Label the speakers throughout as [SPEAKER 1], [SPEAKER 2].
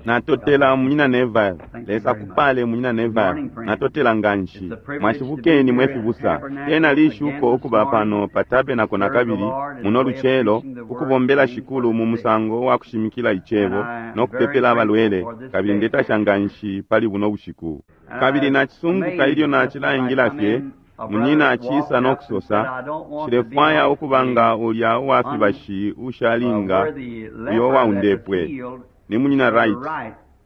[SPEAKER 1] Natotela munyina Neville. Lesa kupale munyina Neville. Natotela nganshi. Mwashibukeni mwe fibusa. Tena lishuko ukuba pano pa tabernacle nakabili muno lucelo ukubombela shikulu mu musango wa kushimikila icebo no kupepela abalwele kabili ndetasha nganshi pali buno bushiku. Kabili nacisunguka ilyo nacilaingila fye munyina acisa no kusosa nshilefwaya ukuba nga ulya uwa fibashi ushalinga uyo waundepwe ni munyina Wright.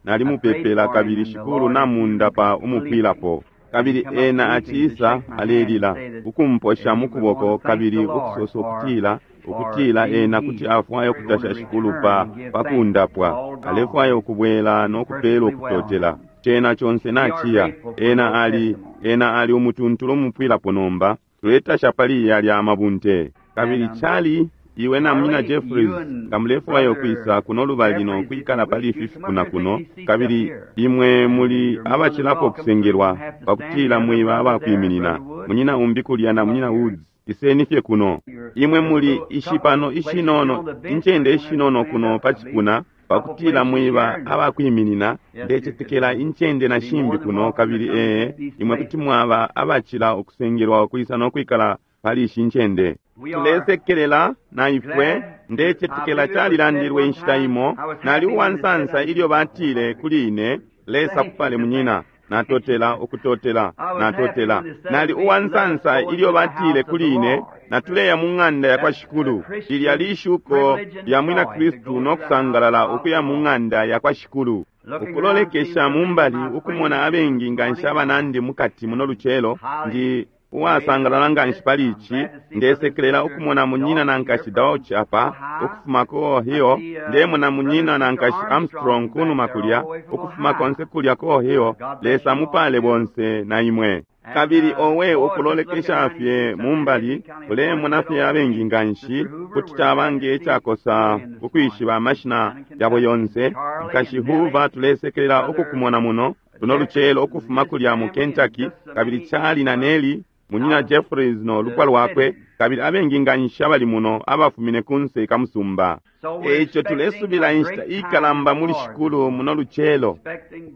[SPEAKER 1] Nalimupepela kabili shikulu namundapa umupwilapo. Kabili ena acisa alelila ukumposha mukuboko kabili ukusosa ukutila ukutila ena kuti afwaya ukutasha shikulu pa pakundapwa alefwaya ukubwela no kupela ukutotela cena conse naciya ena ali ena ali umutuntulu umupwilapo nomba tuletasha pali yalya amabunte kabili Charlie iwe na munyina Jeffries nga mulefwaya ukwisa kuno lubali no kwikala pali ifi fipuna kuno kabili imwe muli abacilapo kusengelwa pakutila mwiba abakwiminina munyina umbi kulya na munyina Woods iseni fye kuno imwe muli ishipano ishinono incende ishinono kuno pa cipuna pakutila mwiba abakwiminina ndecetekela incende na shimbi kuno kabili ee imwe kuti mwaba abacila ukusengelwa ukwisa no kwikala pali ishi ncende tulesekelela na ifwe ndecetekela calilandilwe inshita imo nali uwansansa ilyo batile kuli ine Lesa kupale munyina natotela ukutotela natotela nali uwansansa ilyo batile kuli ine natuleya mu ng'anda ya kwa shikulu lilya lishuko lya mwina kristu no kusangalala ukuya mu ng'anda ya kwa shikulu ukulolekesha mumbali ukumona abengi nganshi abanandi mukati muno lucelo ndi uwasangalala nganshi pali ici ndesekelela ukumona munyina na nkashi Dauch apa ukufuma ku Ohio ndemona munyina na nkashi Armstrong kunuma kulya ukufuma konse kulya ku Ohio Lesa mupale bonse na imwe kabili owe ukulolekesha fye mumbali ulemona fye abengi nganshi kuti caba nge cakosa ukwishiba amashina yabo yonse nkashi Hoover tulesekelela ukukumona muno luno lucelo ukufuma kulya mu Kentucky kabili Charlie na Nellie munyina Jeffries no lupwa lwakwe kabili abengi nganshi abali muno abafumine kunse kamusumba eico tulesubila inshita ikalamba muli shikulu muno lucelo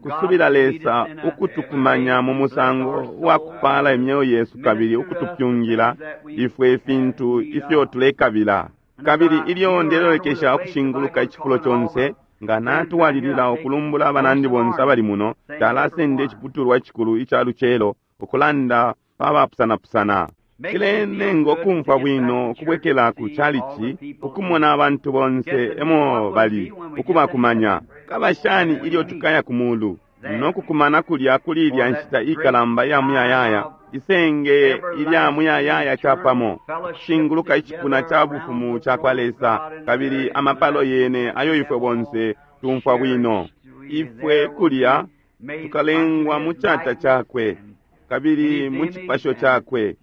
[SPEAKER 1] kusubila Lesa ukutukumanya mu musango wa kupala imyeo yesu kabili ukutupyungila ifwe ifintu ifyo tulekabila kabili ilyo ndelolekesha ukushinguluka icifulo conse nga natwalilila ukulumbula abanandi bonse abali muno talasenda iciputulwa icikulu ica lucelo ukulanda pabapusanapusana cilenenga ukumfwa bwino ukubwekela ku chalichi ukumona abantu bonse emo bali ukubakumanya kaba shani ilyo tukaya ku mulu no kukumana kulya kuli ilya nshita ikalamba ya muyayaya isenge ilya muyayaya capamo kushinguluka icipuna ca bufumu ca kwa Lesa kabili amapalo yene ayo ifwe bonse tumfwa bwino ifwe kulya tukalengwa mu cata cakwe kabili mu cipasho cakwe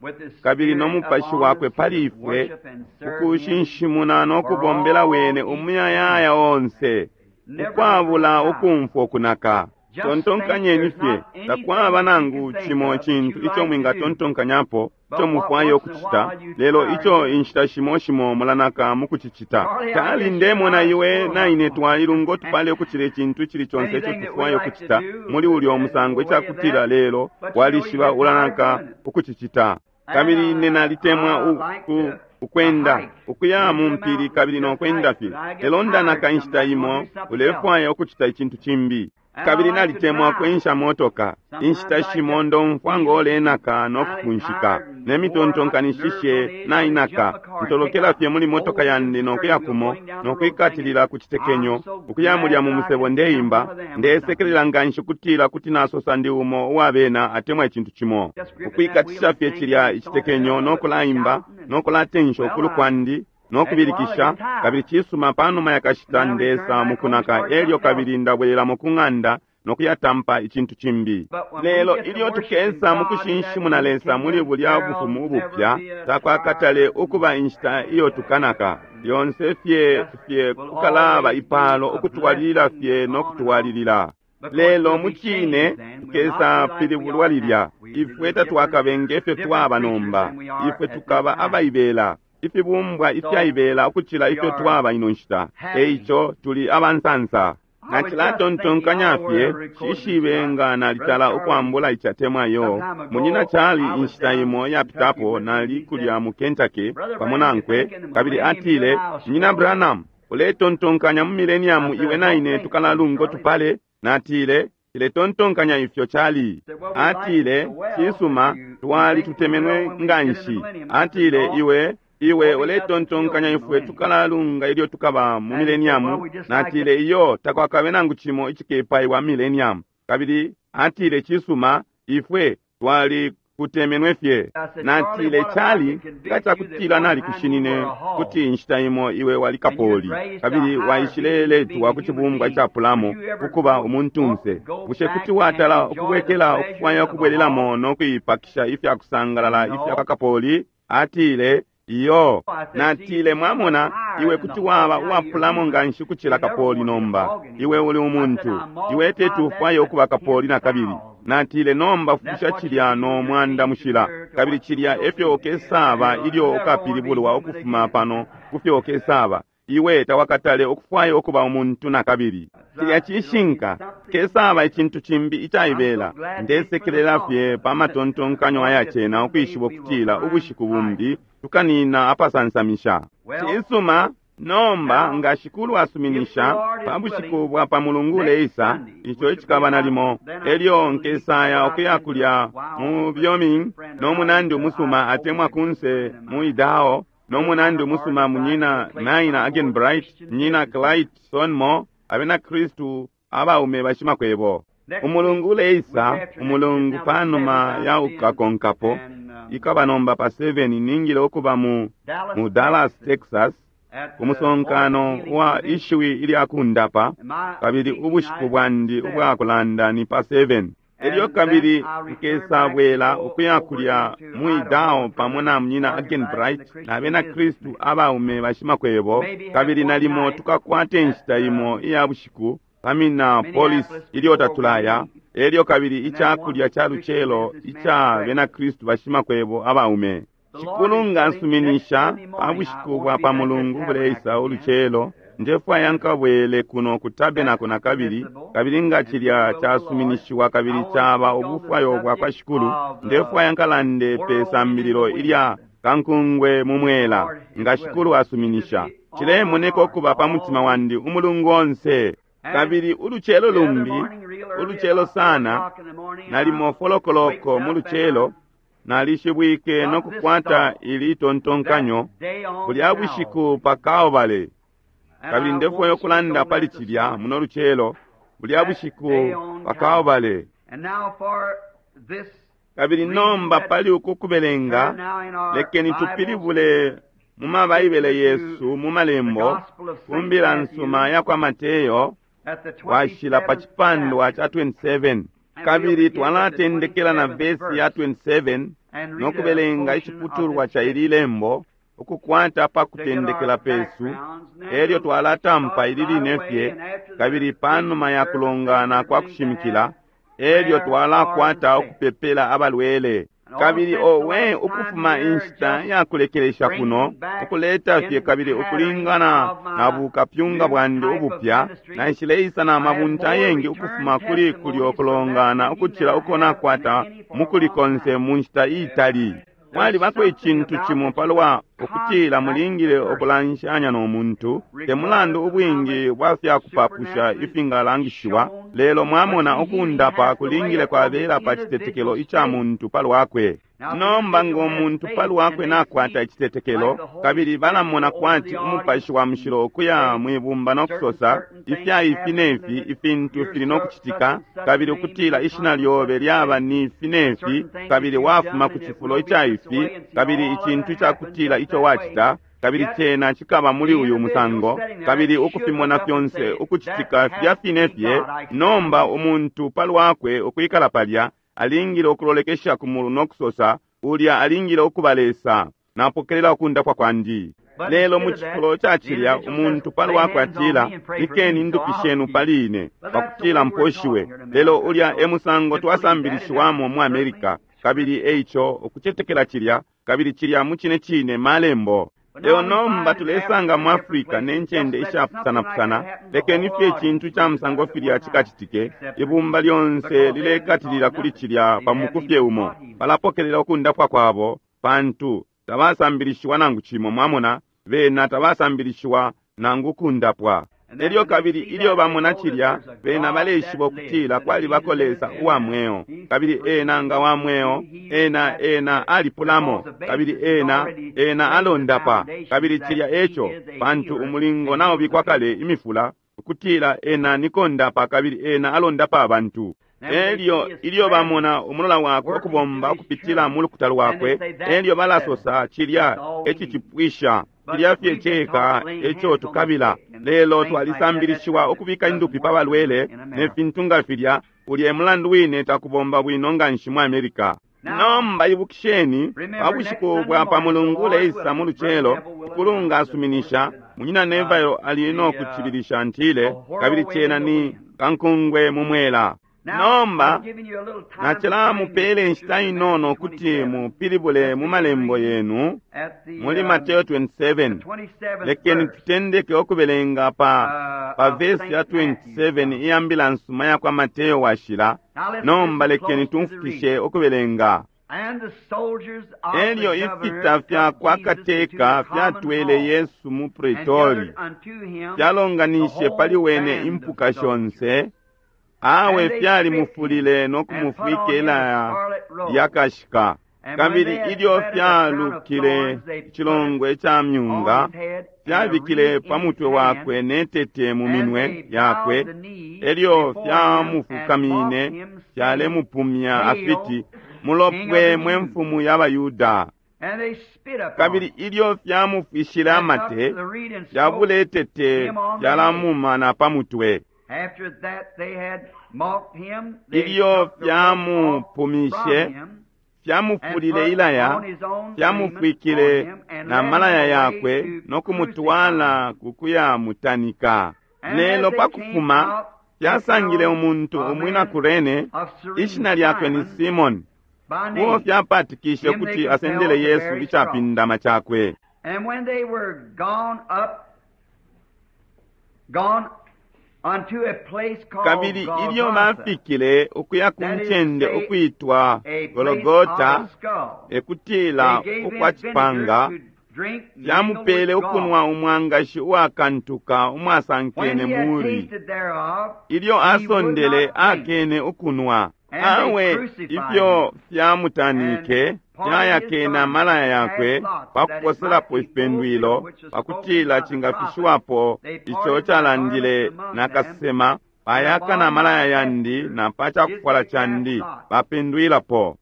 [SPEAKER 1] kabili no mupashi wakwe pali ifwe ukushinshimuna no kubombela wene umuyayaya onse ukwabula ukumfwa ukunaka tontonkanyeni fye takwaba nangu cimo cintu ico mwingatontonkanyapo ico mufwaya ukucita lelo ico inshita shimo shimo mulanaka mukucicita tali ndemona iwe na ine twalilunga tupale ukucila icintu icili conse ico tufwaya ukucita muli ulyo musango icakutila lelo walishiba ulanaka ukucicita kabili ine nalitemwa ukwenda ukuya mu mpili kabili nokwenda fye lelo ndanaka inshita imo ulefwaya ukucita icintu cimbi kabili nalitemwa kwensha motoka inshita shimo ndomfwa ngolenaka no kufunshika ne mitontonkanishishe nainaka ntolokela fye muli motoka yandi nokuya kumo nokwikatilila ku citekenyo ukuya mulya mu musebo ndeimba ndesekelela nganshi kutila kuti nasosa ndi umo uwabena atemwa icintu cimo ukwikatisha fye cilya icitekenyo nokulaimba nokulatensha ukulu kwandi nokubilikisha kabili cisuma panuma yakashita ndesa mukunaka elyo kabili ndabwelelamo ku ng'anda nokuyatampa icintu cimbi lelo ilyo tukesa mukushinshimuna Lesa muli bulya bufumu ubupya takwakatale ukuba inshita iyo tukanaka lyonse fye fye kukalaba ipalo ukutwalilila fye nokutwalilila lelo mucine tukesa pilibulwa lilya ifwe tatwakabe ngefyo twaba nomba ifwe tukaba abaibela ifibumbwa ifyaibela ukucila ifyo twaba ino nshita eico tuli abansansa. Nacilatontonkanya fye, shishibe nga nalitala ukwambula icatemwa yo. Munyina Charlie inshita imo yapitapo nali kulya mu Kentucky pamo nankwe, kabili atile, Munyina Branham, uletontonkanya mu millennium iwe na ine tukalalungo tupale? Natile, Ndetontonkanya ifyo Charlie. Atile, cisuma, twali tutemenwe nganshi. Atile, iwe iwe uletontonkanya ifwe tukalalunga ilyo tukaba mu millennium? Natile, iyo, takwakabe nangu cimo icikepaiwa millennium. Kabili atile, cisuma, ifwe twali kutemenwe fye. Natile, Charlie, nga cakutila nalikushinine kuti inshita imo iwe wali kapoli, kabili waishileletwa ku cibumbwa icapulamo ukuba umuntunse, bushe kuti watala ukubwekela ukufwaya ukubwelelamo no kuipakisha ifya kusangalala ifya kwa kapoli? Atile, iyo. Natile, mwamona, iwe kuti waba uwapulamo nganshi ukucila kapoli nomba. Iwe uli umuntu. Iwe teti ufwaye ukuba kapoli nakabili. Natile, nomba fusha cilya no mwanda mushila, kabili cilya efyo ukesaba ilyo ukapilibulwa ukufuma pano kufyo ukesaba. Iwe tawakatale ukufwaya ukuba umuntu nakabili. Cilya cishinka, kesaba icintu cimbi icaibela. Ndesekelela fye pa matontonkanyo ayacena ukwishiba ukutila ubushiku bumbi tukanina apasansamisha. Cisuma, nomba nga Shikulu asuminisha, pa bushiku bwa pa mulungu uleisa, ico icikaba nalimo, elyo nkesaya ukuya kulya mu Wyoming no munandi umusuma atemwa kunse mu Idaho no munandi umusuma munyina Naina Agenbright, munyina Clyde Sonmo, abena Kristu abaume bashimakwebo. Umulungu uleisa, umulungu panuma ya ukakonkapo, ikaba nomba pa 7 ningile ukuba mu Dallas, Texas, umusonkano wa ishiwi ilya kundapa, kabili ubushiku bwandi ubwa kulanda ni pa 7. Elyo kabili nkesabwela ukuya kulya mu Idaho pamo na munyina Agenbright na bena Kristu abaume bashimakwebo, kabili nalimo tukakwate inshita imo iya bushiku pa Minneapolis ilyo tatulaya, elyo kabili icakulya ca lucelo ica bena Kristu bashimakwebo abaume. Shikulu nga asuminisha, pa bushiku bwa pa mulungu buleisa ulucelo, ndefwaya nkabwele kuno ku tabernacle nakabili, kabili nga cilya casuminishiwa kabili caba ubufwayo bwa kwa Shikulu, ndefwaya nkalande pe sambililo ilya kankungwe mu mwela, nga Shikulu asuminisha. Cilemoneka ukuba pa mutima wandi umulungu onse. Kabili ulucelo lumbi, ulucelo sana, nalimo folokoloko mu lucelo, nalishibwike no kukwata ili tontonkanyo bulya bushiku pa Kalvale. Kabili ndefwaya ukulanda pali cilya muno lucelo, bulya bushiku pa Kalvale. Kabili nomba pali uku kubelenga, lekeni tupilibule mu mabaibele yesu mu malembo ku mbila nsuma ya kwa Mateyo washila pa cipandwa ca 27. Kabili twalatendekela na vesi ya 27 no kubelenga iciputulwa ca ili lembo ukukwata pa kutendekela pesu, elyo twalatampa ili line fye, kabili panuma ya kulongana kwa kushimikila, elyo twalakwata ukupepela abalwele. Kabili owe ukufuma inshita ya kulekelesha kuno, ukuleta fye kabili ukulingana na bukapyunga bwandi ubupya, naishileisa na mabunta ayengi ukufuma kuli kulyo kulongana ukucila uko nakwata mukuli konse mu nshita iitali. Mwalibako icintu cimo palwa ukutila mulingile ukulanshanya no muntu, te mulandu ubwingi bwa fyakupapusha ifingalangishiwa, lelo mwamona ukundapa kulingile kwabela pa citetekelo ica muntu palwakwe. Nomba ngo muntu palwakwe nakwata icitetekelo, kabili balamona kwati umupashi wa mushilo ukuya mwibumba no kusosa ifya ifi nefi ifintu fili no kucitika, kabili ukutila ishina lyobe lyaba ni ifi nefi, kabili wafuma ku cifulo ica ifi, kabili icintu icakutila ico wacita, kabili cena cikaba muli uyu musango, kabili ukufimona fyonse ukucitika filya fine fye. Nomba umuntu palwakwe ukwikala palya alingile ukulolekesha ku mulu no kusosa, ulya alingile ukuba Lesa, napokelela ukundapwa kwandi. Lelo mu cifulo ca cilya umuntu palwakwe atila, ikeni indupi shenu pali ine pakutila mposhiwe. Lelo ulya e musango twasambilishiwamo mu America, kabili eico ukucetekela cilya, kabili cilya mu cine cine malembo. Lelo nomba tulesanga mu Africa ne ncende ishapusanapusana, lekeni fye icintu ca musango filya cikacitike, ibumba lyonse lilekatilila kuli cilya pa muku fye umo. Balapokelela ukundapwa kwabo, pantu tabasambilishiwa nangu cimo, mwamona, bena tabasambilishiwa nangu kundapwa. Elyo kabili ilyo bamona cilya, bena baleishiba ukutila kwalibako Lesa uwa mweo, kabili ena nga wa mweo, ena ena alipulamo, kabili ena ena alondapa, kabili cilya eco, pantu umulingo naubikwa kale imifula ukutila ena nikondapa kabili ena alondapa abantu. Elyo ilyo bamona umulola wakwe ukubomba ukupitila mu lukuta lwakwe, elyo balasosa cilya ecicipwisha. Cilya fye ceka eco tukabila. Lelo twalisambilishiwa ukubika indupi pa balwele ne fintu nga filya. Ulya e mulandu wine takubomba bwino nganshi mu America. Nomba ibukisheni, pa bushiku bwa pa Mulungu uleisa mu lucelo, Shikulu nga asuminisha, Munyina Neville ali no kucibilisha ntile, kabili cena ni kankungwe mu mwela. Nomba nacilamupele inshita inono kuti mupilibule mu malembo yenu muli Mateo 27. Lekeni tutendeke ukubelenga pa pa vesi ya 27 iya mbila nsuma ya kwa Mateo washila. Nomba lekeni tumfukishe ukubelenga. Elyo ifita fya kwa kateka fyatwele Yesu mu Pretori, fyalonganishe pali wene impuka shonse. Awe fyalimufulile no kumufwika ilaya lyakashika. Kabili ilyo fyalukile icilongwe ca myunga, fyabikile pa mutwe wakwe ne tete mu minwe yakwe. Elyo fyamufukamine, fyalemupumya afiti, Mulopwe mwe mfumu ya Bayuda. Kabili ilyo fyamufwishile amate, fyabule tete fyalamuma na pa mutwe. Ilyo fyamupumishe, fyamufulile ilaya, fyamufwikile na malaya yakwe no kumutwala ku kuyamutanika. Lelo pa kufuma, fyasangile umuntu umwina Kurene, ishina lyakwe ni Simoni, uo fyapatikishe ukuti asendele Yesu icapindama cakwe. Kabili ilyo bafikile ukuya ku ncende ukwitwa Gologota, ekutila ukwa cipanga, fyamupele ukunwa umwangashi uwakantuka umwasankene muri. Ilyo asondele akene ukunwa. Awe ifyo fyamutanike fyayakene amalaya yakwe pa kuposelapo ifipendwilo, pakutila cingafishiwapo ico calandile na kasesema, bayakana amalaya yandi na pa cakufwala candi bapendwilapo.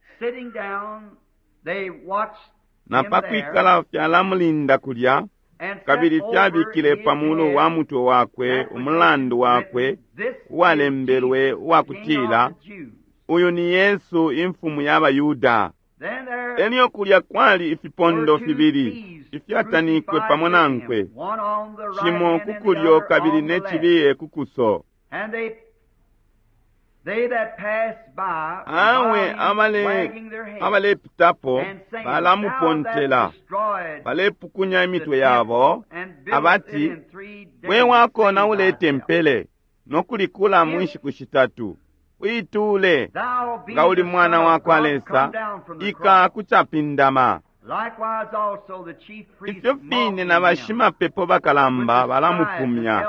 [SPEAKER 1] Na pakwikala fyalamulinda kulya, kabili fyabikile pa mulu wa mutwe wakwe umulandu wakwe uwalembelwe uwakutila, Uyu ni Yesu imfumu ya Bayuda. Elyo kulya kwali ifipondo fibili ifyatanikwe pamo nankwe, cimo ku kulyo kabili ne cibiye ku kuso. Awe abalepitapo balamupontela, balepukunya imitwe yabo abati, We wakonaule tempele no kulikula mu nshiku shitatu, uitule nga uli mwana wa kwa Lesa, ika kucapindama. Ifyo fine na bashimapepo bakalamba balamupumya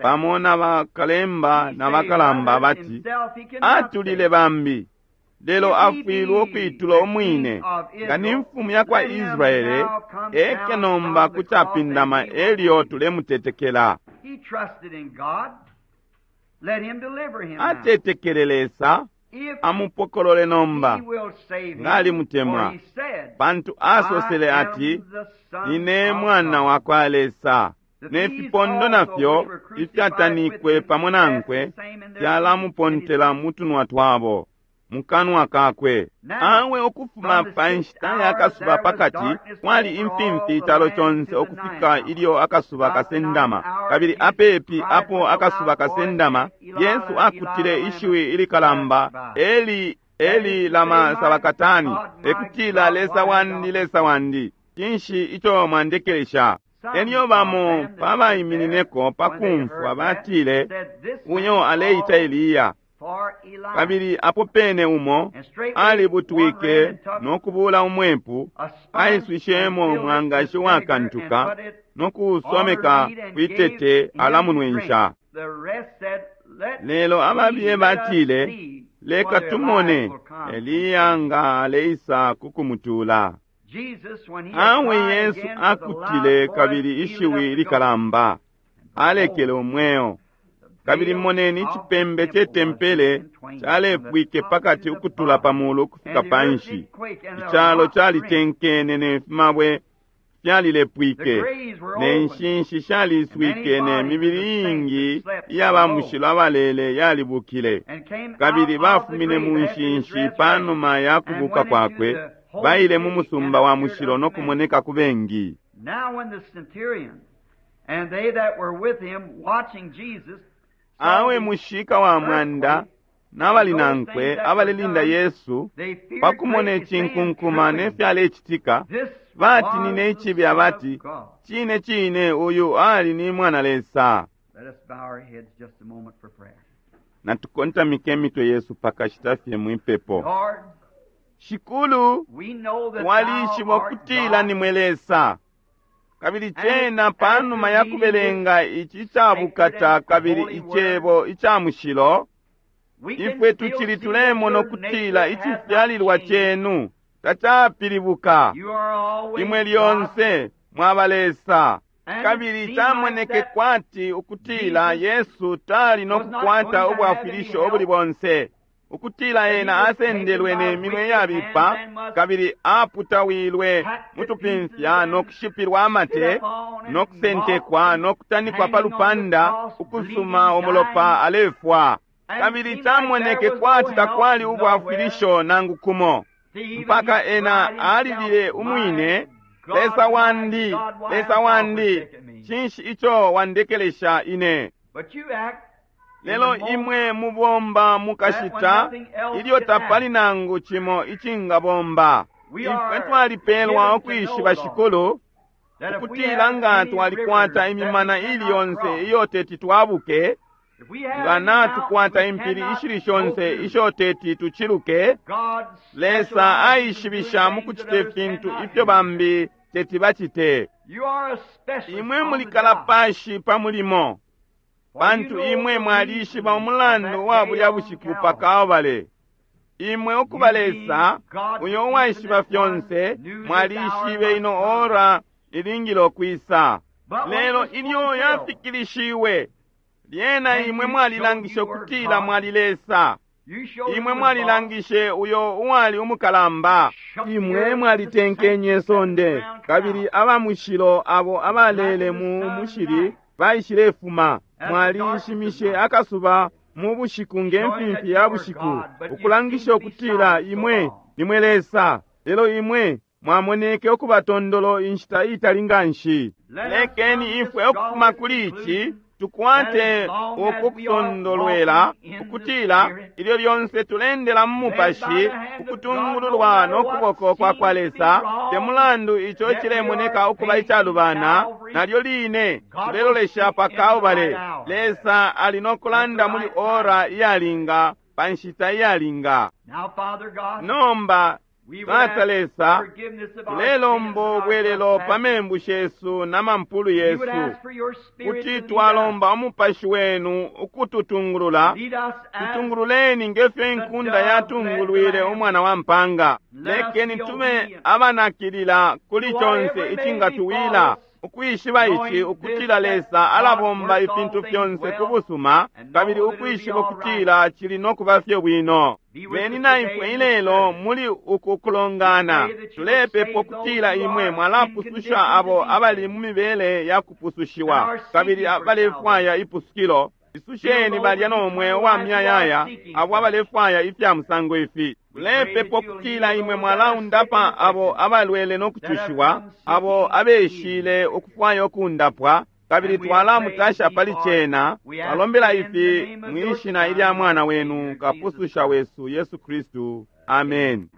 [SPEAKER 1] pamo na bakalemba na bakalamba abati, atulile bambi, lelo afwilwe ukuitula umwine. Nga ni mfumu ya kwa Israele, eke nomba kucapindama, elyo tulemutetekela. Atetekele Lesa, amupokolole nomba, nga alimutemwa, pantu asosele ati, Nine mwana wa kwa Lesa. Ne fipondo nafyo ifyatanikwe pamo nankwe fyalamupontela mu tunwa twabo, mukanwa kakwe. Awe ukufuma pa nshita ya kasuba pakati kwali imfimfi icalo conse ukufika ilyo akasuba kasendama. Kabili apepi apo akasuba kasendama, Yesu akutile ishiwi ilikalamba, Eli, Eli lama sabakatani, ekutila Lesa wandi, Lesa wandi, Cinshi ico mwandekelesha? Elyo bamo pabaiminineko pakumfwa batile, uyo aleita Eliya. Kabili apo pene umo alibutwike no kubula umwepu, aiswishemo umwangashi wakantuka no kuusomeka kwitete alamunwensha. Lelo ababiye batile, leka tumone Eliya nga aleisa kukumutula. Awe Yesu akutile kabili ishiwi likalamba, alekele umweo. Kabili moneni icipembe ce tempele calepwike pakati ukutula pamulu ukufika panshi. Icalo calitenkene ne fimabwe fyalilepwike, ne nshinshi shaliswike, ne mibili iingi iya bamushilo abalele yalibukile. Kabili bafumine mu nshinshi panuma ya kubuka kwakwe, baile mu musumba wa mushilo no kumoneka ku bengi. Awe mushika wa mwanda n'abali nankwe abalelinda Yesu pakumona icinkunkuma ne fyalecitika, batinine icibi abati, cine cine uyu ali ni mwana Lesa. Natukontamike imitwe yesu pakashita fye mwipepo. Shikulu, twalishiba ukutila nimwe Lesa. Kabili cena panuma ya kubelenga ici icabukata kabili icebo ica mushilo, ifwe tucili tulemona ukutila icifyalilwa cenu tacapilibuka. Imwe lyonse mwaba Lesa. Kabili camoneke kwati ukutila Yesu tali no kukwata ubwafwilisho ubuli bonse, ukutila ena asendelwe ne minwe yabipa kabili aputawilwe mutupimfya no kushipilwa amate no kusentekwa no kutanikwa pa lupanda ukusuma umulopa alefwa. Kabili camoneke kwati takwali ubwafwilisho nangu kumo, mpaka ena alilile umwine, Lesa wandi, Lesa wandi, cinshi ico wandekelesha ine? Lelo imwe mubomba mukashita ilyo tapali nangu cimo icingabomba. Ifwe twalipelwa ukwishiba Shikulu, ukutila nga twalikwata imimana ili yonse iyo teti twabuke, nga natukwata impili ishili shonse isho teti tuciluke, Lesa aishibisha mukucite fintu ifyo bambi teti bacite. Imwe muli kalapashi pa mulimo, pantu imwe mwalishiba umulandu wa bulya bushiku pa Kalbale. Imwe ukuba Lesa, uyo uwaishiba fyonse, mwalishibe ino ora ilingile ukwisa. Lelo ilyo yafikilishiwe, lyena imwe mwalilangishe ukutila mwali Lesa. Imwe mwalilangishe uyo uwali umukalamba. Imwe mwalitenkenye sonde, kabili abamushilo abo abalele mu mushili baishilefuma. Mwalishimishe akasuba mu bushiku nge mfimfi ya bushiku, ukulangisha ukutila imwe nimwe Lesa. Lelo imwe mwamoneke ukuba tondolo inshita itali nganshi. Lekeni ifwe ukufuma kuli ici tukwate uku kusondolwela ukutila ilyo lyonse tulendela mu mupashi ukutungululwa no kuboko kwa kwa Lesa, te mulandu ico cilemoneka ukuba icalubana, nalyo line tulelolesha pa Kalbale. Lesa ali no kulanda muli ora iyalinga pa nshita iyalinga. Nomba Tata Lesa, tulelomba ubwelelo pa membu shesu na mampulu yesu, kuti twalomba umupashi wenu ukututungulula. Tutungululeni ngefyo inkunda yatungulwile umwana wa mpanga. Lekeni tube abanakilila kuli conse icingatuwila, ukwishiba ici ukutila Lesa alabomba ifintu fyonse ku busuma, kabili ukwishiba ukutila cili no kuba fye bwino. Beni na ifwe ilelo muli uku kulongana. Tulepepa ukutila imwe mwalapususha abo abali mu mibele ya kupusushiwa kabili abalefwaya ipusukilo. Isusheni balya no mweo wa myayaya abo abalefwaya ifya musango ifi. Tulepepa ukutila imwe mwalaundapa abo abalwele no kucushiwa, abo abeshile ukufwaya ukundapwa, kabili twalamutasha pali cena. Twalombela ifi mwishina ilya mwana wenu kapususha wesu Yesu Kristu. Amen.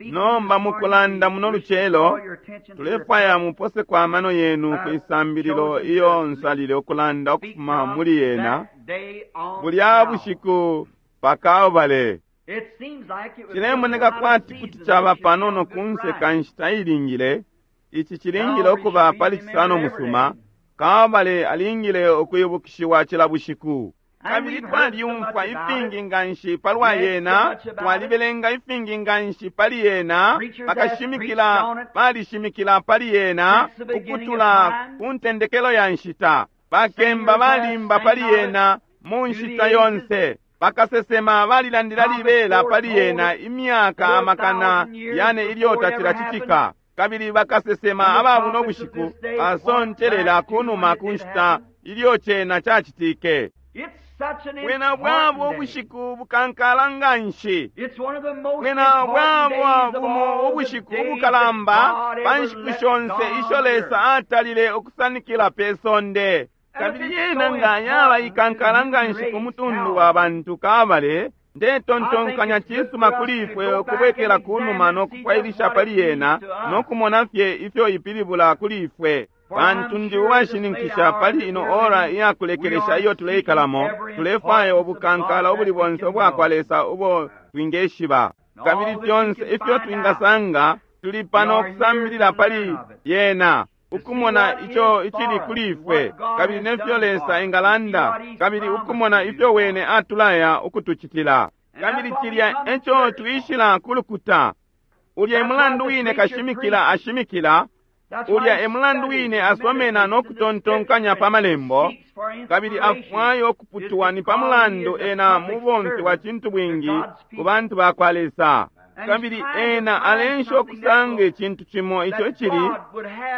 [SPEAKER 1] Nomba mukulanda muno lucelo, tulefwaya muposeko amano yenu kwisambililo iyo nsalile ukulanda ukufuma muli yena bulya bushiku pa Kalbale. Cilemoneka kwati kuti caba panono kunse ka nshita ilingile. Ici cilingile ukuba pali Cisano musuma. Kalbale alingile ukwibukishiwa cila bushiku. Kabili twalyumfwa ifingi nganshi palwa yena, twalibelenga ifingi nganshi pali yena, bakashimikila balishimikila pali yena ukutula ku ntendekelo ya nshita, bakemba balimba pali yena mu nshita yonse, bakasesema balilandila libela pali yena imyaka amakana yane ilyo tacilacitika. Kabili bakasesema aba buno bushiku basontelela kunuma ku nshita ilyo cena cacitike. Bwena bwabo ubushiku bukankala nganshi. Bwena bwabo bumo ubushiku ubukalamba pa nshiku shonse isho Lesa atalile ukusanikila pe sonde. Kabili yena nga yaba ikankala nganshi ku mutundu wa bantu Kalbale, ndetontonkanya cisuma kuli ifwe ukubwekela kunuma no kufwailisha pali yena no kumona fye ifyo ipilibula kuli ifwe. Pantu ndi uwashininkisha pali ino ora iyakulekelesha iyo tuleikalamo, tulefwaya ubukankala ubuli bonse ubwakwa Lesa ubo twingeshiba. Kabili fyonse ifyo twingasanga, tuli pano kusambilila pali yena, ukumona ico icili kuli ifwe, kabili nefyo Lesa engalanda, kabili ukumona ifyo wene atulaya ukutucitila. Kabili cilya eco twishila kulukuta. Ulya emulandu wine kashimikila ashimikila, ulya emulandu wine asomena no kutontonkanya pa malembo, kabili afwayo ukuputwa ni pa mulandu ena mubomfi wa cintu bwingi ku bantu ba kwa Lesa. Kabili ena alensha ukusanga icintu cimo ico icili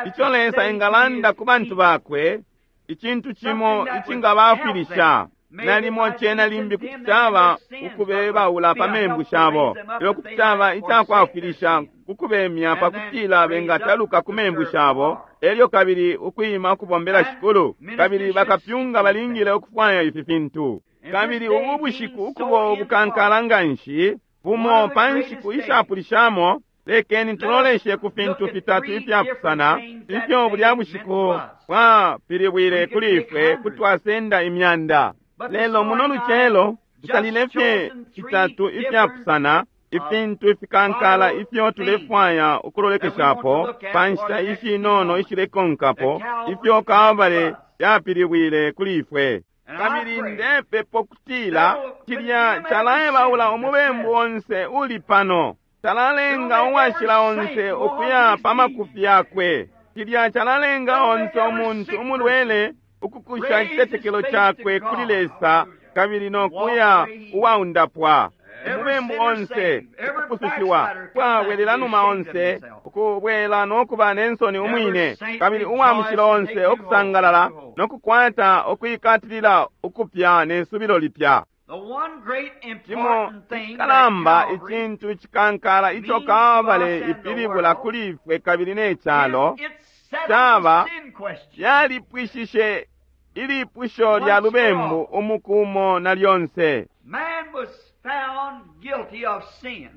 [SPEAKER 1] ico Lesa engalanda ku bantu bakwe, icintu cimo icingabafwilisha. Nalimo cena limbi kuti caba ukubebaula pa membu shabo, lelo kuti caba icakwafwilisha kukubemya pakutila bengataluka ku membu shabo, elyo kabili ukwima ukubombela Shikulu. Kabili bakapyunga balingile ukufwaya ifi fintu. Kabili ubu bushiku ukubo ubukankala nganshi, bumo pa nshiku ishapulishamo, lekeni tuloleshe ku fintu fitatu ifyapusana ifyo bulya bushiku bwapilibwile kuli ifwe, kuti twasenda imyanda. Lelo muno lucelo tusalile fye fitatu ifyapusana, ifintu ifikankala ifyo tulefwaya ukulolekeshapo pa nshita ishinono ishilekonkapo, ifyo Kalbale yapilibwile kuli ifwe. Kabili ndepepo kutila cilya calaebaula umubembu onse uli pano, calalenga uwashila onse ukuya pa makufi yakwe, cilya calalenga onse umuntu umulwele ukukusha icitetekelo cakwe kuli Lesa kabili no kuya uwaundapwa. Umubembu onse ukupusushiwa, kwabwelela numa onse ukubwela no kuba nensoni umwine, kabili uwa mushilo onse ukusangalala no kukwata ukwikatilila ukupya ne subilo lipya. Cimo icikalamba icintu icikankala ico Kalbale ipilibula kuli ifwe kabili ne calo caba yalipwishishe ilipusho lya lubembu umuku umo na lyonse.
[SPEAKER 2] Man was found guilty of sin.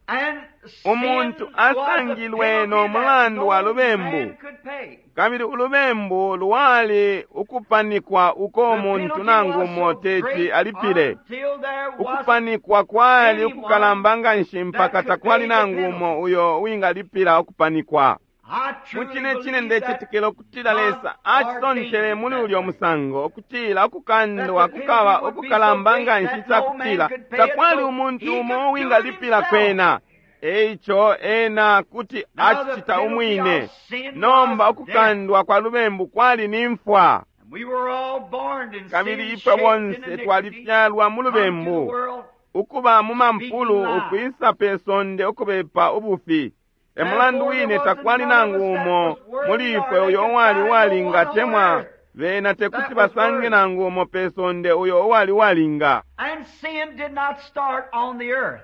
[SPEAKER 2] And
[SPEAKER 1] Umuntu
[SPEAKER 2] sin was the
[SPEAKER 1] asangilwe no
[SPEAKER 2] penalty that
[SPEAKER 1] mulandu wa
[SPEAKER 2] no
[SPEAKER 1] lubembu.
[SPEAKER 2] man could pay.
[SPEAKER 1] Kabili ulubembu lwali ukupanikwa uko
[SPEAKER 2] The
[SPEAKER 1] umuntu
[SPEAKER 2] penalty
[SPEAKER 1] nangu
[SPEAKER 2] was
[SPEAKER 1] umo
[SPEAKER 2] so
[SPEAKER 1] teti
[SPEAKER 2] great
[SPEAKER 1] alipile.
[SPEAKER 2] until there wasn't
[SPEAKER 1] Ukupanikwa kwali
[SPEAKER 2] anyone
[SPEAKER 1] ukukalamba nganshi mpaka
[SPEAKER 2] that could
[SPEAKER 1] takwali
[SPEAKER 2] pay the
[SPEAKER 1] nangu
[SPEAKER 2] penalty.
[SPEAKER 1] umo uyo uwingalipila ukupanikwa.
[SPEAKER 2] I
[SPEAKER 1] Mu
[SPEAKER 2] truly
[SPEAKER 1] cine cine
[SPEAKER 2] believe that
[SPEAKER 1] ndecetekela ukutila
[SPEAKER 2] God
[SPEAKER 1] Lesa acisontele
[SPEAKER 2] ordained
[SPEAKER 1] muli
[SPEAKER 2] that
[SPEAKER 1] ulyo
[SPEAKER 2] way.
[SPEAKER 1] musango, ukutila ukukandwa
[SPEAKER 2] That the
[SPEAKER 1] kukaba
[SPEAKER 2] penalty would be so
[SPEAKER 1] ukukalamba
[SPEAKER 2] great
[SPEAKER 1] nganshi
[SPEAKER 2] that no man
[SPEAKER 1] icakutila
[SPEAKER 2] could pay it,
[SPEAKER 1] takwali
[SPEAKER 2] so
[SPEAKER 1] umuntu
[SPEAKER 2] he
[SPEAKER 1] umo
[SPEAKER 2] could do it
[SPEAKER 1] uwingalipila
[SPEAKER 2] himself.
[SPEAKER 1] kwena. Eico ena kuti
[SPEAKER 2] Now the
[SPEAKER 1] acicita
[SPEAKER 2] penalty
[SPEAKER 1] umwine.
[SPEAKER 2] of sin
[SPEAKER 1] Nomba
[SPEAKER 2] was death.
[SPEAKER 1] ukukandwa kwa lubembu kwali ni mfwa.
[SPEAKER 2] And we were all born in
[SPEAKER 1] Kabili
[SPEAKER 2] sin,
[SPEAKER 1] ifwe
[SPEAKER 2] shaped in
[SPEAKER 1] bonse
[SPEAKER 2] iniquity,
[SPEAKER 1] twalifyalwa mu
[SPEAKER 2] come to the
[SPEAKER 1] lubembu,
[SPEAKER 2] world
[SPEAKER 1] ukuba mu mampulu,
[SPEAKER 2] speaking lies.
[SPEAKER 1] ukwisa pe sonde ukubepa ubufi. Emulandu
[SPEAKER 2] Therefore, there
[SPEAKER 1] wine
[SPEAKER 2] wasn't
[SPEAKER 1] takwali
[SPEAKER 2] none of
[SPEAKER 1] nangu
[SPEAKER 2] us that
[SPEAKER 1] umo
[SPEAKER 2] was worthy
[SPEAKER 1] muli
[SPEAKER 2] or
[SPEAKER 1] ifwe
[SPEAKER 2] they
[SPEAKER 1] uyo
[SPEAKER 2] could
[SPEAKER 1] uwali
[SPEAKER 2] find no
[SPEAKER 1] uwalinga
[SPEAKER 2] one on
[SPEAKER 1] temwa
[SPEAKER 2] earth
[SPEAKER 1] bena tekuti
[SPEAKER 2] that was
[SPEAKER 1] basange
[SPEAKER 2] worthy.
[SPEAKER 1] nangu umo pe sonde uyo uwali uwalinga.
[SPEAKER 2] And sin did not start on the earth.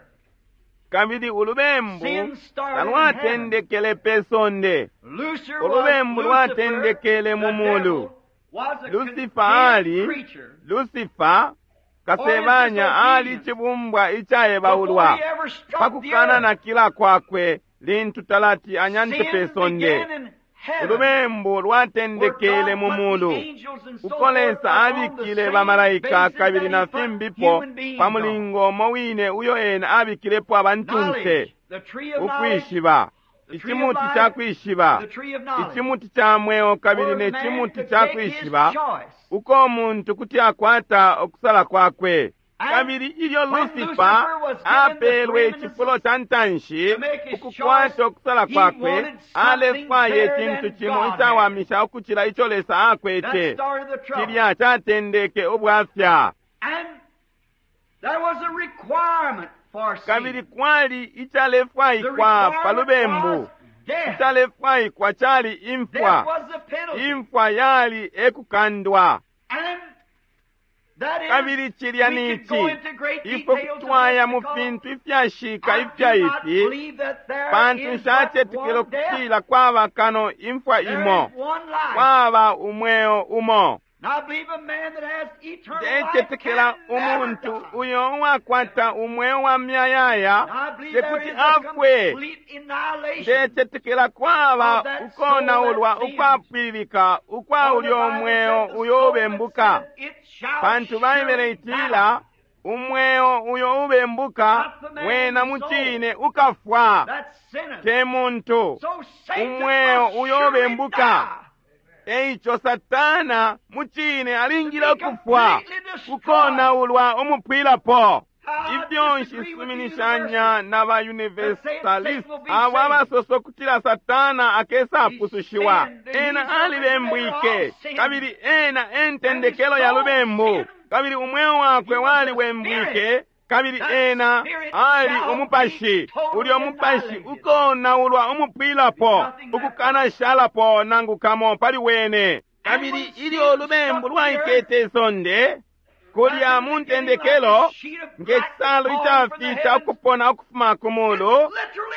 [SPEAKER 1] Kabili ulubembu
[SPEAKER 2] Sin started in heaven.
[SPEAKER 1] talwatendekele pe sonde.
[SPEAKER 2] Lucifer was
[SPEAKER 1] Ulubembu
[SPEAKER 2] Lucifer,
[SPEAKER 1] lwatendekele
[SPEAKER 2] the
[SPEAKER 1] mu mulu.
[SPEAKER 2] devil, was a
[SPEAKER 1] Lucifer
[SPEAKER 2] condemned
[SPEAKER 1] ali
[SPEAKER 2] creature.
[SPEAKER 1] Lucifer, Kasebanya ali cibumbwa icaebaulwa pa kukananakila kwakwe lintu talati anyante pe sonde. Ulubembu lwatendekele mu mulu, uko Lesa abikile bamalaika kabili na fimbipo pa mulingo umo wine uyo ena abikilepo abantunse. Ukwishiba icimuti ca kwishiba, icimuti ca mweo kabili ne cimuti ca kwishiba, uko umuntu kuti akwata ukusala kwakwe. Kabili ilyo Lucifer apelwe icifulo ca ntanshi ukukwata ukusala kwakwe, alefwaya icintu cimo icawamisha ukucila ico Lesa akwete. Cilya catendeke ubwafya. Kabili kwali icalefwaikwa pa lubembu. Icalefwaikwa cali imfwa. Imfwa yali ekukandwa. Kabili cilya ni ici, ifwe kutwaya mu fintu ifyashika ifya ifi, pantu nshacetekela ukutila kwaba kano imfwa imo, kwaba umweo umo. Ndecetekela umuntu uyo uwakwata umweo wa myayaya tekuti afwe. Ndecetekela kwaba ukonaulwa ukwapwililika ukwa ulyo mweo uyo ubembuka, pantu Baibele itila umweo uyo ubembuka wena mucine ukafwa, te muntu. Umweo uyo ubembuka. Eico Satana mucine alingile ukufwa, ukonaulwa umupwilapo. Ifyo nshisuminishanya na ba Universalist abo abasosa ukutila Satana akesapusushiwa. Ena alibembwike, kabili ena entendekelo ya lubembu, kabili umweo wakwe waliwembwike, kabili ena ali umupashi. Ulyo mupashi ukonaulwa umupwilapo, ukukanashalapo nangu kamo pali wene. Kabili ilyo ulubembu lwaikete isonde kulya mu ntendekelo, nge cisalu icafita ukupona ukufuma ku mulu,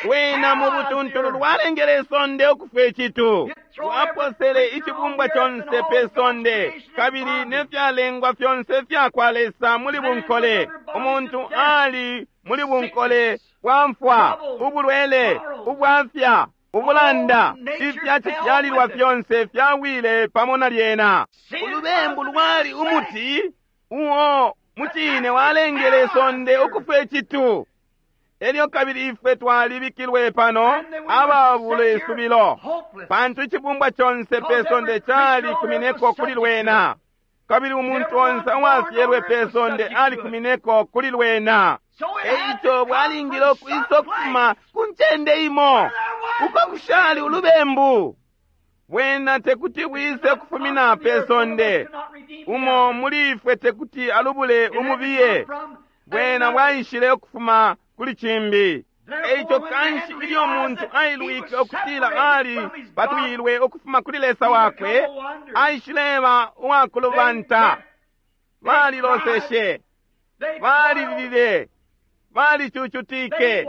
[SPEAKER 1] wena mu butuntulu lwalengele isonde ukufwa icitu. Lwaposele icibumbwa conse pe sonde, kabili ne fyalengwa fyonse fyakwa Lesa muli bunkole. Umuntu ali muli bunkole bwa mfwa, ubulwele, ubwafya, ubulanda, ifya cifyalilwa fyonse fyawile pamo na lyena. Ulubembu lwali umuti uo mucine walengele isonde ukufwa icitu. Elyo kabili ifwe twalibikilwe pano ababula isubilo, pantu icibumbwa conse pe sonde calikumineko kuli lwena, kabili umuntu onse uwafyelwe pe sonde alikumineko kuli lwena. Eico bwalingile ukwisa ukufuma ku ncende imo uko kushali ulubembu. Bwena tekuti bwise ukufumina pe sonde, umo muli ifwe tekuti alubule umubiye. Bwena bwaishile ukufuma kuli cimbi. Eico kanshi ilyo muntu ailwike ukutila ali patwilwe ukufuma kuli Lesa wakwe, aishileba uwakulubanta. Baliloseshe, balilile, balicucutike,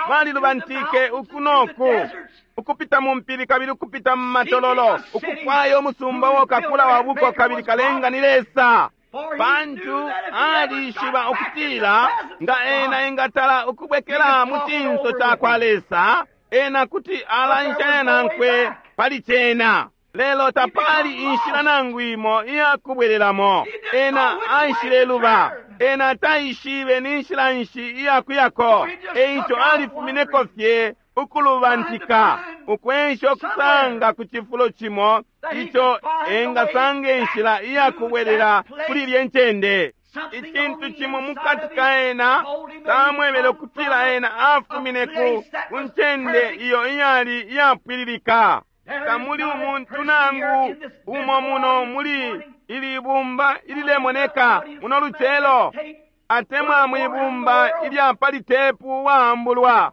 [SPEAKER 1] balilubantike uku noku, ukupita mu mpili kabili ukupita mu matololo, ukufwaya umusumba wokakula wa buko kabili kalenga ni Lesa. Pantu alishiba ukutila nga ena engatala ukubwekela mu cinso cakwa Lesa, ena kuti alanshanya nankwe pali cena. Lelo tapali inshila nangu imo iyakubwelelamo. Ena aishileluba, ena taishibe ni nshila nshi iyakuyako. Eico alifumineko fye ukulubantika, ukwensha ukusanga ku cifulo cimo ico engasanga inshila iyakubwelela kuli ilye ncende. Icintu cimo mukati ka ena tamwebele ukutila ena afumine ku ncende iyo iyali iyapwililika. Tamuli umuntu nangu umo muno muli ili bumba ililemoneka muno lucelo, atemwa mwibumba ilya pali tepu waambulwa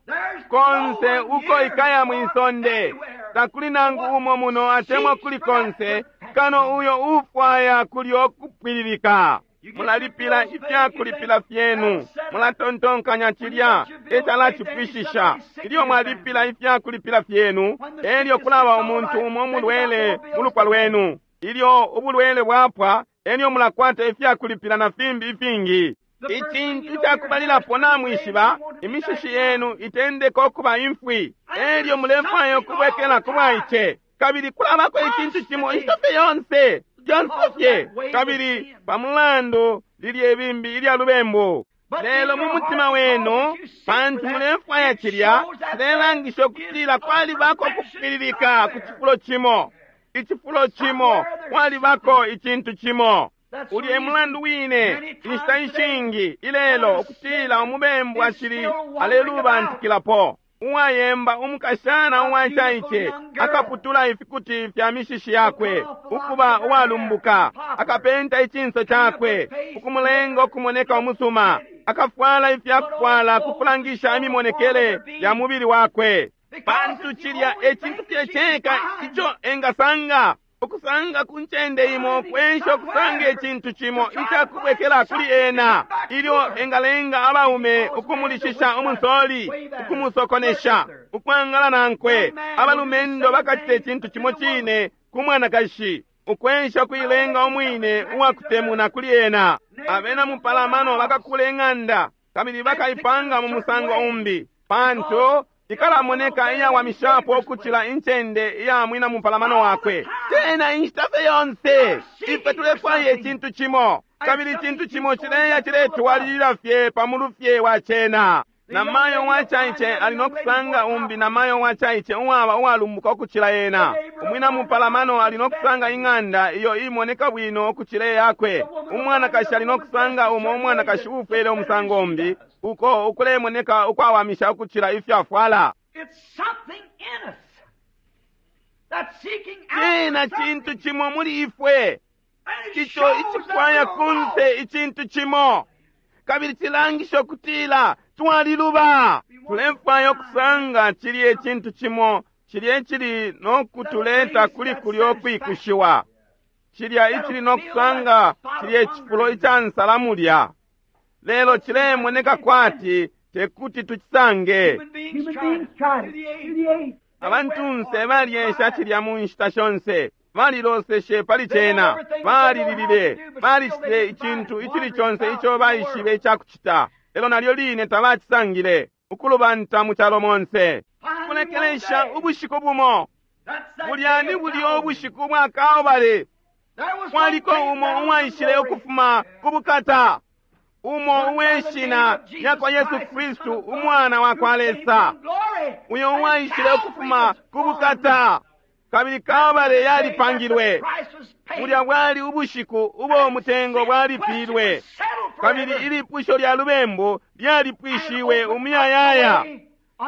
[SPEAKER 1] konse uko ikaya mwisonde. Takuli nangu umo muno atemwa kuli konse kano uyo ufwaya kulyo kupwililika. Mulalipila ifyakulipila fyenu, mulatontonkanya cilya ecalacipwishisha. Ilyo mwalipila ifyakulipila fyenu, elyo kulaba umuntu umo mulwele mu lupwa lwenu. Ilyo ubulwele bwapwa, Elyo mulakwata ifyakulipila na fimbi ifingi. Icintu cakubalilapo namwishiba, imishishi yenu itendeka ukuba imfwi, elyo mulefwaya ukubwekela ku bwaice. Kabili kulabako icintu cimo inshita fye yonse, lyonse fye, kabili pa mulandu lilye bimbi ilya lubembu. Lelo mu mutima wenu, pantu mulefwaya cilya, cilelangisha ukutila kwalibako ukupwililika ku cifulo cimo. Icifulo cimo, kwalibako icintu cimo. Ulya e mulandu wine, inshita ishingi ilelo, ukutila umubembu acili alelubantikilapo. Uwayemba umukashana uwacaice akaputula ifikuti fya mishishi yakwe, ukuba uwalumbuka, akapenta icinso cakwe, ukumulenga ukumoneka umusuma, akafwala ifyakufwala kukulangisha imimonekele ya mubili wakwe. Pantu cilya e cintu fye ceka ico engasanga, ukusanga ku ncende imo kwensha ukusanga icintu cimo icakubwekela kuli ena, ilyo engalenga abaume ukumulishisha umunsoli, ukumusokonesha, ukwangala nankwe. Abalumendo bakacita icintu cimo cine ku mwanakashi, ukwensha ukuilenga umwine uwakutemuna kuli ena. Abena mupalamano bakakula ing'anda kabili bakaipanga mu musango umbi, pantu ikalamoneka iyawamishapo ukucila incende iya mwina mupalamano wakwe. Tena inshita fye yonse ifwe tulefwaya icintu cimo, kabili icintu cimo cileya ciletwalilila fye pa mulu fye wa cena. Namayo uwacaice ali no kusanga umbi namayo uwacaice uwaba uwalumbuka ukucila ena. Umwina mupalamano ali no kusanga ing'anda iyo imoneka bwino ukucila iyakwe. Umwanakashi ali no kusanga umo umwanakashi uufwele umusango umbi, uko ukulemoneka ukwawamisha ukucila ifyo afwala.
[SPEAKER 2] It's something in us that's seeking out
[SPEAKER 1] Cena
[SPEAKER 2] something.
[SPEAKER 1] cintu cimo muli ifwe
[SPEAKER 2] And it
[SPEAKER 1] ico
[SPEAKER 2] shows that
[SPEAKER 1] icifwaya
[SPEAKER 2] we're
[SPEAKER 1] kunse
[SPEAKER 2] lost.
[SPEAKER 1] icintu cimo, kabili cilangisha ukutila twaliluba. Tulefwaya ukusanga cilye cintu cimo, cilye cili no kutuleta kuli kulyo kwikushiwa, cilya icili no kusanga cilye cifulo ica nsala mulya. Lelo cilemoneka kwati tekuti tucisange.
[SPEAKER 2] Human beings
[SPEAKER 3] Human
[SPEAKER 2] tried
[SPEAKER 3] beings
[SPEAKER 2] it
[SPEAKER 3] tried it
[SPEAKER 2] through the
[SPEAKER 3] through the
[SPEAKER 2] ages.
[SPEAKER 3] age.
[SPEAKER 1] Abantunse balyesha cilya mu nshita shonse, baliloseshe pali cena, balililile, balicitile icintu icili conse ico baishibe icakucita, lelo nalyo line tabacisangile, ukulubanta mu calo monse.
[SPEAKER 2] Finally,
[SPEAKER 1] Kulekelesha
[SPEAKER 2] one day,
[SPEAKER 1] ubushiku bumo,
[SPEAKER 2] that's that
[SPEAKER 1] bulya
[SPEAKER 2] day
[SPEAKER 1] ni
[SPEAKER 2] of
[SPEAKER 1] bulya
[SPEAKER 2] Calvary.
[SPEAKER 1] ubushiku bwa Kalbale,
[SPEAKER 2] There was one
[SPEAKER 1] kwaliko
[SPEAKER 2] came
[SPEAKER 1] umo
[SPEAKER 2] down from
[SPEAKER 1] uwaishile
[SPEAKER 2] glory.
[SPEAKER 1] ukufuma ku bukata, umo uweshina lyakwa Yesu Kristu, umwana wa kwa Lesa, uyo uwaishile ukufuma ku bukata, kabili Kalbale yalipangilwe. Bulya bwali ubushiku ubo umutengo bwalipilwe, kabili ilipusho lya lubembu lyalipwishiwe umuyayaya,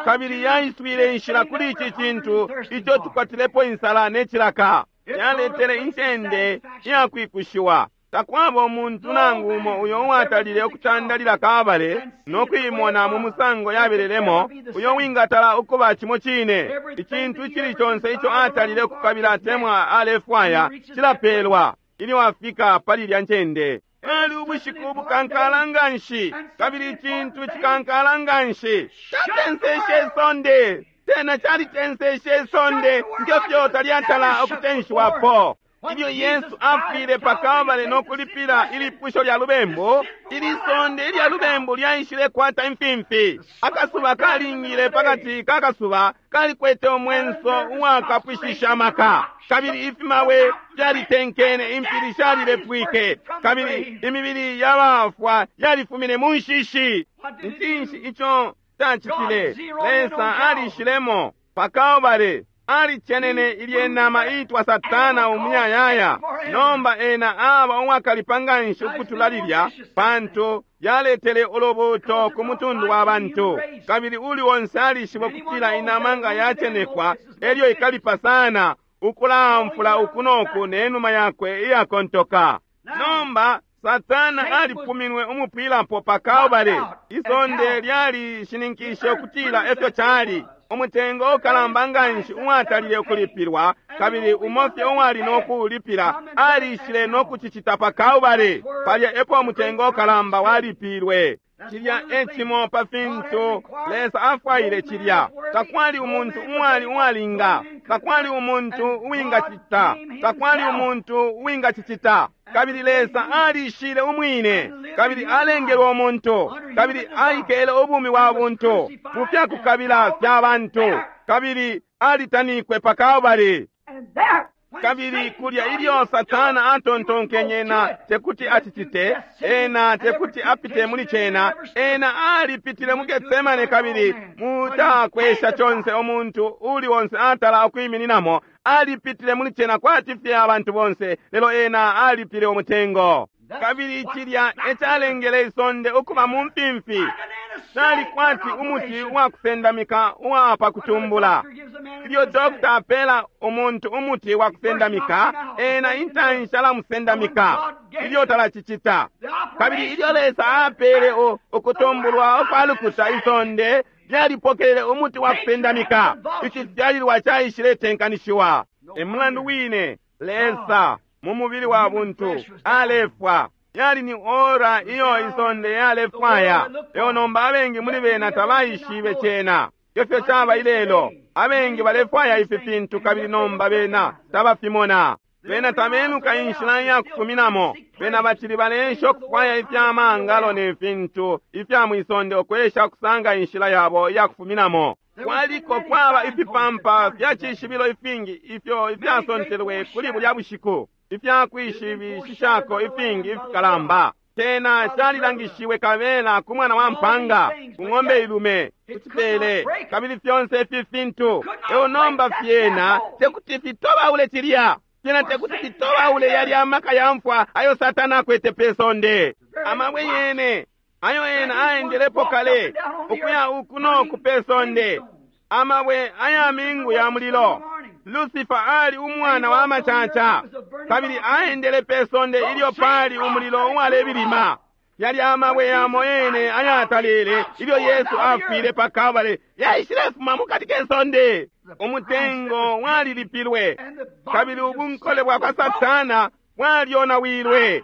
[SPEAKER 1] kabili yaiswile inshila kuli ici cintu ico tukwatilepo insala ne cilaka. Yaletele incende iyakwikushiwa. Takwaba umuntu nangu umo uyo uwatalile ukutandalila Kalbale no kuimona mu musango yabelelemo, uyo wingatala ukuba cimo cine. Icintu icili conse ico atalile ukukabila atemwa alefwaya cilapelwa ilyo afika pali ilya ncende. Bwali ubushiku ubukankala nganshi, kabili icintu icikankala nganshi catenseshe isonde. Tena calitenseshe isonde ngefyo talyatala ukutenshiwapo. Ilyo Yesu afwile pa Kalbale no kulipila ilipusho lya lubembu, ili sonde ilya lubembu lyaishile kwata imfimfi. Akasuba kalingile pakati ka kasuba kalikwete umwenso uwakapwishisha amaka, kabili ifimawe fyalitenkene, impili shalilepwike, kabili imibili yabafwa yalifumine mu nshishi. Ncinshi ico cacitile? Lesa alishilemo pa Kalbale, alicenene ilye nama iitwa Satana umuyayaya. Nomba ena aba uwakalipa nganshi ukutula lilya, pantu yaletele ulubuuto ku mutundu wa bantu, kabili uli onse alishiba ukutila inama nga yacenekwa elyo ikalipa sana ukulamfula uku noku ne numa yakwe iyakontoka. Nomba Satana alipuminwe umupwilapo pa Kalbale. Isonde lyalishininkishe ukutila efyo cali. Umutengo ukalamba nganshi uwatalile ukulipilwa, kabili umo fye uwali no kuulipila alishile no kucicita pa Kalbale. Palya epo umutengo ukalamba walipilwe. Cilya e cimo pa fintu Lesa afwaile cilya. Takwali umuntu uwali uwalinga, takwali umuntu uwingacita, takwali umuntu uwingacicita. Kabili Lesa alishile umwine, kabili alengelwe umuntu, kabili aikele ubumi bwa buntu mu fyakukabila fya bantu, kabili alitanikwe pa Kalbale. Kabili kulya ilyo Satana atontonkenye ena tekuti acicite, ena tekuti apite muli cena, ena alipitile mu Getsemane kabili mutakwesha conse umuntu uli onse atala ukwimininamo, alipitile muli cena kwati fye abantu bonse, lelo ena alipile umutengo. Kabili cilya ecalengele isonde ukuba mu mfimfi, cali kwati umuti uwakusendamika uwa pa kutumbula. Ilyo dokta apela umuntu umuti wa kusendamika, ena intanshi alamusendamika ilyo talacicita. Kabili ilyo Lesa apele ukutumbulwa ukwa lukuta, isonde lyalipokelele umuti wa kusendamika. Icifyalilwa caishiletenkanishiwa. E mulandu wine Lesa mu mubili wa buntu alefwa. Yali ni ora iyo isonde yalefwaya. Lelo nomba abengi muli bena tabaishibe cena. Ifyo caba ilelo, abengi balefwaya ifi fintu kabili nomba bena tabafimona. Bena tabenuka inshila ya kufuminamo. Bena bacili baleesha ukufwaya ifya mangalo ne fintu ifya mwisonde ukwesha kusanga inshila yabo iya kufuminamo. Kwaliko kwaba ifipampa fya cishibilo ifingi ifyo ifyasontelwe kuli bulya bushiku, ifya kwishibishishako ifingi ifikalamba. Cena calilangishiwe kabela ku mwana wa mpanga, ku ng'ombe ilume, ku cipele, kabili fyonse ifi fintu. Eo nomba fyena tekuti fitobaule cilya. Fyena tekuti fitobaule yali amaka ya mfwa ayo Satana akwete pe sonde. Amabwe yene ayo ena aendelepo kale ukuya uku no ku pe sonde, amabwe aya mingu ya mulilo. Lucifer ali umwana wa macaca, kabili aendele pe sonde ilyo pali umulilo uwalebilima. Yali amabwe yamo yene ayatalele ilyo Yesu afwile pa Kalbale, yaishilefuma mukati ke sonde. Umutengo walilipilwe, kabili ubunkole bwa kwa Satana bwalyonawilwe.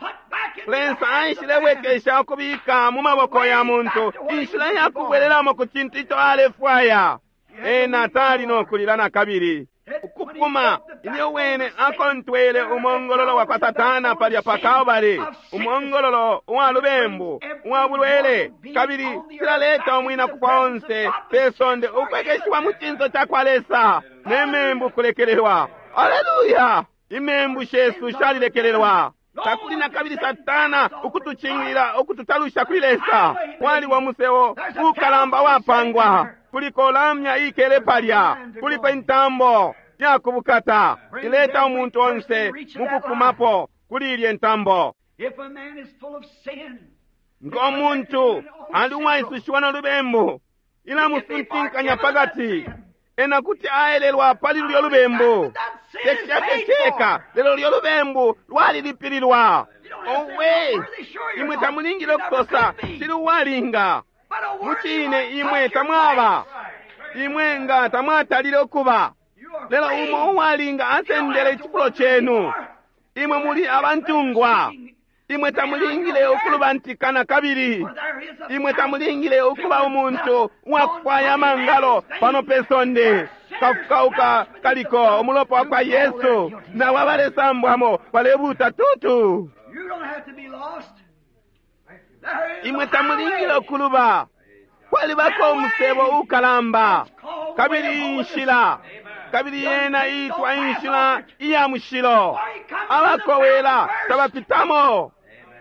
[SPEAKER 1] Lesa aishilebwekesha ukubika mu maboko ya muntu inshila ya kubwelelamo ku cintu ico alefwaya. Ena tali no kulila na kabili. Ukupuma ilyo wene akontwele umongololo wa kwa Satana palya pa Kalbale, umongololo uwa lubembu, uwa bulwele, kabili cilaleta umwina kufwa onse pe sonde ukwekeshiwa mu cinso ca kwa Lesa ne membu kulekelelwa. Aleluya! Imembu shesu shalilekelelwa. Takuli na kabili Satana ukutucingilila, ukututalusha kuli Lesa. Kwaliwa museo ukalamba wapangwa, kuliko lamya ikele palya, kuliko intambo yakubukata ileta umuntu onse mukukumapo kuli ilye ntambo. Ngo muntu ali uwaisushiwa no lubembu, ilamusuntinkanya pakati, ena kuti aelelwa pali lulyo lubembu. Tekishafye lelo lulyo lubembu lwalilipililwa. Owe, imwe tamulingile ukusosa sili uwalinga. Mucine imwe tamwaba, imwe nga tamwatalile ukuba, lelo umo uwalinga asendele icifulo cenu. Imwe muli abantungwa. Imwe tamulingile ukulubantikana kabili. Imwe tamulingile ukuba umuntu uwakufwaya amangalo pano pe sonde. Kafukauka kaliko umulopa wa kwa Yesu, nawo abalesambwamo balebuta tutu. Imwe tamulingile ukuluba. Kwalibako umusebo ukalamba, kabili inshila, kabili yena itwa inshila iya mushilo. Abakowela tabapitamo,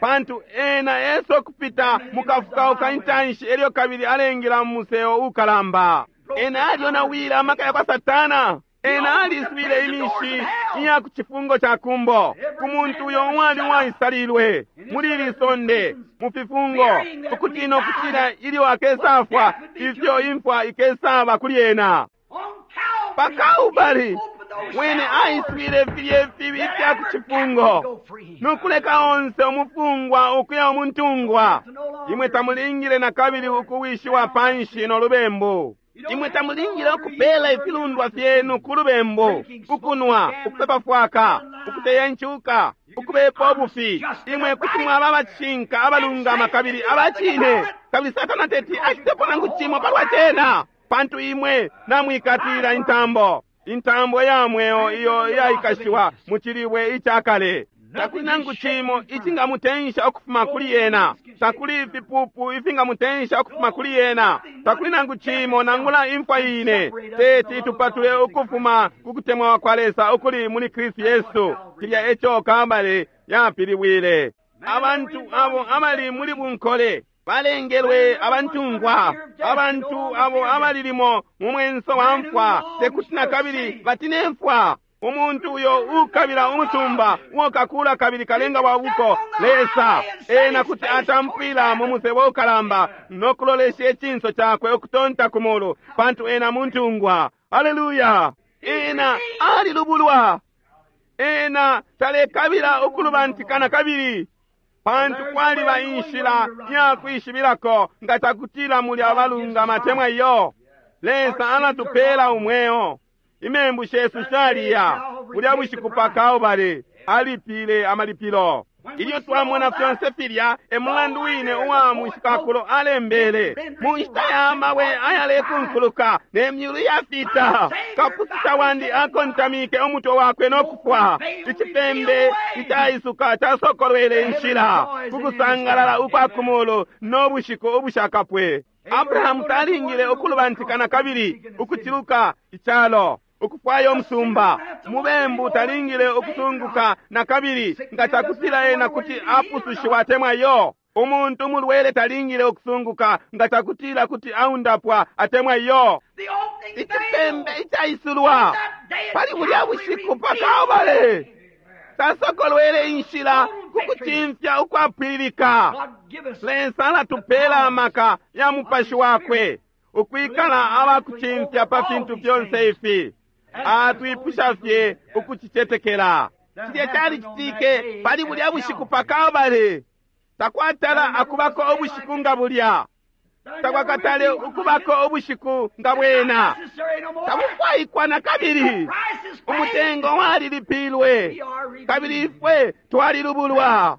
[SPEAKER 1] pantu ena eso kupita mukafukauka intanshi elyo kabili alengela mu museo ukalamba. Ena alyonawile amaka ya kwa Satana. Ena aliswile imishi iya ku cifungo ca kumbo ku muntu uyo uwali uwaisalilwe muli ili sonde mu fifungo, ukutina ukutila ilyo akesafwa ifyo imfwa ikesaba kuli ena. Pa Kalbale wene aiswile filye fibi ifya ku cifungo nokuleka onse umufungwa ukuya umuntungwa. Imwe tamulingile na kabili ukuwishiwa panshi no lubembu. Imwe tamulingile ukupela ifilundwa fyenu ku lubembu, ukunwa, ukupepa fwaka, ukuteya incuka, ukubepa ubufi. Imwe kuti mwaba abacishinka, abalungama kabili abacine, kabili Satana teti acitepo nangu cimo palwa cena, pantu imwe namwikatilila intambo, intambo ya mweo iyo iyaikashiwa mu cilibwe icakale. Takuli nangu cimo icingamutensha ukufuma kuli ena. Takuli ifipupu ifingamutensha ukufuma kuli ena. Takuli nangu cimo nangula imfwa ine teti tupatule ukufuma ku kutemwa kwa Lesa ukuli muli Kristu Yesu. Cilya eco Kalbale yapilibwile. Abantu abo abali muli bunkole balengelwe abantungwa, abantu abo abalilimo mu mwenso wa mfwa tekuti na kabili batine mfwa. Umuntu uyo ukabila umusumba uo kakula kabili kalenga wa buko Lesa, ena kuti atampwila mu musebo ukalamba no kulolesha icinso cakwe ukutonta ku mulu, pantu ena muntungwa. Haleluya! Ena alilubulwa. Ena talekabila ukulubantikana kabili, pantu kwaliba inshila ya kwishibilako nga takutila muli abalungama temwa iyo. Lesa alatupela umweo. Imembu shesu shaliya bulya bushiku pa Kalbale alipile amalipilo. Ilyo twamona fyonse filya, e mulandu wine uwa mushikakulo alembele mu nshita ya mabwe ayalekunkuluka ne myulu yafita, kapususha wandi akontamike umutwe wakwe no kufwa. Icipembe icaisuka casokolwele inshila ku kusangalala ukwa kumulu no bushiku ubushakapwe. Abrahamu talingile ukulubantikana kabili ukuciluka icalo ukufwaya umusumba. Mubembu talingile ukusunguka na kabili nga cakutila ena kuti apusushiwa atemwa iyo. Umuntu umulwele talingile ukusunguka nga cakutila kuti aundapwa atemwa iyo. Icipembe icaisulwa pali bulya bushiku pa Kalbale tasokolwele inshila ku kucimfya ukwapwililika. Lesa alatupela amaka ya mupashi wakwe ukwikala abakucimfya pa fintu fyonse ifi. Atwipusha fye ukucicetekela. Cilya calicitike pali bulya bushiku pa Kalbale. Takwatala akubako ubushiku nga bulya. Takwakatale ukubako ubushiku nga bwena. Tabufwaikwa na kabili. Umutengo walilipilwe, kabili ifwe twalilubulwa.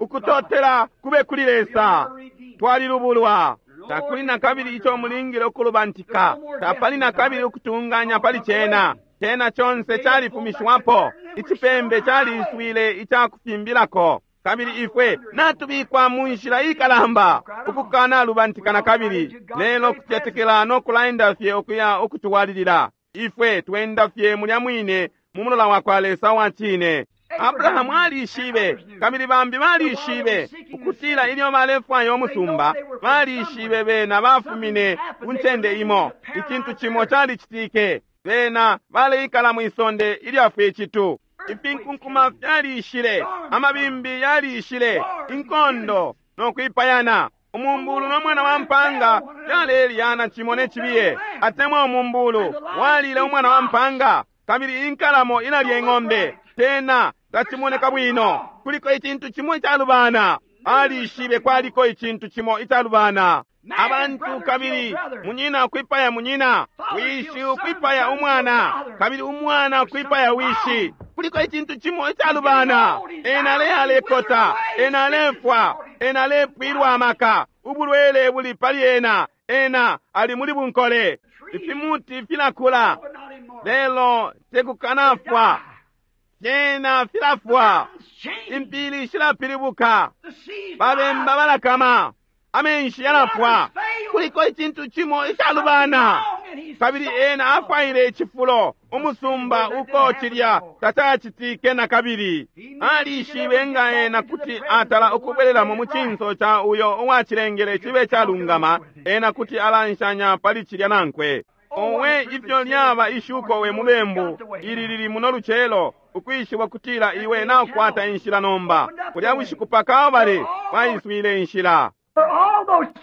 [SPEAKER 1] Ukutotela kube kuli Lesa, twalilubulwa. Takuli na kabili ico mulingile ukulubantika. Tapali na kabili ukutunganya pali cena. Cena conse califumishiwapo. Icipembe caliiswile icakufimbilako, kabili ifwe natubikwa mu nshila ikalamba ukukana lubantika na kabili, lelo kucetekela no kulaenda fye ukuya ukutwalilila. Ifwe twenda fye mulya mwine mu mulola wa kwa Lesa wa cine. Abrahamu alishibe, kabili bambi balishibe ukutila ilyo balefwaya umusumba, balishibe bena bafumine ku ncende imo. Icintu cimo calicitike. Bena baleikala mwisonde ilyafwe icitu. Ifinkunkuma fyalishile, amabimbi yalishile, inkondo no kwipayana. Umumbulu no mwana wa mpanga fyalelyana cimo ne cibiye, atemwa umumbulu walile umwana wa mpanga, kabili inkalamo ilalya ing'ombe. Tena tacimoneka bwino. Kuliko icintu cimo icalubana. Alishibe kwaliko icintu cimo icalubana. Abantu kabili munyina ukwipaya munyina, wishi ukwipaya umwana, kabili umwana ukwipaya wishi. Kuliko icintu cimo icalubana. Ena alekota, ena alefwa, ena alepwilwa amaka, ubulwele buli pali ena, ena ali muli bunkole. Ifimuti filakula, lelo tekukanafwa. Fyena filafwa, impili shilapilibuka, babemba balakama, amenshi yalafwa. Kuliko icintu cimo icalubana. Kabili ena afwaile icifulo, umusumba uko cilya tacacitike na kabili. Alishibe nga ena kuti atala ukubwelelamo mu cinso ca uyo uwacilengele cibe calungama, ena kuti alanshanya pali cilya nankwe. Owe, ifyo lyaba ishuko we mubembu ili lili muno lucelo, ukwishiba kutila iwe naukwata inshila nomba. Kulya bushiku pa Kalbale waiswile inshila.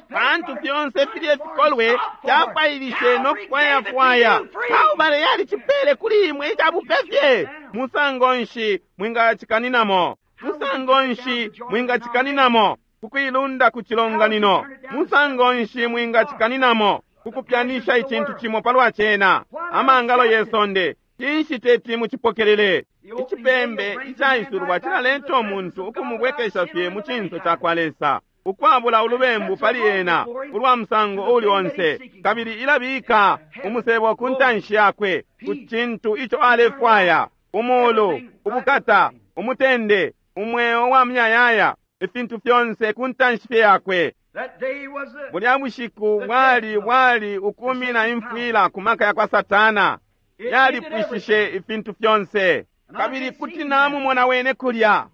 [SPEAKER 1] Pantu fyonse filye fikolwe fyafwailishe no kufwayafwaya, Kalbale yalicipele kuli imwe icabupe fye. Musango nshi mwingacikaninamo? Musango nshi mwingacikaninamo kukuilunda ku cilonganino? Musango nshi mwingacikaninamo kukupyanisha icintu cimo palwa cena? Amangalo ye sonde, cinshi teti mucipokelele? Icipembe icaisulwa cilaleta umuntu ukumubwekesha fye mu cinso ca kwa Lesa, ukwabula ulubembu pali ena ulwa musango uli onse, kabili ilabika umusebo ku ntanshi yakwe ku cintu ico alefwaya: umulu, ubukata, umutende. Umweo wa muyayaya, ifintu fyonse ku ntanshi fye yakwe.
[SPEAKER 2] That day was the
[SPEAKER 1] Bulya bushiku bwali bwali ukumina imfwila ku maka ya kwa Satana.
[SPEAKER 2] It ended
[SPEAKER 1] Yalipwishishe
[SPEAKER 2] everything.
[SPEAKER 1] ifintu fyonse. Kabili kuti namumona wene kulya.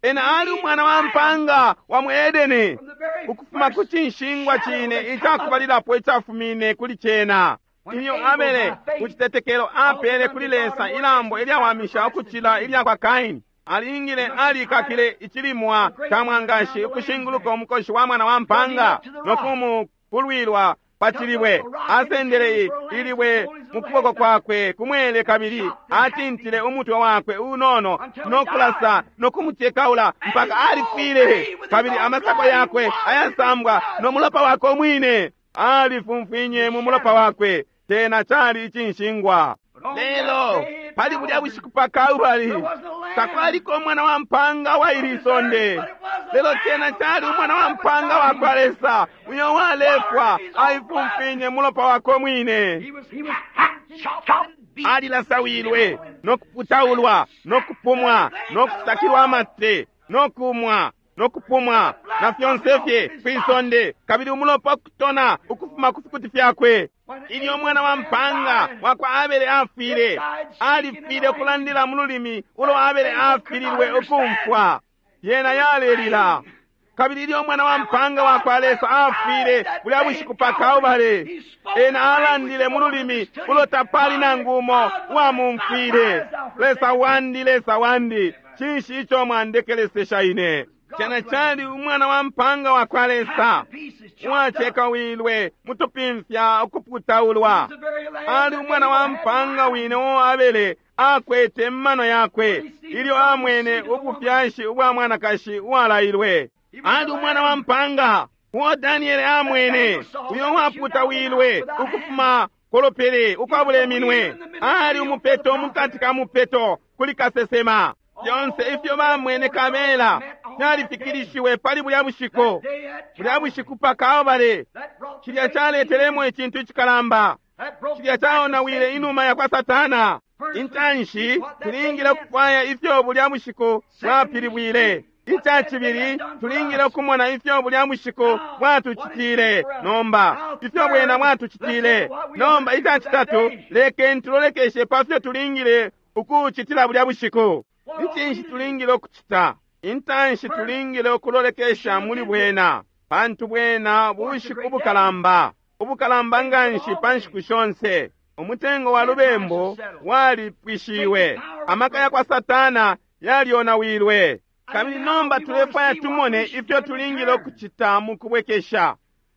[SPEAKER 1] Ena ali umwana wa mpanga wa mu Edeni,
[SPEAKER 2] From the very
[SPEAKER 1] ukufuma ku
[SPEAKER 2] first
[SPEAKER 1] cinshingwa
[SPEAKER 2] shadow
[SPEAKER 1] cine
[SPEAKER 2] that come up
[SPEAKER 1] icakubalilapo icafumine kuli cena.
[SPEAKER 2] When
[SPEAKER 1] Ilyo
[SPEAKER 2] Abel
[SPEAKER 1] Abele
[SPEAKER 2] by faith
[SPEAKER 1] ku citetekelo apele kuli Lesa ilambo ilyawamisha ukucila ilya kwa Kaini, alingile alikakile icilimwa ca mwangashi ukushinguluka umukoshi wa mwana wa mpanga no kumukulwilwa pa cilibwe. Asendele ilibwe mu kuboko kwakwe kumwele kabili atintile umutwe wakwe unono no kulasa no kumucekaula mpaka alifwile, kabili amasako yakwe ayasambwa no mulopa wakwe umwine alifumfwinye mu mulopa wakwe. Tena cali icinshingwa.
[SPEAKER 2] But on that
[SPEAKER 1] Lelo
[SPEAKER 2] day at
[SPEAKER 1] pali bulya
[SPEAKER 2] Calvary,
[SPEAKER 1] bushiku pa Kalvari
[SPEAKER 2] there wasn't a lamb
[SPEAKER 1] takwaliko umwana wa mpanga wa ili
[SPEAKER 2] on this earth,
[SPEAKER 1] sonde,
[SPEAKER 2] but it was the
[SPEAKER 1] lelo
[SPEAKER 2] Lamb
[SPEAKER 1] cena
[SPEAKER 2] of
[SPEAKER 1] cali
[SPEAKER 2] God
[SPEAKER 1] umwana wa
[SPEAKER 2] that was
[SPEAKER 1] mpanga wa kwa
[SPEAKER 2] dying.
[SPEAKER 1] Lesa uyo walefwa
[SPEAKER 2] Watered his own blood.
[SPEAKER 1] aifumfinye mulopa wakwe mwine.
[SPEAKER 2] He was hacked, chopped, and beaten.
[SPEAKER 1] Alilasawilwe no kuputaulwa no kupumwa no kusakilwa amate no kumwa no kupumwa na fyonse fye kwisonde, kabili umulopa ukutona ukufuma ku fikuti fyakwe.
[SPEAKER 2] When
[SPEAKER 1] Ilyo
[SPEAKER 2] Abel
[SPEAKER 1] umwana wa
[SPEAKER 2] man
[SPEAKER 1] mpanga
[SPEAKER 2] died,
[SPEAKER 1] wa kwa Abele afwile,
[SPEAKER 2] it died speaking in
[SPEAKER 1] alifwile
[SPEAKER 2] a
[SPEAKER 1] ukulandila
[SPEAKER 2] language
[SPEAKER 1] mu lulimi ulo
[SPEAKER 2] that
[SPEAKER 1] Abele
[SPEAKER 2] Abel could not
[SPEAKER 1] afililwe
[SPEAKER 2] understand.
[SPEAKER 1] ukumfwa. Yena
[SPEAKER 2] He was
[SPEAKER 1] yalelila.
[SPEAKER 2] dying.
[SPEAKER 1] Kabili ilyo umwana wa
[SPEAKER 2] And when
[SPEAKER 1] mpanga wa
[SPEAKER 2] God
[SPEAKER 1] kwa Lesa
[SPEAKER 2] died
[SPEAKER 1] afwile
[SPEAKER 2] that
[SPEAKER 1] bulya
[SPEAKER 2] day
[SPEAKER 1] bushiku
[SPEAKER 2] in
[SPEAKER 1] pa
[SPEAKER 2] Calvary,
[SPEAKER 1] Kalbale,
[SPEAKER 2] he spoke a
[SPEAKER 1] ena
[SPEAKER 2] language
[SPEAKER 1] alandile
[SPEAKER 2] no
[SPEAKER 1] mu
[SPEAKER 2] one
[SPEAKER 1] lulimi
[SPEAKER 2] understood
[SPEAKER 1] ulo
[SPEAKER 2] him.
[SPEAKER 1] tapali
[SPEAKER 2] God,
[SPEAKER 1] nangu umo
[SPEAKER 2] God, my God, why
[SPEAKER 1] uwamumfwile.
[SPEAKER 2] hast thou
[SPEAKER 1] Lesa
[SPEAKER 2] forsaken me?
[SPEAKER 1] wandi, Lesa wandi, cinshi ico mwandekelesesha ine? Cena
[SPEAKER 2] God's
[SPEAKER 1] cali
[SPEAKER 2] lamb,
[SPEAKER 1] umwana wa mpanga wa kwa
[SPEAKER 2] hacked
[SPEAKER 1] Lesa
[SPEAKER 2] to pieces, chopped up.
[SPEAKER 1] uwacekawilwe mutupimfya
[SPEAKER 2] He
[SPEAKER 1] ukuputaulwa.
[SPEAKER 2] was the very lamb
[SPEAKER 1] Ali
[SPEAKER 2] that
[SPEAKER 1] umwana
[SPEAKER 2] Abel
[SPEAKER 1] wa
[SPEAKER 2] had in
[SPEAKER 1] mpanga
[SPEAKER 2] mind.
[SPEAKER 1] wine uo Abele akwete mmano
[SPEAKER 2] When
[SPEAKER 1] yakwe
[SPEAKER 2] he seen the
[SPEAKER 1] ilyo
[SPEAKER 2] promised
[SPEAKER 1] amwene
[SPEAKER 2] seed of the woman,
[SPEAKER 1] ubufyashi ubwa mwanakashi uwalailwe.
[SPEAKER 2] he was
[SPEAKER 1] Ali
[SPEAKER 2] the
[SPEAKER 1] umwana wa
[SPEAKER 2] lamb
[SPEAKER 1] mpanga uo Daniele
[SPEAKER 2] that
[SPEAKER 1] amwene
[SPEAKER 2] Daniel saw
[SPEAKER 1] uyo
[SPEAKER 2] that was hewed out of the mouth
[SPEAKER 1] waputawilwe
[SPEAKER 2] without hands.
[SPEAKER 1] ukufuma kolopele
[SPEAKER 2] He was the
[SPEAKER 1] ukwabula
[SPEAKER 2] wheel
[SPEAKER 1] iminwe.
[SPEAKER 2] in the middle of the
[SPEAKER 1] Ali
[SPEAKER 2] wheel for the
[SPEAKER 1] umupeto
[SPEAKER 2] prophet.
[SPEAKER 1] mukati ka mupeto kuli kasesema. Fyonse ifyo
[SPEAKER 2] All that
[SPEAKER 1] bamwene
[SPEAKER 2] foresaw
[SPEAKER 1] kabela
[SPEAKER 2] met on that day.
[SPEAKER 1] fyalifikilishiwe pali bulya
[SPEAKER 2] That
[SPEAKER 1] bushiku.
[SPEAKER 2] day at
[SPEAKER 1] Bulya
[SPEAKER 2] Calvary.
[SPEAKER 1] bushiku pa Kalvare
[SPEAKER 2] That brought the
[SPEAKER 1] cilya
[SPEAKER 2] great
[SPEAKER 1] caletelemo
[SPEAKER 2] healing.
[SPEAKER 1] icintu icikalamba.
[SPEAKER 2] That broke
[SPEAKER 1] Cilya
[SPEAKER 2] the back of
[SPEAKER 1] caonawile
[SPEAKER 2] Satan.
[SPEAKER 1] inuma ya kwa Satana.
[SPEAKER 2] First, we should see
[SPEAKER 1] Intanshi
[SPEAKER 2] what that day
[SPEAKER 1] tulingile
[SPEAKER 2] meant.
[SPEAKER 1] ukufwaya ifyo bulya bushiku
[SPEAKER 2] Second, we should
[SPEAKER 1] bwapilibwile.
[SPEAKER 2] see what that day
[SPEAKER 1] Icacibili
[SPEAKER 2] had done for
[SPEAKER 1] tulingile
[SPEAKER 2] us.
[SPEAKER 1] ukumona ifyo bulya bushiku
[SPEAKER 2] Now, what it did
[SPEAKER 1] bwatucitile.
[SPEAKER 2] for us.
[SPEAKER 1] Nomba
[SPEAKER 2] Now,
[SPEAKER 1] ifyo bwena
[SPEAKER 2] third, let's look at
[SPEAKER 1] bwatucitile.
[SPEAKER 2] what we ought
[SPEAKER 1] Nomba
[SPEAKER 2] to do for that
[SPEAKER 1] icacitatu
[SPEAKER 2] day.
[SPEAKER 1] lekeni tulolekeshe pa fyo tulingile ukucitila bulya bushiku.
[SPEAKER 2] What
[SPEAKER 1] Ni
[SPEAKER 2] ought we
[SPEAKER 1] cinshi
[SPEAKER 2] to do?
[SPEAKER 1] tulingile ukucita? Intanshi
[SPEAKER 2] First,
[SPEAKER 1] tulingile
[SPEAKER 2] we
[SPEAKER 1] ukulolekesha
[SPEAKER 2] should look
[SPEAKER 1] muli
[SPEAKER 2] into it.
[SPEAKER 1] bwena, pantu bwena
[SPEAKER 2] For it's a
[SPEAKER 1] bushiku
[SPEAKER 2] great day.
[SPEAKER 1] bukalamba, ubukalamba
[SPEAKER 2] Great of
[SPEAKER 1] nganshi
[SPEAKER 2] all
[SPEAKER 1] pa nshiku
[SPEAKER 2] days.
[SPEAKER 1] shonse. Umutengo wa
[SPEAKER 2] Sin price is
[SPEAKER 1] lubembu
[SPEAKER 2] settled.
[SPEAKER 1] walipwishiwe,
[SPEAKER 2] Satan's power was
[SPEAKER 1] amaka ya kwa
[SPEAKER 2] broken.
[SPEAKER 1] Satana yalyonawilwe.
[SPEAKER 2] And
[SPEAKER 1] Kabili
[SPEAKER 2] now
[SPEAKER 1] nomba
[SPEAKER 2] we want to
[SPEAKER 1] tulefwaya
[SPEAKER 2] see what we
[SPEAKER 1] tumone
[SPEAKER 2] should
[SPEAKER 1] ifyo
[SPEAKER 2] do in
[SPEAKER 1] tulingile
[SPEAKER 2] return.
[SPEAKER 1] ukucita mu kubwekesha.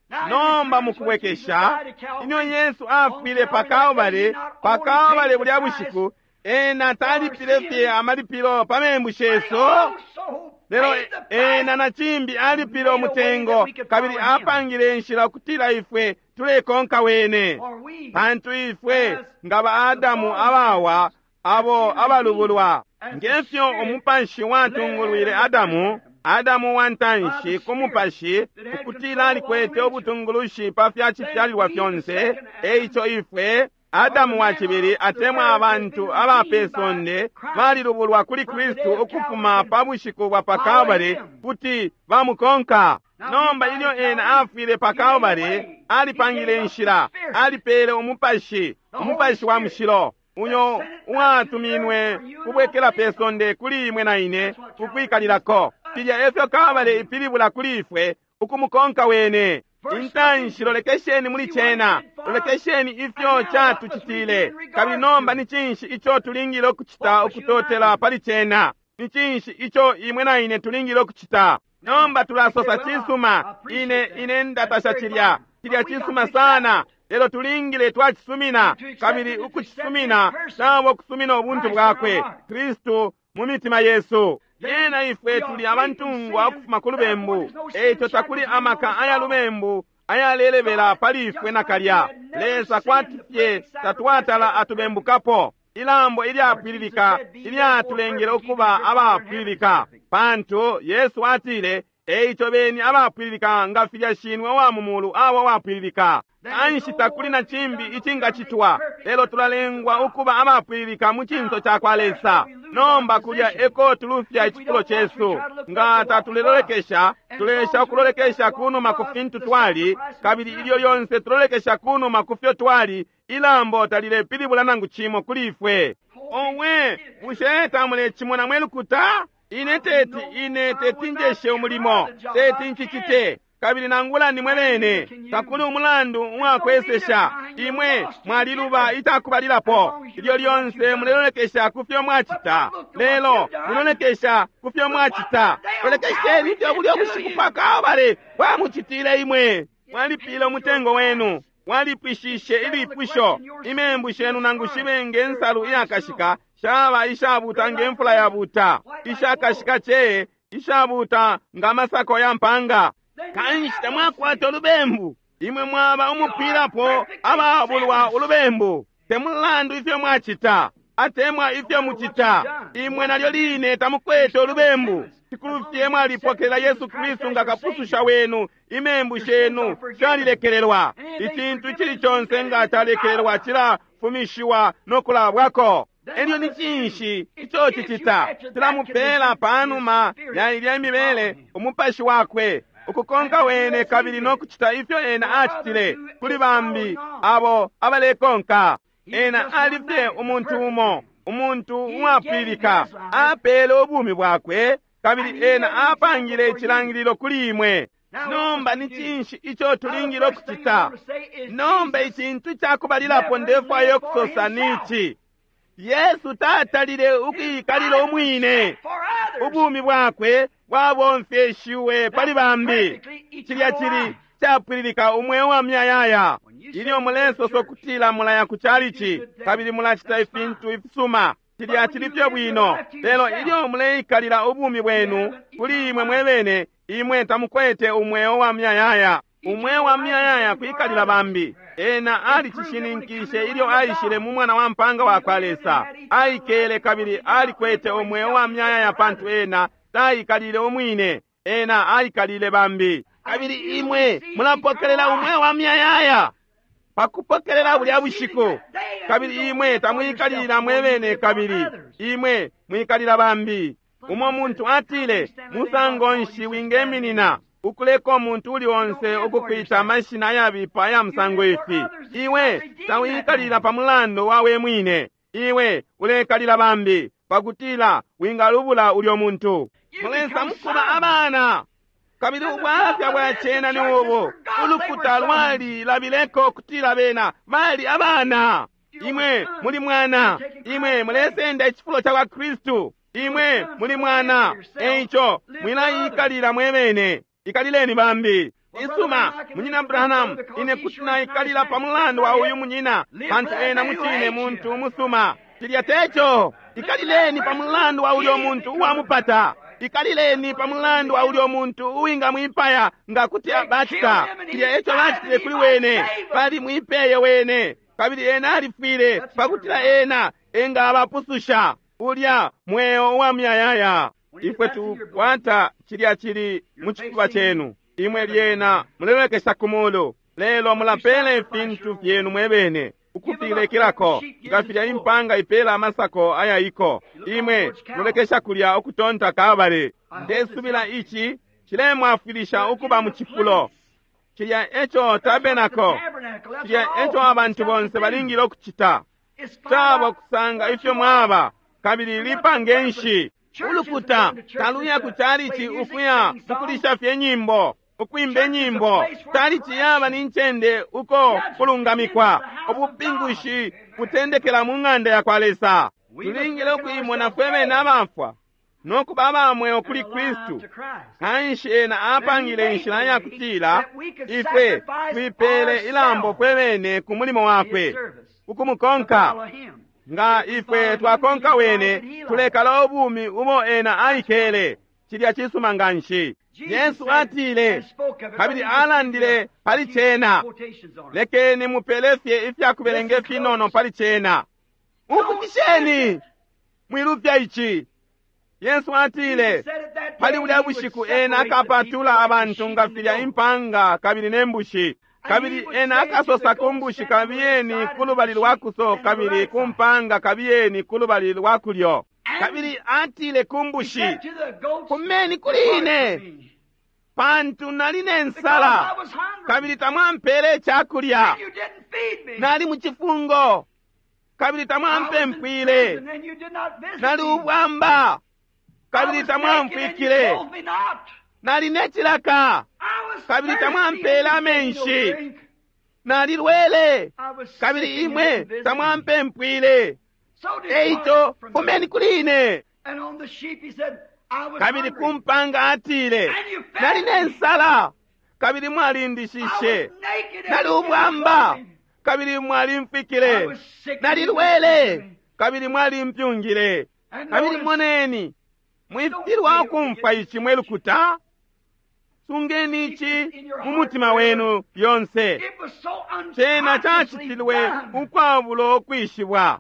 [SPEAKER 2] Now, in
[SPEAKER 1] Nomba mu
[SPEAKER 2] return, when Jesus
[SPEAKER 1] kubwekesha,
[SPEAKER 2] died at
[SPEAKER 1] ilyo
[SPEAKER 2] Calvary,
[SPEAKER 1] Yesu
[SPEAKER 2] on
[SPEAKER 1] afwile pa
[SPEAKER 2] Calvary that day, he
[SPEAKER 1] Kalbale,
[SPEAKER 2] not
[SPEAKER 1] pa
[SPEAKER 2] only paid
[SPEAKER 1] Kalbale
[SPEAKER 2] the
[SPEAKER 1] bulya
[SPEAKER 2] price
[SPEAKER 1] bushiku, ena
[SPEAKER 2] for our
[SPEAKER 1] talipile fye
[SPEAKER 2] sins,
[SPEAKER 1] amalipilo pa membu
[SPEAKER 2] but he
[SPEAKER 1] shesu,
[SPEAKER 2] also
[SPEAKER 1] lelo
[SPEAKER 2] paid the price
[SPEAKER 1] ena na cimbi
[SPEAKER 2] and
[SPEAKER 1] alipile
[SPEAKER 2] made a way that
[SPEAKER 1] umutengo
[SPEAKER 2] we could
[SPEAKER 1] kabili
[SPEAKER 2] follow him.
[SPEAKER 1] apangile inshila ukutila ifwe tulekonka wene.
[SPEAKER 2] For we,
[SPEAKER 1] Pantu ifwe
[SPEAKER 2] as
[SPEAKER 1] nga ba
[SPEAKER 2] the
[SPEAKER 1] Adamu
[SPEAKER 2] fallen
[SPEAKER 1] abawa
[SPEAKER 2] Adams, have
[SPEAKER 1] abo
[SPEAKER 2] been redeemed
[SPEAKER 1] abalubulwa,
[SPEAKER 2] as the
[SPEAKER 1] ngefyo
[SPEAKER 2] Spirit
[SPEAKER 1] umupashi
[SPEAKER 2] led
[SPEAKER 1] watungulwile
[SPEAKER 2] Adam the
[SPEAKER 1] Adamu,
[SPEAKER 2] first Adam
[SPEAKER 1] Adamu wa
[SPEAKER 2] by the
[SPEAKER 1] ntanshi ku
[SPEAKER 2] Spirit
[SPEAKER 1] mupashi
[SPEAKER 2] that had
[SPEAKER 1] ukutila
[SPEAKER 2] control of all
[SPEAKER 1] alikwete
[SPEAKER 2] nature.
[SPEAKER 1] ubutungulushi pa fya
[SPEAKER 2] Then
[SPEAKER 1] cifyalilwa
[SPEAKER 2] we, the
[SPEAKER 1] fyonse,
[SPEAKER 2] second
[SPEAKER 1] eico
[SPEAKER 2] Adam,
[SPEAKER 1] ifwe
[SPEAKER 2] or
[SPEAKER 1] Adamu
[SPEAKER 2] the
[SPEAKER 1] wa
[SPEAKER 2] man
[SPEAKER 1] cibili
[SPEAKER 2] of the
[SPEAKER 1] atemwa
[SPEAKER 2] third, has
[SPEAKER 1] abantu
[SPEAKER 2] been
[SPEAKER 1] aba pe
[SPEAKER 2] redeemed by
[SPEAKER 1] sonde
[SPEAKER 2] Christ
[SPEAKER 1] balilubulwa kuli
[SPEAKER 2] from the day
[SPEAKER 1] Kristu
[SPEAKER 2] of Calvary
[SPEAKER 1] ukufuma
[SPEAKER 2] can
[SPEAKER 1] pa bushiku bwa pa
[SPEAKER 2] follow
[SPEAKER 1] Kalbale
[SPEAKER 2] him.
[SPEAKER 1] kuti bamukonka.
[SPEAKER 2] Now, when he
[SPEAKER 1] Nomba
[SPEAKER 2] died
[SPEAKER 1] ilyo
[SPEAKER 2] at
[SPEAKER 1] ena
[SPEAKER 2] Calvary,
[SPEAKER 1] afwile pa
[SPEAKER 2] he made a
[SPEAKER 1] Kalbale,
[SPEAKER 2] way. He
[SPEAKER 1] alipangile
[SPEAKER 2] gave up the
[SPEAKER 1] inshila,
[SPEAKER 2] Spirit,
[SPEAKER 1] alipele umupashi,
[SPEAKER 2] the Holy
[SPEAKER 1] umupashi wa
[SPEAKER 2] Spirit,
[SPEAKER 1] mushilo,
[SPEAKER 2] that
[SPEAKER 1] uyo
[SPEAKER 2] sent it back to the earth
[SPEAKER 1] uwatuminwe
[SPEAKER 2] for you and I to
[SPEAKER 1] kubwekela pe
[SPEAKER 2] live on.
[SPEAKER 1] sonde kuli imwe na ine
[SPEAKER 2] That's what Calvary means
[SPEAKER 1] kukwikalilako.
[SPEAKER 2] to us,
[SPEAKER 1] Filya efyo Kalbale
[SPEAKER 2] follow him.
[SPEAKER 1] ipilibula kuli ifwe ukumukonka wene.
[SPEAKER 2] First, look
[SPEAKER 1] Intanshi
[SPEAKER 2] into it.
[SPEAKER 1] lolekesheni muli
[SPEAKER 2] See what it
[SPEAKER 1] cena,
[SPEAKER 2] did for us.
[SPEAKER 1] lolekesheni
[SPEAKER 2] And
[SPEAKER 1] ifyo
[SPEAKER 2] now, what must we do
[SPEAKER 1] catucitile.
[SPEAKER 2] in
[SPEAKER 1] Kabili
[SPEAKER 2] regards to
[SPEAKER 1] nomba
[SPEAKER 2] it?
[SPEAKER 1] ni cinshi ico tulingile ukucita
[SPEAKER 2] What must you and I
[SPEAKER 1] ukutotela
[SPEAKER 2] do?
[SPEAKER 1] pali cena? Ni cinshi ico imwe na ine tulingile ukucita? Nomba
[SPEAKER 2] Now, we say,
[SPEAKER 1] tulasosa
[SPEAKER 2] well, I
[SPEAKER 1] cisuma, ine
[SPEAKER 2] appreciate that.
[SPEAKER 1] ine
[SPEAKER 2] That's
[SPEAKER 1] ndatasha
[SPEAKER 2] very
[SPEAKER 1] cilya,
[SPEAKER 2] fine.
[SPEAKER 1] cilya
[SPEAKER 2] But we got
[SPEAKER 1] cisuma
[SPEAKER 2] to accept
[SPEAKER 1] sana,
[SPEAKER 2] it.
[SPEAKER 1] lelo tulingile twacisumina,
[SPEAKER 2] And to accept
[SPEAKER 1] kabili
[SPEAKER 2] it is to accept his
[SPEAKER 1] ukucisumina
[SPEAKER 2] person,
[SPEAKER 1] cabo kusumina ubuntu
[SPEAKER 2] Christ in our
[SPEAKER 1] bwakwe,
[SPEAKER 2] heart.
[SPEAKER 1] Kristu mu mitima yesu.
[SPEAKER 2] Then
[SPEAKER 1] Lyena ifwe
[SPEAKER 2] we are
[SPEAKER 1] tuli
[SPEAKER 2] free from
[SPEAKER 1] abantungwa
[SPEAKER 2] sin,
[SPEAKER 1] ukufuma ku
[SPEAKER 2] therefore
[SPEAKER 1] lubembu,
[SPEAKER 2] there's no sin
[SPEAKER 1] eico takuli
[SPEAKER 2] shackles any
[SPEAKER 1] amaka
[SPEAKER 2] longer
[SPEAKER 1] aya
[SPEAKER 2] at all.
[SPEAKER 1] lubembu ayalelebela
[SPEAKER 2] God,
[SPEAKER 1] pali ifwe
[SPEAKER 2] just like he
[SPEAKER 1] nakalya.
[SPEAKER 2] had never
[SPEAKER 1] Lesa
[SPEAKER 2] sinned, the
[SPEAKER 1] kwati fye
[SPEAKER 2] perfect sacrifice
[SPEAKER 1] tatwatala
[SPEAKER 2] ever perfect.
[SPEAKER 1] atubembukapo. Ilambo
[SPEAKER 2] For Jesus
[SPEAKER 1] ilyapwililika
[SPEAKER 2] said, Be ye therefore
[SPEAKER 1] ilyatulengele
[SPEAKER 2] perfect, even
[SPEAKER 1] ukuba
[SPEAKER 2] as your Father in heaven is
[SPEAKER 1] abapwililika.
[SPEAKER 2] perfect.
[SPEAKER 1] Pantu Yesu atile, eico beni abapwililika nga filya shinwe wa mu mulu abo wapwililika.
[SPEAKER 2] There is
[SPEAKER 1] Kanshi
[SPEAKER 2] no
[SPEAKER 1] takuli
[SPEAKER 2] more
[SPEAKER 1] na
[SPEAKER 2] to be
[SPEAKER 1] cimbi
[SPEAKER 2] done but we are made
[SPEAKER 1] icingacitwa,
[SPEAKER 2] perfect in
[SPEAKER 1] lelo
[SPEAKER 2] the presence of
[SPEAKER 1] tulalengwa
[SPEAKER 2] God.
[SPEAKER 1] ukuba abapwililika mu cinso
[SPEAKER 2] Now,
[SPEAKER 1] ca kwa
[SPEAKER 2] first
[SPEAKER 1] Lesa.
[SPEAKER 2] we lose
[SPEAKER 1] Nomba kulya eko tulufya icifulo cesu. Nga tatulelolekesha, tulesha ukulolekesha kunuma ku fintu twali, kabili ilyo lyonse tulolekesha kunuma ku fyo twali, ilambo talilepilibula nangu cimo kuli ifwe. Owe, bushe tamulecimona mwe lukuta? Ine teti, ine teti njeshe umulimo, teti ncicite. Kabili nangula nimwe bene, takuli umulandu uwakwesesha. Imwe mwaliluba icakubalilapo. Ilyo lyonse mulelolekesha ku fyo mwacita, lelo mulolekesha ku fyo mwacita. Lolekesheni ifyo bulyo bushiku pa Kalbale bwamucitile imwe. Mwalipile umutengo wenu, mwalipwishishe ilipusho. Imembu shenu nangu shibe nge nsalu iyakashika, shaba ishabuta nge mfula yabuta, ishakashika cee, ishabuta nga masako ya mpanga. Kanshi tamwakwata ulubembu, imwe mwaba umupwilapo ababulwa ulubembu. Temulandu ifyo mwacita atemwa ifyo mucita, imwe nalyo line tamukwete ulubembu. Cikulufye mwalipokelela Yesu Kristu nga kapususha wenu, imembu shenu shalilekelelwa. Icintu icili conse nga calekelelwa cilafumishiwa no kulabwako. Elyo ni cinshi ico cicita? Cilamupela panuma ya ilya imibele umupashi wakwe ukukonka wene kabili no kucita ifyo ena acitile kuli bambi abo abalekonka. Ena alifye umuntu umo, umuntu uwapwilika, apele ubumi bwakwe, kabili ena apangile icilangililo kuli imwe. Nomba ni cinshi ico tulingile ukucita? Nomba icintu cakubalilapo ndefwaya ukusosa nici: Yesu tatalile ukuikalila umwine. Ubumi bwakwe bwabomfeshiwe pali bambi. Cilya cili capwililika umweo wa myayaya. Ilyo mulesosa kutila mulaya ku chalichi kabili mulacita ifintu ifisuma, cilya cili fye bwino. Lelo ilyo muleikalila ubumi bwenu kuli imwe mwebene, imwe tamukwete umweo wa myayaya. Umweo wa myayaya kwikalila bambi. Ena alicishininkishe ilyo aishile mu mwana wa mpanga wa kwa Lesa. Aikele kabili alikwete umweo wa myayaya pantu ena taikalile umwine, ena aikalile bambi. Kabili imwe mulapokelela umweo wa myayaya pakupokelela bulya bushiku. Kabili imwe tamwikalila mwebene, kabili imwe mwikalila bambi. Umo muntu atile, musango nshi wingeminina ukuleka umuntu uli onse ukukwita amashina ayabipa aya musango ifi? Iwe tawikalila pa mulandu wa we mwine, iwe ulekalila bambi pakutila wingalubula ulyo muntu. Mulesa mukuba abana. Kabili ubwafya bwa cena ni ubu: ulukuta lwali labileko kutila bena bali abana. Imwe muli mwana, imwe mulesenda icifulo ca kwa Kristu. Imwe muli mwana, eico mwilaikalila mwebene, ikalileni bambi. Isuma, munyina Branham, ine kuti naikalila pa mulandu wa uyu munyina, pantu ena mucine muntu umusuma. Cilya teco. Ikalileni pa mulandu wa ulyo muntu uwamupata. Ikalileni pa mulandu wa ulyo muntu uwingamwipaya nga kuti bacita. Cilya eco bacitile kuli wene, bali mwipeye wene, kabili ena alifwile pakutila ena engabapususha ulya mweo uwa myayaya. Ifwe tukwata cilya cili mu cifuba cenu. Imwe lyena mulelolekesha ku mulu, lelo mulapela ifintu fyenu mwebene ukufilekelako nga filya impanga ipela amasako ayaiko. Imwe mulolekesha kulya ukutonta Kalbale. Ndesubila ici cilemwafwilisha ukuba mu cifulo. Cilya eco tabenako, cilya eco abantu bonse balingile ukucita. Caba kusanga ifyo mwaba, kabili lipange nshi. Ulukuta taluya ku chalichi ukuya mukulisha fye nyimbo, ukwimba nyimbo. Chalichi yaba ni ncende uko kulungamikwa. Ubupingushi butendekela mu ng'anda ya kwa Lesa. Tulingile ukuimona fwe bene abafwa no kuba abamweo kuli Kristu. Kanshi ena apangile inshila ya kutila ifwe twipele ilambo fwe bene ku mulimo wakwe, ukumukonka. Nga ifwe twakonka wene, tulekala ubumi ubo ena aikele. Cilya cisuma nganshi. Yesu atile, kabili alandile pali cena. Lekeni mupele fye ifya kubelenga ifinono pali cena. Umfukisheni, mwilufya ici. Yesu atile, pali bulya bushiku ena akapatula abantu nga filya impanga kabili ne mbushi. Kabili ena akasosa ku mbushi, kabiyeni ku lubali lwa kuso, kabili ku mpanga kabiyeni ku lubali lwa kulyo. Kabili atile ku
[SPEAKER 2] he
[SPEAKER 1] mbushi,
[SPEAKER 2] said to the goats,
[SPEAKER 1] Fumeni kuli
[SPEAKER 2] "Depart
[SPEAKER 1] ine,
[SPEAKER 2] from me,
[SPEAKER 1] pantu nali ne
[SPEAKER 2] because
[SPEAKER 1] nsala,
[SPEAKER 2] I was hungry,
[SPEAKER 1] kabili tamwampele icakulya.
[SPEAKER 2] and you didn't feed me.
[SPEAKER 1] Nali mu cifungo, kabili
[SPEAKER 2] I was in
[SPEAKER 1] tamwampempwile.
[SPEAKER 2] prison, and you did not visit
[SPEAKER 1] Nali
[SPEAKER 2] me.
[SPEAKER 1] ubwamba,
[SPEAKER 2] I
[SPEAKER 1] kabili
[SPEAKER 2] was naked, and you
[SPEAKER 1] tamwamfwikile.
[SPEAKER 2] clothed me not.
[SPEAKER 1] Nali ne cilaka,
[SPEAKER 2] I was
[SPEAKER 1] Kabili
[SPEAKER 2] thirsty,
[SPEAKER 1] tamwampele
[SPEAKER 2] and you gave me no
[SPEAKER 1] amenshi.
[SPEAKER 2] drink.
[SPEAKER 1] nalilwele,
[SPEAKER 2] I was sick,
[SPEAKER 1] kabili
[SPEAKER 2] and you
[SPEAKER 1] imwe
[SPEAKER 2] didn't visit me.
[SPEAKER 1] tamwampempwile.
[SPEAKER 2] So
[SPEAKER 1] Eico,
[SPEAKER 2] depart from me.
[SPEAKER 1] fumeni kuli ine.
[SPEAKER 2] And on the sheep he said, I was
[SPEAKER 1] Kabili
[SPEAKER 2] hungry.
[SPEAKER 1] ku mpanga atile,
[SPEAKER 2] And you fed
[SPEAKER 1] nali ne
[SPEAKER 2] me.
[SPEAKER 1] nsala, kabili
[SPEAKER 2] I was
[SPEAKER 1] mwalindishishe.
[SPEAKER 2] naked and
[SPEAKER 1] Nali
[SPEAKER 2] you didn't
[SPEAKER 1] ubwamba,
[SPEAKER 2] clothe me.
[SPEAKER 1] kabili
[SPEAKER 2] I
[SPEAKER 1] mwalimfikile.
[SPEAKER 2] was sick and you didn't
[SPEAKER 1] Nalilwele,
[SPEAKER 2] visit me.
[SPEAKER 1] kabili mwalimpyungile.
[SPEAKER 2] And
[SPEAKER 1] Kabili
[SPEAKER 2] notice,
[SPEAKER 1] moneni, mwifilwa ukumfwa ici mwe lukuta. Sungeni ici mu mutima wenu lyonse.
[SPEAKER 2] it was so
[SPEAKER 1] Cena
[SPEAKER 2] unconsciously
[SPEAKER 1] cacitilwe
[SPEAKER 2] done.
[SPEAKER 1] ukwabulo ukwishibwa.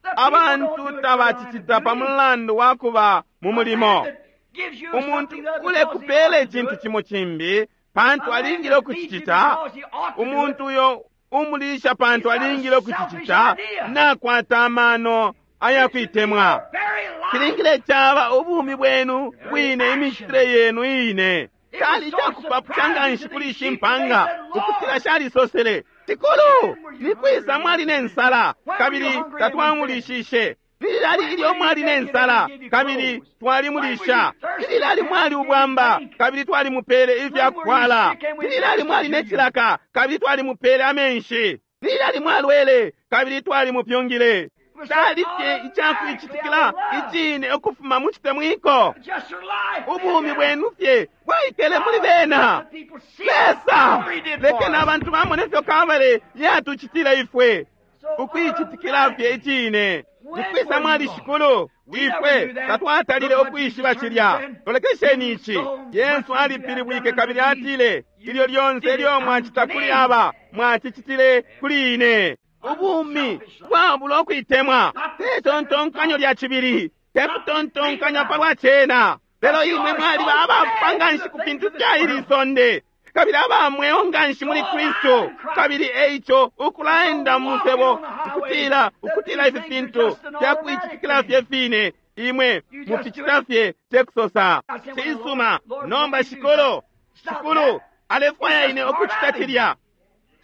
[SPEAKER 2] The people don't
[SPEAKER 1] Abantu
[SPEAKER 2] do it for
[SPEAKER 1] tabacicita pa
[SPEAKER 2] line of duty.
[SPEAKER 1] mulandu wa kuba mu
[SPEAKER 2] A
[SPEAKER 1] mulimo.
[SPEAKER 2] man that gives you
[SPEAKER 1] Umuntu
[SPEAKER 2] something other
[SPEAKER 1] kule
[SPEAKER 2] because he
[SPEAKER 1] kupeela
[SPEAKER 2] ought to do
[SPEAKER 1] icintu
[SPEAKER 2] it.
[SPEAKER 1] cimo cimbi pantu
[SPEAKER 2] A man
[SPEAKER 1] alingile
[SPEAKER 2] that feeds you
[SPEAKER 1] ukucicita.
[SPEAKER 2] because he ought to do it.
[SPEAKER 1] Umuntu uyo umulisha pantu
[SPEAKER 2] He's got a
[SPEAKER 1] alingile ukucicita
[SPEAKER 2] selfish idea.
[SPEAKER 1] nakwata amano
[SPEAKER 2] It should be
[SPEAKER 1] ayakuitemwa.
[SPEAKER 2] your very life.
[SPEAKER 1] Cilingile caba ubumi bwenu bwine imicitile yenu ine.
[SPEAKER 2] It was
[SPEAKER 1] Cali
[SPEAKER 2] so
[SPEAKER 1] cakupapusha nga
[SPEAKER 2] surprising
[SPEAKER 1] nshi
[SPEAKER 2] to
[SPEAKER 1] kuli
[SPEAKER 2] these
[SPEAKER 1] ishi
[SPEAKER 2] sheep that they
[SPEAKER 1] mpanga
[SPEAKER 2] said,
[SPEAKER 1] ukutila
[SPEAKER 2] Lord,
[SPEAKER 1] shalisosele tikulu
[SPEAKER 2] when were you
[SPEAKER 1] nikwisa
[SPEAKER 2] hungry?
[SPEAKER 1] mwali ne nsala
[SPEAKER 2] When were you
[SPEAKER 1] kabili
[SPEAKER 2] hungry and we fed you?
[SPEAKER 1] tatwamulishishe lilali
[SPEAKER 2] When
[SPEAKER 1] ilyo
[SPEAKER 2] were you
[SPEAKER 1] mwali ne
[SPEAKER 2] naked and
[SPEAKER 1] nsala
[SPEAKER 2] we gave you
[SPEAKER 1] kabili
[SPEAKER 2] clothes? When were you
[SPEAKER 1] twalimulisha
[SPEAKER 2] thirsty
[SPEAKER 1] lilali
[SPEAKER 2] and
[SPEAKER 1] mwali
[SPEAKER 2] we gave you
[SPEAKER 1] ubwamba
[SPEAKER 2] drink?
[SPEAKER 1] kabili twalimupele
[SPEAKER 2] When were you
[SPEAKER 1] ifyakufwala
[SPEAKER 2] sick and we
[SPEAKER 1] lilali mwali
[SPEAKER 2] ministered
[SPEAKER 1] ne
[SPEAKER 2] to you?
[SPEAKER 1] cilaka kabili twalimupele amenshi lilali mwalwele kabili twalimupyungile
[SPEAKER 2] It was so
[SPEAKER 1] cali fye
[SPEAKER 2] automatically
[SPEAKER 1] icakuicitikila
[SPEAKER 2] out of love.
[SPEAKER 1] icine ukufuma mu citemwiko
[SPEAKER 2] Just your life lived
[SPEAKER 1] ubumi
[SPEAKER 2] in it.
[SPEAKER 1] bwenu fye bwaikele muli
[SPEAKER 2] Oh,
[SPEAKER 1] bena
[SPEAKER 2] let the people see
[SPEAKER 1] Lesa
[SPEAKER 2] what Calvary did for
[SPEAKER 1] lekeni
[SPEAKER 2] us.
[SPEAKER 1] abantu bamone ifyo Kalvari yatucitila ifwe
[SPEAKER 2] So
[SPEAKER 1] ukuicitikila fye
[SPEAKER 2] automatically,
[SPEAKER 1] icine
[SPEAKER 2] when
[SPEAKER 1] nikwisa
[SPEAKER 2] were you
[SPEAKER 1] mwali
[SPEAKER 2] lost?
[SPEAKER 1] shikulu
[SPEAKER 2] We never
[SPEAKER 1] ifwe
[SPEAKER 2] knew that.
[SPEAKER 1] tatwatalile
[SPEAKER 2] Look what
[SPEAKER 1] ukwishiba
[SPEAKER 2] Jesus turned
[SPEAKER 1] cilya
[SPEAKER 2] and said,
[SPEAKER 1] lolekesheni
[SPEAKER 2] You
[SPEAKER 1] ici
[SPEAKER 2] so much
[SPEAKER 1] Yesu
[SPEAKER 2] as you have done
[SPEAKER 1] alipilibwike
[SPEAKER 2] unto
[SPEAKER 1] kabili
[SPEAKER 2] these,
[SPEAKER 1] atile ilyo
[SPEAKER 2] you
[SPEAKER 1] lyonse
[SPEAKER 2] did it
[SPEAKER 1] ilyo
[SPEAKER 2] unto
[SPEAKER 1] mwacita kuli
[SPEAKER 2] me.
[SPEAKER 1] aba mwacicitile kuli ine ubumi
[SPEAKER 2] Unselfish life.
[SPEAKER 1] bwabula ukuitemwa
[SPEAKER 2] Not the
[SPEAKER 1] te
[SPEAKER 2] second
[SPEAKER 1] tontonkanyo
[SPEAKER 2] thought.
[SPEAKER 1] lya cibili te
[SPEAKER 2] Not to think
[SPEAKER 1] kutontonkanya
[SPEAKER 2] about
[SPEAKER 1] palwa
[SPEAKER 2] it.
[SPEAKER 1] cena lelo
[SPEAKER 2] But you
[SPEAKER 1] imwe
[SPEAKER 2] are
[SPEAKER 1] mwaliba
[SPEAKER 2] so
[SPEAKER 1] abafwa
[SPEAKER 2] dead
[SPEAKER 1] nga
[SPEAKER 2] to
[SPEAKER 1] nshi
[SPEAKER 2] the
[SPEAKER 1] ku
[SPEAKER 2] things
[SPEAKER 1] fintu
[SPEAKER 2] of this
[SPEAKER 1] fya ili
[SPEAKER 2] world.
[SPEAKER 1] sonde kabili aba mweo nga nshi
[SPEAKER 2] So
[SPEAKER 1] muli
[SPEAKER 2] alive
[SPEAKER 1] Kristu
[SPEAKER 2] in Christ.
[SPEAKER 1] kabili eico
[SPEAKER 2] So
[SPEAKER 1] ukulaenda mu
[SPEAKER 2] walking
[SPEAKER 1] musebo
[SPEAKER 2] on the highway
[SPEAKER 1] ukutila
[SPEAKER 2] that
[SPEAKER 1] ukutila
[SPEAKER 2] these
[SPEAKER 1] ifi
[SPEAKER 2] things are
[SPEAKER 1] fintu
[SPEAKER 2] just an
[SPEAKER 1] fya
[SPEAKER 2] automatic
[SPEAKER 1] kuicitikila
[SPEAKER 2] thing.
[SPEAKER 1] fye fine imwe
[SPEAKER 2] You just do
[SPEAKER 1] muficita
[SPEAKER 2] it.
[SPEAKER 1] fye tekusosa
[SPEAKER 2] I said, well, Lord,
[SPEAKER 1] cisuma
[SPEAKER 2] Lord, what
[SPEAKER 1] nomba
[SPEAKER 2] do you do?
[SPEAKER 1] shikulu
[SPEAKER 2] It's not
[SPEAKER 1] shikulu
[SPEAKER 2] that. It's
[SPEAKER 1] alefwaya
[SPEAKER 2] just
[SPEAKER 1] ine
[SPEAKER 2] part
[SPEAKER 1] ukucita
[SPEAKER 2] of him.
[SPEAKER 1] cilya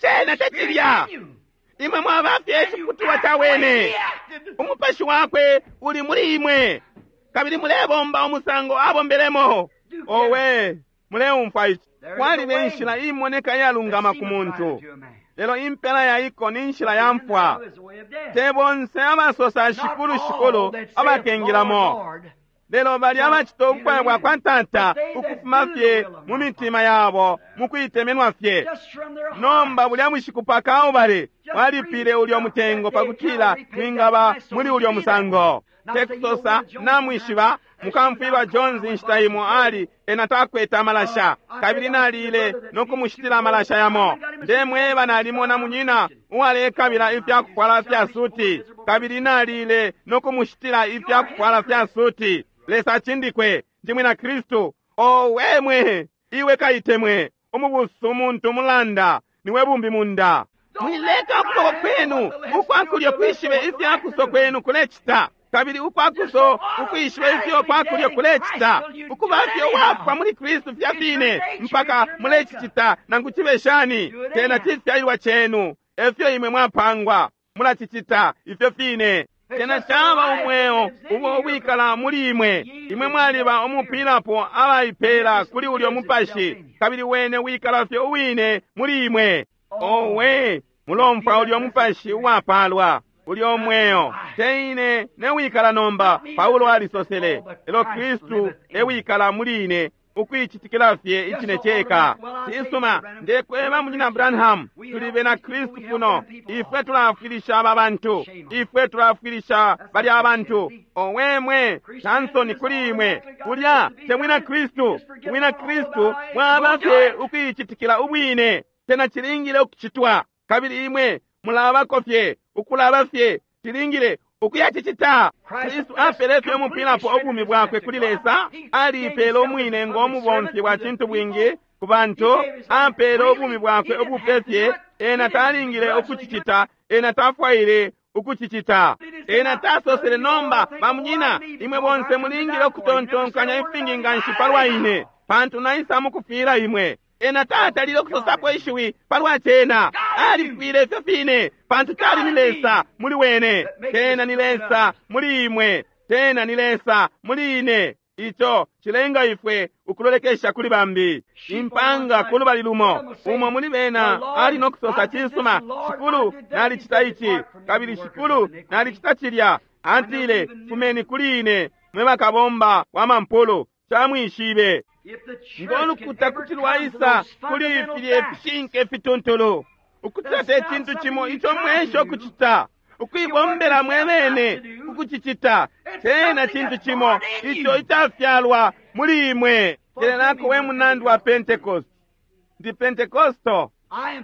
[SPEAKER 1] cena
[SPEAKER 2] The Spirit
[SPEAKER 1] tecilya
[SPEAKER 2] in you.
[SPEAKER 1] imwe mwaba fye
[SPEAKER 2] And you
[SPEAKER 1] iciputulwa
[SPEAKER 2] act
[SPEAKER 1] ca
[SPEAKER 2] the way
[SPEAKER 1] wene
[SPEAKER 2] he acted.
[SPEAKER 1] umupashi wakwe uli muli imwe kabili mulebomba umusango abombelemo
[SPEAKER 2] Do care.
[SPEAKER 1] owe muleumfwa ici
[SPEAKER 2] There is a
[SPEAKER 1] kwaliba
[SPEAKER 2] way
[SPEAKER 1] inshila imoneka
[SPEAKER 2] that
[SPEAKER 1] iyalungama ku
[SPEAKER 2] seemeth right
[SPEAKER 1] muntu
[SPEAKER 2] unto a man,
[SPEAKER 1] lelo impela ya iko ni nshila
[SPEAKER 2] but
[SPEAKER 1] ya
[SPEAKER 2] the end
[SPEAKER 1] mfwa
[SPEAKER 2] thereof is the way of death.
[SPEAKER 1] te bonse abasosa
[SPEAKER 2] Not
[SPEAKER 1] shikulu
[SPEAKER 2] all
[SPEAKER 1] shikulu
[SPEAKER 2] that saith, Lord,
[SPEAKER 1] abakengilamo
[SPEAKER 2] Lord,
[SPEAKER 1] lelo bali
[SPEAKER 2] shall
[SPEAKER 1] abacita
[SPEAKER 2] enter
[SPEAKER 1] ubufwayo bwa
[SPEAKER 2] in,
[SPEAKER 1] kwa tata
[SPEAKER 2] but they that
[SPEAKER 1] ukufuma
[SPEAKER 2] do the
[SPEAKER 1] fye
[SPEAKER 2] will of
[SPEAKER 1] mu
[SPEAKER 2] my
[SPEAKER 1] mitima
[SPEAKER 2] Father.
[SPEAKER 1] yabo mu kuitemenwa fye
[SPEAKER 2] Just from their
[SPEAKER 1] nomba
[SPEAKER 2] hearts.
[SPEAKER 1] bulya bushiku pa Kalvari
[SPEAKER 2] Just breathe
[SPEAKER 1] walipile ulyo
[SPEAKER 2] out that
[SPEAKER 1] mutengo
[SPEAKER 2] day at
[SPEAKER 1] pakutila
[SPEAKER 2] Calvary paid that
[SPEAKER 1] twingaba
[SPEAKER 2] price so
[SPEAKER 1] muli
[SPEAKER 2] we
[SPEAKER 1] ulyo
[SPEAKER 2] could be that way.
[SPEAKER 1] musango
[SPEAKER 2] Now say, you know,
[SPEAKER 1] tekusosa
[SPEAKER 2] Brother Jones,
[SPEAKER 1] namwishiba
[SPEAKER 2] sometimes as she was
[SPEAKER 1] mukamfwilwa
[SPEAKER 2] out calling,
[SPEAKER 1] Jones
[SPEAKER 2] I went
[SPEAKER 1] inshita
[SPEAKER 2] by some
[SPEAKER 1] imo ali
[SPEAKER 2] clothes.
[SPEAKER 1] ena takwete amalasha
[SPEAKER 2] I said,
[SPEAKER 1] kabili
[SPEAKER 2] I see the
[SPEAKER 1] nalile
[SPEAKER 2] brother that
[SPEAKER 1] no
[SPEAKER 2] needs two
[SPEAKER 1] kumushitila
[SPEAKER 2] clothes.
[SPEAKER 1] amalasha
[SPEAKER 2] I
[SPEAKER 1] yamo
[SPEAKER 2] went and got him a suit of
[SPEAKER 1] ndemweba
[SPEAKER 2] clothes.
[SPEAKER 1] nalimona
[SPEAKER 2] I'm a
[SPEAKER 1] munyina
[SPEAKER 2] Christian.
[SPEAKER 1] uwalekabila
[SPEAKER 2] Oh, my, you
[SPEAKER 1] ifyakufwala fya
[SPEAKER 2] selfish, poor,
[SPEAKER 1] suti
[SPEAKER 2] miserable
[SPEAKER 1] kabili
[SPEAKER 2] person.
[SPEAKER 1] nalile no kumushitila
[SPEAKER 2] You are
[SPEAKER 1] ifyakufwala fya
[SPEAKER 2] hypocrite.
[SPEAKER 1] suti Lesa acindikwe ndi mwina Kristu owemwe iwe kaitemwe umubusu umuntu umulanda niwe bumbi munda
[SPEAKER 2] Don't let
[SPEAKER 1] mwileka
[SPEAKER 2] the
[SPEAKER 1] ukuboko
[SPEAKER 2] right hand know
[SPEAKER 1] kwenu
[SPEAKER 2] what the left's doing,
[SPEAKER 1] ukwakulyo
[SPEAKER 2] the left
[SPEAKER 1] kwishibe
[SPEAKER 2] know what the
[SPEAKER 1] ifya
[SPEAKER 2] right's
[SPEAKER 1] kuso
[SPEAKER 2] doing.
[SPEAKER 1] kwenu kulecita kabili
[SPEAKER 2] Just so
[SPEAKER 1] ukwakuso ukwishibe ifyo
[SPEAKER 2] automatically
[SPEAKER 1] kwakulyo
[SPEAKER 2] dead in Christ
[SPEAKER 1] kulecita
[SPEAKER 2] till you do
[SPEAKER 1] ukuba
[SPEAKER 2] it
[SPEAKER 1] fye wafwa
[SPEAKER 2] anyhow.
[SPEAKER 1] muli Kristu fya
[SPEAKER 2] It's your
[SPEAKER 1] fine
[SPEAKER 2] nature, it's
[SPEAKER 1] mpaka
[SPEAKER 2] your makeup.
[SPEAKER 1] mulecicita nangu cibe shani
[SPEAKER 2] Do it
[SPEAKER 1] tena
[SPEAKER 2] anyhow.
[SPEAKER 1] cifyalilwa cenu efyo imwe mwapangwa mulacicita ifyo fine
[SPEAKER 2] It's
[SPEAKER 1] tena
[SPEAKER 2] just the
[SPEAKER 1] caba
[SPEAKER 2] life that
[SPEAKER 1] umweo
[SPEAKER 2] lives in
[SPEAKER 1] ubo
[SPEAKER 2] you. You're
[SPEAKER 1] wikala muli imwe
[SPEAKER 2] ye
[SPEAKER 1] imwe
[SPEAKER 2] live in that
[SPEAKER 1] mwaliba
[SPEAKER 2] spirit.
[SPEAKER 1] umupilapo
[SPEAKER 2] And it
[SPEAKER 1] abaipela
[SPEAKER 2] just
[SPEAKER 1] kuli ulyo
[SPEAKER 2] lives itself
[SPEAKER 1] mupashi
[SPEAKER 2] in you.
[SPEAKER 1] kabili wene wikala fye uwine muli imwe
[SPEAKER 2] Oh,
[SPEAKER 1] owe
[SPEAKER 2] you
[SPEAKER 1] mulomfwa
[SPEAKER 2] feel that
[SPEAKER 1] ulyo
[SPEAKER 2] blessed
[SPEAKER 1] mupashi
[SPEAKER 2] spirit.
[SPEAKER 1] uwapalwa ulyo
[SPEAKER 2] That's
[SPEAKER 1] mweo
[SPEAKER 2] life.
[SPEAKER 1] te ine newikala nomba
[SPEAKER 2] Not me that
[SPEAKER 1] Paulo
[SPEAKER 2] liveth,
[SPEAKER 1] alisosele
[SPEAKER 2] oh, but
[SPEAKER 1] lelo
[SPEAKER 2] Christ
[SPEAKER 1] Kristu
[SPEAKER 2] liveth in me.
[SPEAKER 1] ewikala muli ine ukuicitikila fye
[SPEAKER 2] Just
[SPEAKER 1] icine
[SPEAKER 2] so
[SPEAKER 1] ceka
[SPEAKER 2] automatic. Well, I say, Brother
[SPEAKER 1] cisuma
[SPEAKER 2] Branham,
[SPEAKER 1] ndekweba
[SPEAKER 2] we're
[SPEAKER 1] munyina
[SPEAKER 2] Christians.
[SPEAKER 1] Branham
[SPEAKER 2] We
[SPEAKER 1] tuli
[SPEAKER 2] help
[SPEAKER 1] bena
[SPEAKER 2] these people.
[SPEAKER 1] Kristu
[SPEAKER 2] We help
[SPEAKER 1] kuno
[SPEAKER 2] them people.
[SPEAKER 1] ifwe
[SPEAKER 2] Oh,
[SPEAKER 1] tulafwilisha aba bantu
[SPEAKER 2] shame on you.
[SPEAKER 1] ifwe tulafwilisha
[SPEAKER 2] That's
[SPEAKER 1] bali
[SPEAKER 2] not
[SPEAKER 1] abantu
[SPEAKER 2] Christianity.
[SPEAKER 1] owemwe
[SPEAKER 2] Christianity
[SPEAKER 1] tansoni
[SPEAKER 2] is
[SPEAKER 1] kuli imwe
[SPEAKER 2] automatically got
[SPEAKER 1] kulya
[SPEAKER 2] to be
[SPEAKER 1] temwina
[SPEAKER 2] done. You
[SPEAKER 1] Kristu
[SPEAKER 2] just forget
[SPEAKER 1] mwina
[SPEAKER 2] all
[SPEAKER 1] Kristu
[SPEAKER 2] about it. Go
[SPEAKER 1] mwaba
[SPEAKER 2] do
[SPEAKER 1] fye
[SPEAKER 2] it.
[SPEAKER 1] ukuicitikila ubwine tena cilingile ukucitwa kabili imwe mulabako fye ukulaba fye cilingile ukuyacicita
[SPEAKER 2] Christ
[SPEAKER 1] Kristu
[SPEAKER 2] just
[SPEAKER 1] apele fye
[SPEAKER 2] completely
[SPEAKER 1] umupilapo
[SPEAKER 2] surrendered
[SPEAKER 1] ubumi
[SPEAKER 2] his
[SPEAKER 1] bwakwe
[SPEAKER 2] life to
[SPEAKER 1] kuli
[SPEAKER 2] God.
[SPEAKER 1] Lesa
[SPEAKER 2] He gave
[SPEAKER 1] aliipele
[SPEAKER 2] himself as
[SPEAKER 1] umwine
[SPEAKER 2] a
[SPEAKER 1] ngo
[SPEAKER 2] public
[SPEAKER 1] mubomfi
[SPEAKER 2] servant
[SPEAKER 1] wa
[SPEAKER 2] to the
[SPEAKER 1] cintu
[SPEAKER 2] people.
[SPEAKER 1] bwingi ku
[SPEAKER 2] He
[SPEAKER 1] bantu
[SPEAKER 2] gave his life
[SPEAKER 1] apele ubumi
[SPEAKER 2] freely. He
[SPEAKER 1] bwakwe
[SPEAKER 2] didn't
[SPEAKER 1] ubupe
[SPEAKER 2] have to do
[SPEAKER 1] fye
[SPEAKER 2] it. He
[SPEAKER 1] ena
[SPEAKER 2] didn't
[SPEAKER 1] talingile
[SPEAKER 2] begrudgingly do it.
[SPEAKER 1] ukucicita ena tafwaile ukucicita. Ena tasosele, nomba bamunyina, imwe bonse mulingile ukutontonkanya ifingi nganshi palwa ine, pantu naisa mukufwila imwe. Ena tatalile ukusosapo ishiwi palwa cena. Alifwile ifyo fine, pantu tali ni Lesa muli wene. Tena ni Lesa muli imwe, tena ni Lesa muli ine. Ico cilenga ifwe ukulolekesha kuli bambi. Impanga kulubali lumo, umo muli bena ali no kusosa, cisuma, Shikulu, nalicita ici, kabili Shikulu, nalicita cilya. Atile, fumeni kuli ine, mwe bakabomba wa mampulu, camwishibe. Ngo lukuta kuti lwaisa kuli filye fishinka ifituntulu, ukucita te cintu cimo ico mwesha ukucita, ukuibombela mwebene ukucicita, tena cintu cimo ico icafyalwa muli imwe. Kelelako we munandi wa Pentecost. Ndi Pentecosto.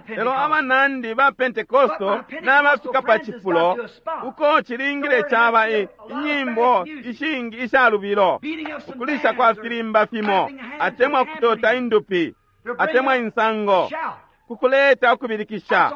[SPEAKER 1] Lelo abanandi ba Pentecosto nabafika pa cifulo uko cilingile caba inyimbo ishingi isha lubilo, ukulisha kwa filimba fimo, atemwa kutota indupi, atemwa insango, kukuleta ukubilikisha.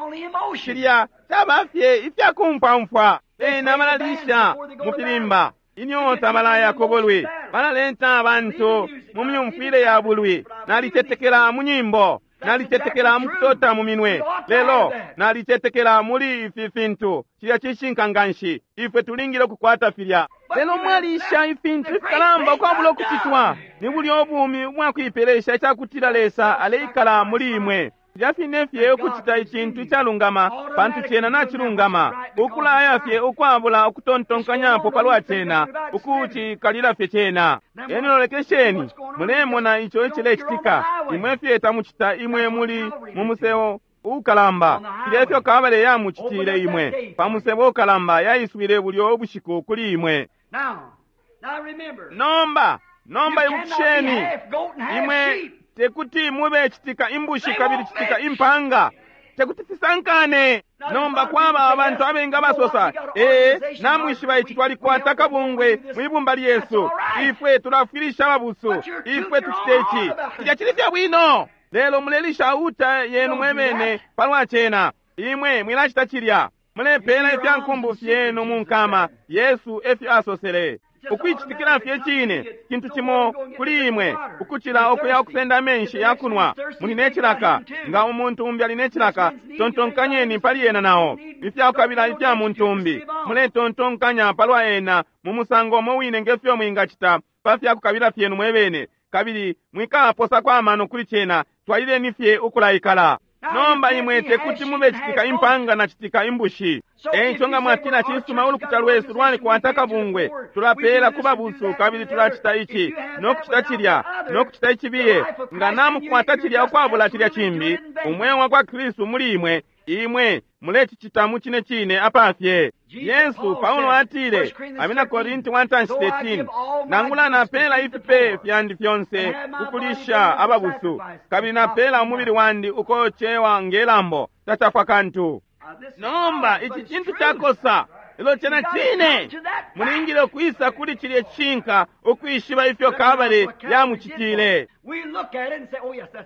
[SPEAKER 1] Cilya caba fye ifya kumfwamfwa. Bena balalisha mu filimba inyota, balaya ku bulwi, balaleta abantu mu myumfwile ya bulwi. Nalicetekela mu nyimbo, nalicetekela mu kutota mu minwe, lelo nalicetekela muli ifi fintu. Cilya cishinka nganshi, ifwe tulingile ukukwata filya. Lelo mwalisha ifintu ifikalamba ukwabula ukucitwa. Ni bulyo ubumi ubwakuipelesha icakutila Lesa aleikala muli imwe. Filya fine fye ukucita icintu icalungama, pantu cena nacilungama, ukulaya fye ukwabula ukutontonkanyapo palwa cena, ukucikalila fye cena. Eni lolekesheni, mulemona ico icilecitika. Imwe fye tamucita, imwe muli mu musebo ukalamba. Filya ifyo Kabale yamucitile imwe pa musebo ukalamba, yaiswile bulyo ubushiku kuli imwe. Nomba, nomba ibukisheni, imwe tekuti mube citika imbushi kabili citika impanga, tekuti fisankane. Nomba kwaba abantu abenga basosa, ee, namwishiba ici, twalikwata kabungwe mwibumba lyesu, ifwe tulafwilisha ababusu, ifwe tucite ici. Cilya cili fye bwino, lelo mulelisha uta yenu mwebene palwa cena. Imwe mwilacita cilya. Mulepela ifya nkumbu fyenu mu nkama. Yesu efyo asosele. Ukuicitikila fye cine cintu cimo kuli imwe ukucila ukuya ukusenda amenshi ya kunwa. Muli ne cilaka. Nga umuntu umbi ali ne cilaka, tontonkanyeni pali ena nao. Ifyakukabila ifya muntu umbi, muletontonkanya palwa ena mu musango umo wine ngefyo mwingacita pa fyakukabila fyenu mwebene, kabili mwikaposako amano kuli cena. Twalileni fye ukulaikala. Nomba imwe tekuti mube citika impanga na citika imbushi. Eico nga mwatila, cisuma, ulukuta lwesu lwalikwata kabungwe, tulapela ku babusu, kabili tulacita ici nokucita cilya nokucita icibiye, nga namukwata cilya ukwabula cilya cimbi, umweo wa kwa Kristu muli imwe, imwe mulecicita mu cine cine apafye. Yesu, Paulo atile, Abena Korinti 1:13, nangula napela ifipe fyandi fyonse kukulisha ababusu, kabili napela umubili wandi ukocewa ngelambo, tacafwa kantu. Nomba ici cintu cakosa, lelo cena cine. Mulingile ukwisa kuli cilye cishinka, ukwishiba ifyo Kabale yamucitile.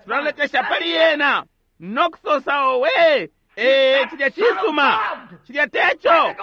[SPEAKER 1] Tulalekesha pali yena nokusosa, owe, ee, cilya cisuma, cilya teco.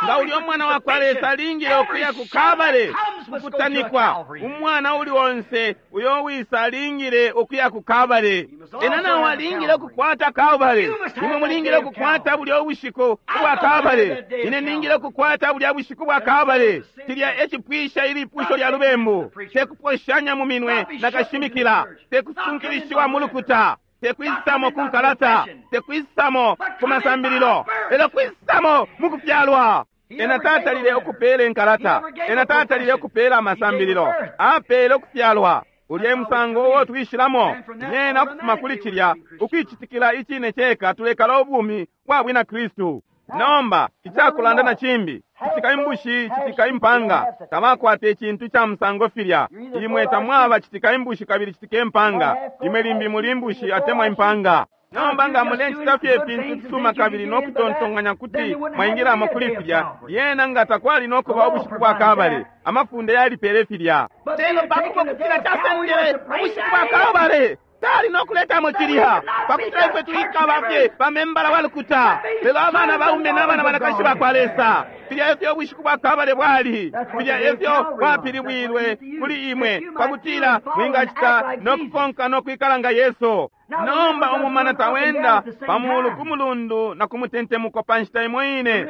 [SPEAKER 1] Nga uli umwana wa kwa Lesa alingile ukuya ku Kabale kukutanikwa. Umwana uli onse uyo wisa alingile ukuya ku Kabale. Ena nawo alingile ukukwata Kabale. Imwe mulingile ukukwata bulya ubushiku ubwa Kabale. Ine ningile ukukwata bulya bushiku bwa Kabale. Cilya ecipwisha ilipusho lya lubembu. Tekuposhanya mu minwe na kashimikila, tekusunkilishiwa mu lukuta, tekwisamo ku nkalata, tekwisamo ku masambililo, lelo kwisamo mu kufyalwa. Ena tatalile ukupela inkalata, ena tatalile ukupela amasambililo, apele ukufyalwa. Ulya musango uo twishilamo nyena ukufuma kuli cilya ukuicitikila icine ceka, tulekala ubumi bwa bwina Kristu. Nomba icakulanda na cimbi, citika imbushi, citika impanga, tabakwata icintu ca musango filya. Imwe tamwaba citika imbushi kabili citika impanga. Imwe limbi muli imbushi atemwa impanga. Nomba nga mulecita fye ifintu fisuma kabili no kutontonkanya kuti mwaingilamo kuli filya, lyena nga takwali no kuba ubushiku bwa Kabale. Amafunde yalipele filya. Lelo pakupo kutila casendele ubushiku bwa Kabale. Tali nokuletamo cilya pakutila ifwe twikaba fye bamembala wa lukuta, lelo abana baume n'abana banakashi bakwa Lesa. Filya efyo ubushiku bwa Kabale bwali, filya efyo bwapilibwilwe kuli imwe pakutila mwingacita nokukonka nokwikala nga Yesu. Nomba umumana tawenda pamulu ku mulundu na ku mutentemuko pa nshita imo ine.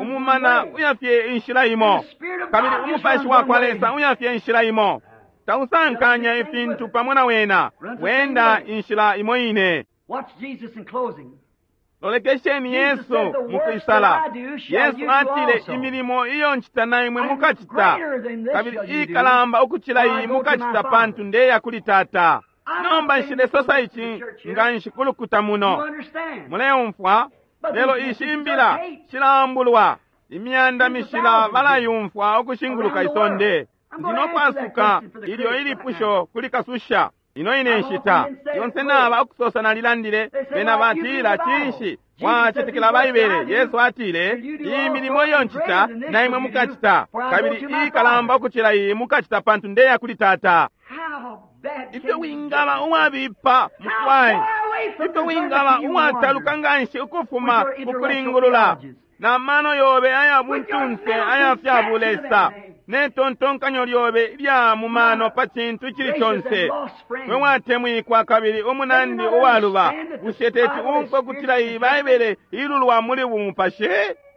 [SPEAKER 1] Umumana uyafye inshila imo, kabili umupashi wa kwa Lesa uyafye inshila imo. Tausankanya ifintu pamo na wena, wenda inshila imo ine. Lolekesheni Yesu mukwisala. Yesu atile, imilimo iyo ncita na imwe mukacita, kabili ikalamba ukucila iyi mukacita, pantu ndeya kuli Tata. Nomba nshilesosa ici nga nshikulukuta muno, muleumfwa? Lelo ishi imbila shilambulwa, imyanda mishila balayumfwa ukushinguluka isonde. Ndinokwasuka ilyo ilipusho kuli kasusha ino ine nshita yonse naba ukusosa nalilandile. Bena batila, cinshi mwacetekela Baibele? Yesu atile, iyi milimo iyo ncita na imwe mukacita, kabili ikalamba ukucila iyi mukacita, pantu ndeya kuli Tata. Ifyo wingaba uwabipa mukwai, ifyo wingaba uwataluka nganshi ukufuma kukulingulula na mano yobe aya buntunse aya fya bulesa ne tontonkanyo lyobe lya mumano pa cintu icili conse, we watemwikwa kabili umunandi uwaluba, bushe teti umfwe kutila iyi Baibele ilulwa muli bumupashi?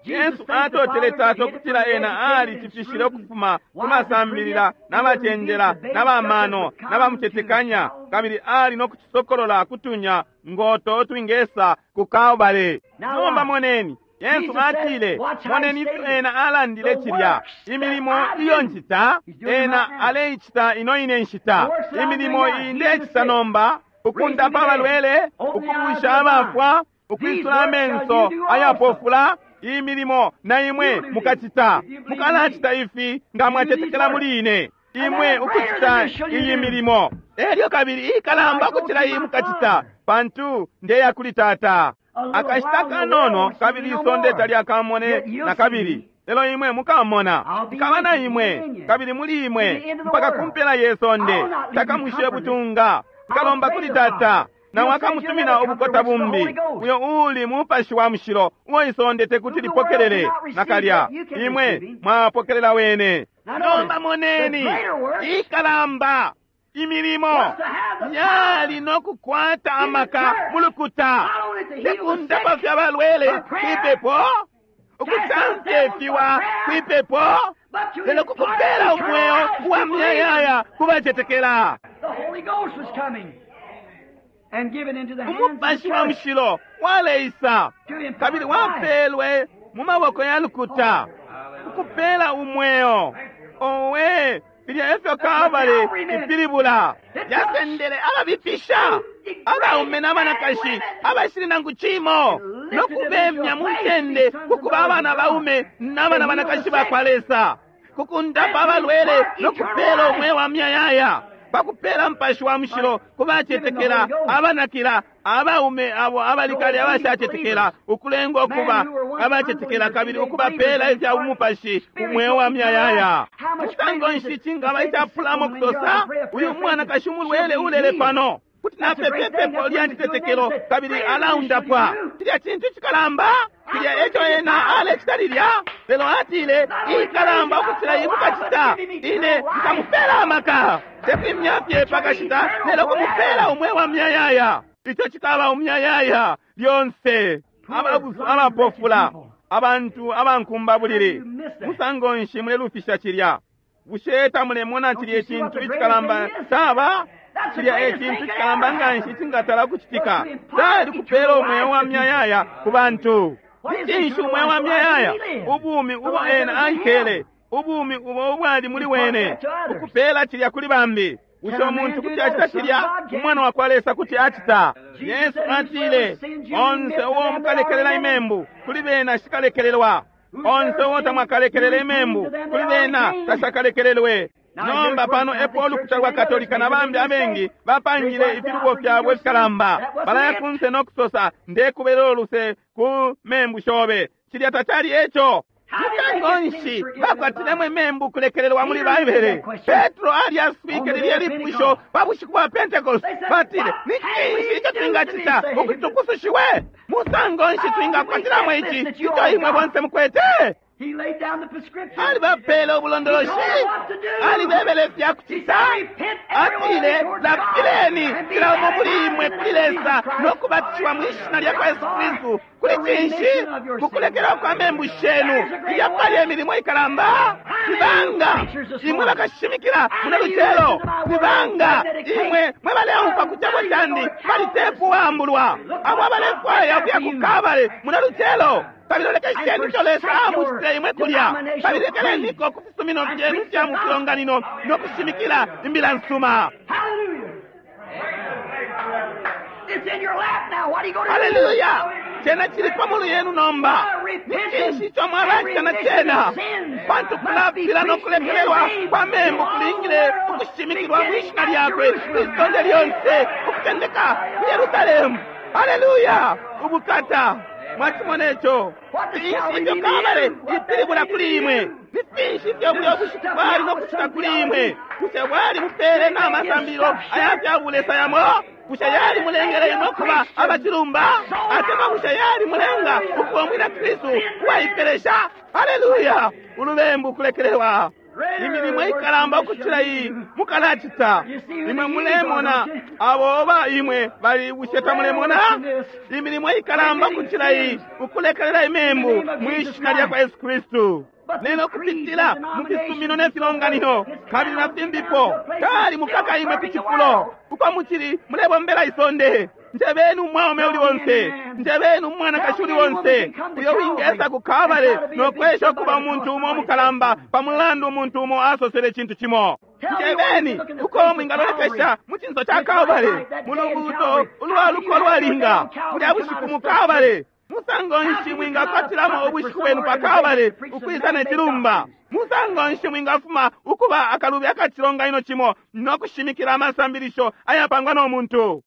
[SPEAKER 1] Yesu atotele Tata ukutila ena alicifishile ukufuma ku masambilila n'abacenjela n'abamano n'abamucetekanya, kabili ali nokucisokolola kutunya ngoto twingesa ku Kalbale. Nomba moneni, Yesu atile, moneni ifyo ena alandile cilya, imilimo iyo ncita ena aleicita ino ine nshita. Imilimo iyi ndecita nomba, ukundapa abalwele, ukubusha abafwa, ukwisula amenso ayapofula, iyi milimo na imwe mukacita. Mukalacita ifi nga mwacetekela muli ine, imwe ukucita iyi milimo. Elyo kabili ikalamba ukucila iyi mukacita, pantu ndeya kuli Tata. Akashita kanono kabili isonde talyakamone na kabili, lelo imwe mukamona. Nkaba na imwe kabili muli imwe mpaka kumpela ye sonde. Takamushe butunga. Nkalomba kuli Tata, nawe akamutumina ubukota bumbi, uyo uli mupashi wa mushilo, uo isonde tekuti lipokelele nakalya. Imwe mwapokelela wene. Nomba moneni ikalamba imilimo yali nokukwata amaka mulukuta, tekundapa fya balwele kwipepo, ukutamfyefiwa kwipepo, lelo kukupela umweo uwa myayaya kubacetekela. Umupashi wa mushilo waleisa kabili wapelwe mu maboko ya lukuta ukupela umweo. Owe, filya efyo Kalbale ipilibula. Yasendele ababipisha, abaume n'abanakashi abashili nangu cimo, nokubemya mu ncende kukuba abana baume n'abana banakashi bakwa Lesa, kukundapa abalwele nokupela umweo wa myayaya, pakupela mpashi wa mushilo kubacetekela abanakila, abaume abo abalikale abashacetekela, ukulenga ukuba abacetekela kabili ukubapela ifya umupashi umweo wa myayaya. Musango nshi cingaba icapulamo kusosa, uyu mwanakashi umulwele ulele pano, kuti napepepepo lya citetekelo kabili alaundapwa? Cilya cintu cikalamba, cilya eco ena alecita lilya. Lelo atile, ikalamba ukucila iyi mukacita, ine nkamupela amaka, tekwimya fye pakashita, lelo kumupela umweo wa myayaya. Ico cikaba umyayaya lyonse. Abapofula, abantu abankumba bulili, musango nshi mulelufisha cilya? Bushe tamulemona cilya icintu icikalamba caba? Cilya ecintu cikalamba nganshi icingatala kucitika, cali kupela umweo wa myayaya ku bantu. Cinshi umweo wa myayaya? Ubumi ubo ena aikele, ubumi ubo ubwali muli wene, ukupela cilya kuli bambi. Bushe umuntu kuti acita cilya? Umwana wa kwa Lesa kuti acita. Yesu atile, onse uo mukalekelela imembu kuli bena shikalekelelwa, onse uo tamwakalekelela imembu kuli bena tashakalekelelwe. Nomba pano epo ulukuta lwa Katolika na bambi abengi bapangile ifilubo fyabo ifikalamba. Balaya kunse nokusosa, ndekubelela uluse ku membu shobe. Cilya tacali eco. Musango nshi bakwatilemo imembu kulekelelwa muli Baibele? Petro alyaswike lilye lipusho pa bushiku bwa Pentecost. Batile, ni cinshi ico twingacita ukuti tupusushiwe? Musango nshi twingakwatilamo ici ico imwe bonse mukwete?
[SPEAKER 2] He laid down the prescription.
[SPEAKER 1] Alibapele ubulondoloshi, alibebele ifya kucita. Atile, lapileni kila umo muli imwe kuli Lesa no kubatishiwa mwi shina lya kwa Yesu Kristu. Kuli cinshi? Kukulekelwa kwa membu shenu. Ilya pali emilimo ikalamba. Nibanga imwe bakashimikila muno lucelo. Nibanga imwe mwe baleumfwa ku cebo candi pali tepu wambulwa. Abo abalefwaya ukuya ku Kabale muno lucelo. Kabili lekesheni ico Lesa amucitile imwe kulya. Kabili lekeleniko ku fisumino fyenu fya mu filonganino no kushimikila imbila nsuma.
[SPEAKER 2] Hallelujah. It's in your lap now. What are you going to do?
[SPEAKER 1] Haleluya! Cena chili pa mulu yenu nomba. Ni cinshi ico mwalacita na cena? Pantu kulapila no kulekelelwa kwa membu kulingile ukushimikilwa mwi shina lyakwe kwisonde lyonse ukutendeka ku Yerusalemu. Haleluya! Ubukata! Mwachimona ico? Finshi ifyo Kabale ipilibula kuli imwe? Ni finshi ifyo bulyo bushiku bwali no kucita kuli imwe? Bushe bwali mupele n'amasambilo aya fya bulesa yamo? Bushe yali mulengele imwe kuba abacilumba? Atemwa bushe yali mulenga ukuba umwina Kristu uwaipelesha? Haleluya! Ulubembu kulekelelwa. Imilimo ikalamba ukucila iyi mukalacita. Imwe mulemona abo oba imwe bali bushe tamulemona? Imilimo ikalamba ukucila iyi ukulekelela imembu mwi shina lya kwa Yesu Kristu. Lelo kupitila mu fisumino ne filonganino kabili na fimbipo kali mukaka imwe ku cifulo uko mucili mulebombela isonde. Njebeni umwaume uli wonse, njebeni umwanakashi uli wonse uyo wingesa ku Kabale no kwesha ukuba umuntu umo umukalamba pa mulandu umuntu umo asosele icintu cimo. Njebeni uko mwingalolekesha mu cinso ca Kabale mu lubuuto ulwaluko lwalinga bulya bushiku mu Kabale. Musango nshi mwingakwatilamo ubushiku bwenu pa Kabale ukwisa ne cilumba? Musango nshi mwingafuma ukuba akalubi akacilonganino cimo no kushimikila amasambilisho ayapangwa no muntu?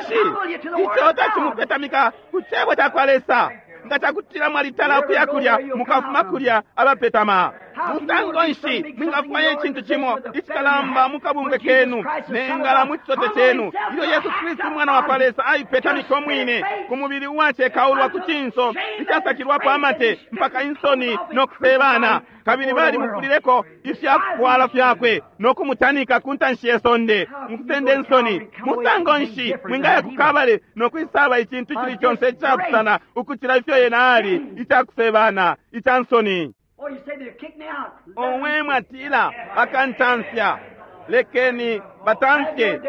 [SPEAKER 1] Cinshi ico tacimupetamika ku cebo ca kwa Lesa? Nga cakutila mwalitala ukuya kulya mukafuma kulya abapetama. Musango nshi mwingafumanya icintu cimo icikalamba mu kabungwe kenu nengala mu cisote cenu ilyo Yesu Kristu umwana wa kwa Lesa aipetamika umwine ku mubili uwacekaulwa ku cinso icasakilwapo amate mpaka insoni no kusebana, kabili balimufulileko ifyakufwala fyakwe no kumutanika ku ntanshi ye sonde mukusenda insoni. Musango nshi mwingaya ku Kabale no kwisaba icintu icili conse icapusana ukucila ifyo yena ali icakusebana ica nsoni?
[SPEAKER 2] Oh, you say they'll kick me out.
[SPEAKER 1] Omwe mwatila bakantamfya, lekeni batamfye.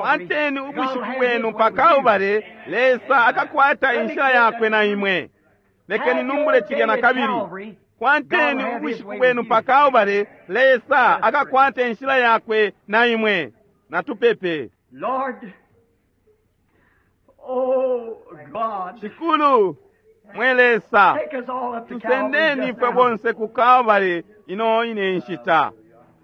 [SPEAKER 1] Kwateni ubushiku bwenu pa Kalbale, Lesa akakwata inshila yakwe na imwe. Lekeni numbule cilya na kabili. Kwateni ubushiku bwenu pa Kalbale, Lesa akakwata inshila yakwe na imwe. Natupepe.
[SPEAKER 2] Lord, oh God,
[SPEAKER 1] Shikulu mwe Lesa,
[SPEAKER 2] take us all up to Calvary
[SPEAKER 1] tusendeni
[SPEAKER 2] just
[SPEAKER 1] ifwe
[SPEAKER 2] now.
[SPEAKER 1] bonse ku Kalbale ino ine nshita.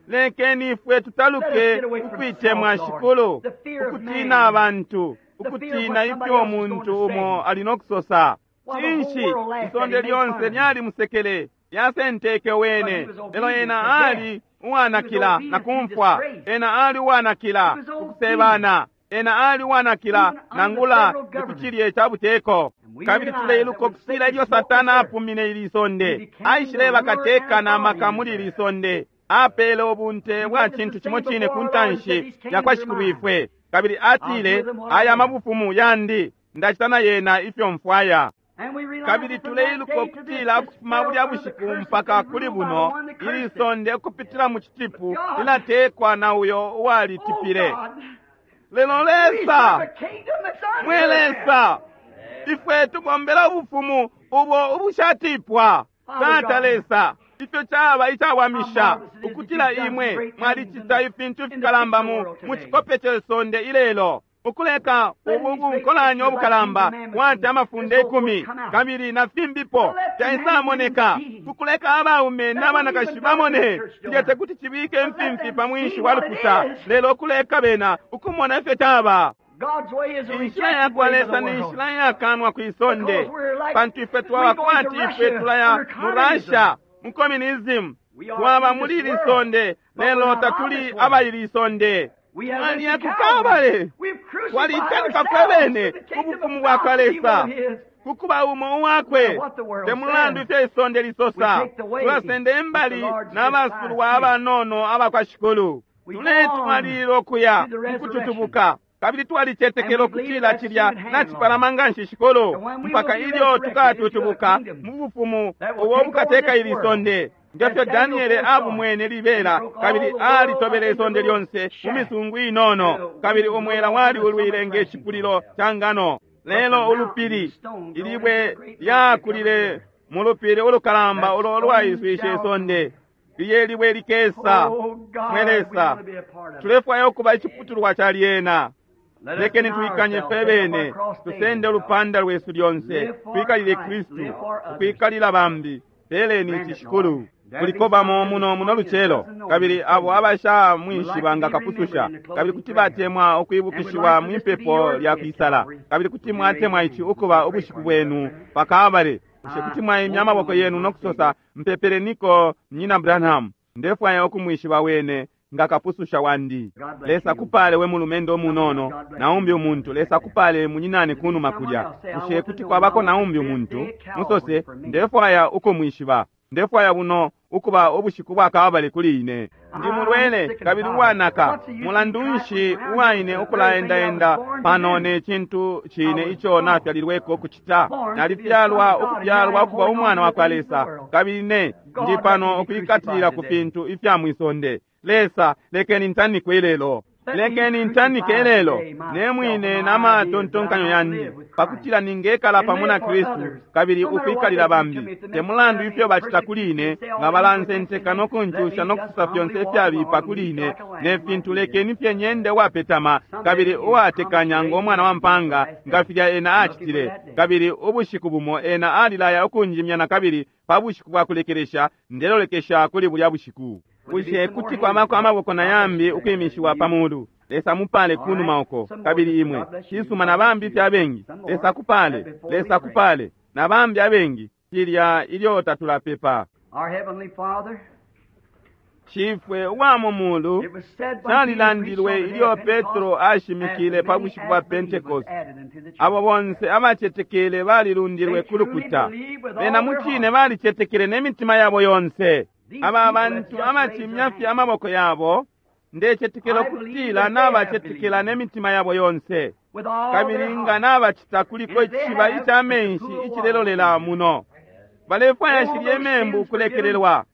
[SPEAKER 1] Lekeni ifwe tutaluke ukwitemwa Shikulu, ukutina abantu, ukutina ifyo umuntu umo ali no kusosa. Cinshi isonde lyonse lyalimusekele, lyasenteke wene, lelo ena ali uwanakila na kumfwa, ena ali uwanakila ukusebana, ena ali uwanakila nangula ni ca buteko. Kabili tuleiluka ukutila ilyo Satana apumine ili sonde, aishileba kateka na maka muli ili sonde, apele ubunte bwa cintu cimo cine ku ntanshi ya kwa Shikulwifwe. Kabili atile, aya mabufumu yandi, ndacita na yena ifyo mfwaya.
[SPEAKER 2] And we realize
[SPEAKER 1] Kabili
[SPEAKER 2] that from that
[SPEAKER 1] tuleiluka
[SPEAKER 2] day to this,
[SPEAKER 1] ukutila
[SPEAKER 2] this
[SPEAKER 1] ukufuma
[SPEAKER 2] spell
[SPEAKER 1] bulya
[SPEAKER 2] from the
[SPEAKER 1] bushiku
[SPEAKER 2] curse
[SPEAKER 1] mpaka
[SPEAKER 2] has been
[SPEAKER 1] kuli
[SPEAKER 2] ruled by
[SPEAKER 1] buno
[SPEAKER 2] the one that
[SPEAKER 1] ili
[SPEAKER 2] cursed it.
[SPEAKER 1] sonde ukupitila mu citipu lilatekwa na uyo uwalitipile.
[SPEAKER 2] Oh God,
[SPEAKER 1] Lelo
[SPEAKER 2] we serve
[SPEAKER 1] Lesa,
[SPEAKER 2] a kingdom that's
[SPEAKER 1] mwe
[SPEAKER 2] uncursed.
[SPEAKER 1] Lesa, ifwe tubombela ubufumu ubo ubushatipwa. Tata Lesa, ifyo caba icawamisha ukutila imwe mwalicita ifintu fikalamba mu cikope ce sonde ilelo, ukuleka ubu bunkolanya obukalamba kwati amafunde 10 kabili na fimbipo fyaisamoneka, kukuleka abaume n'abanakashi bamone cilya tekuti cibike imfimfi pa mwinshi wa lukuta, lelo ukuleka bena ukumona ifyo caba. Inshila yakwa Lesa ni nshila iyakanwa kwi sonde, pantu ifwe twaba kwati ifwe tulaya mu Russia, mu communism. Twaba muli ili sonde, lelo tatuli aba ili sonde. Twaliya ku Kalbale, twaliitanika fwe bene ku bufumu bwakwa Lesa, kukuba umo uwakwe. Te mulandu ifyo isonde lisosa, tulasenda imbali n'abasulwa abanono abakwa Shikulu. Tuletwalilila ukuya mukututubuka, kabili twalicetekela ukutila cilya nacipalama nganshi, Shikulu, mpaka ilyo tukatutubuka mu bufumu ubo bukateka ili sonde, ngefyo Daniele abumwene libela, kabili alitobele isonde lyonse mu misungu inono, kabili umwela waliulwile nge cipulilo ca ngano. Lelo ulupili, ilibwe lyakulile mu lupili ulukalamba ulo lwaiswishe isonde, liye libwe likesa. Mwe Lesa, tulefwaya ukuba iciputulwa ca lyena. Lekeni tuikanye fwe bene, tusende ulupanda lwesu lyonse, twikalile Kristu, ukwikalila bambi. Peleni ici, Shikulu. Kuliko bamo muno muno lucelo, kabili abo abashamwishiba nga kapususha, kabili kuti batemwa ukwibukishiwa mwipepo lya kwisala, kabili kuti mwatemwa ici ukuba ubushiku bwenu pa Kalbale. Bushe kuti mwaimya amaboko yenu no kusosa, mpepeleniko Munyina Branham, ndefwaya ukumwishiba wene nga kapususha wandi. Lesa kupale we mulumendo munono, naumbi umuntu. Lesa kupale munyinane kunuma kulya. Bushe kuti kwabako naumbi umuntu? Musose, ndefwaya ukumwishiba, ndefwaya buno ukuba ubushiku bwa Kalbale kuli ine. Ndi mulwele kabili uwanaka. Mulandu nshi uwaine ukulaendaenda pano ne cintu cine ico nafyalilweko kucita? Nalifyalwa ukufyalwa ukuba umwana wa kwa Lesa, kabili ne ndi pano ukwikatilila ku fintu ifya mwisonde. Lesa, lekeni ntanikwe ilelo. Lekeni ntanike ilelo ne mwine n'amatontonkanyo yandi, pakutila ningekala pamo na Kristu kabili ukwikalila bambi. Te mulandu ifyo bacita kuli ine, nga balansenteka no kuncusha no kusosa fyonse ifyabipa kuli ine ne fintu, lekeni fye nyende uwapetama kabili uwatekanya ngo mwana wa mpanga, nga filya ena acitile. Kabili ubushiku bumo ena alilaya ukunjimya na kabili pa bushiku bwa kulekelesha. Ndelolekesha kuli bulya bushiku. Bushe kuti kwabako amaboko na yambi ukwimishiwa pa mulu? Lesa mupale kunuma uko, kabili imwe cisuma na bambi fye abengi. Lesa kupale, Lesa kupale na bambi abengi. Cilya ilyo tatulapepa. Shifwe uwa mu mulu, calilandilwe ilyo Petro ashimikile pa bushiku bwa Pentekoste, abo bonse abacetekele balilundilwe ku lukuta. Bena mucine balicetekele ne mitima yabo yonse. Aba bantu abacimya fye amaboko yabo, ndecetekela ukutila nabacetekela ne mitima yabo yonse, kabili nga nabacita, kuliko icishiba ica menshi icilelolela muno. Balefwaya shilye membu ukulekelelwa.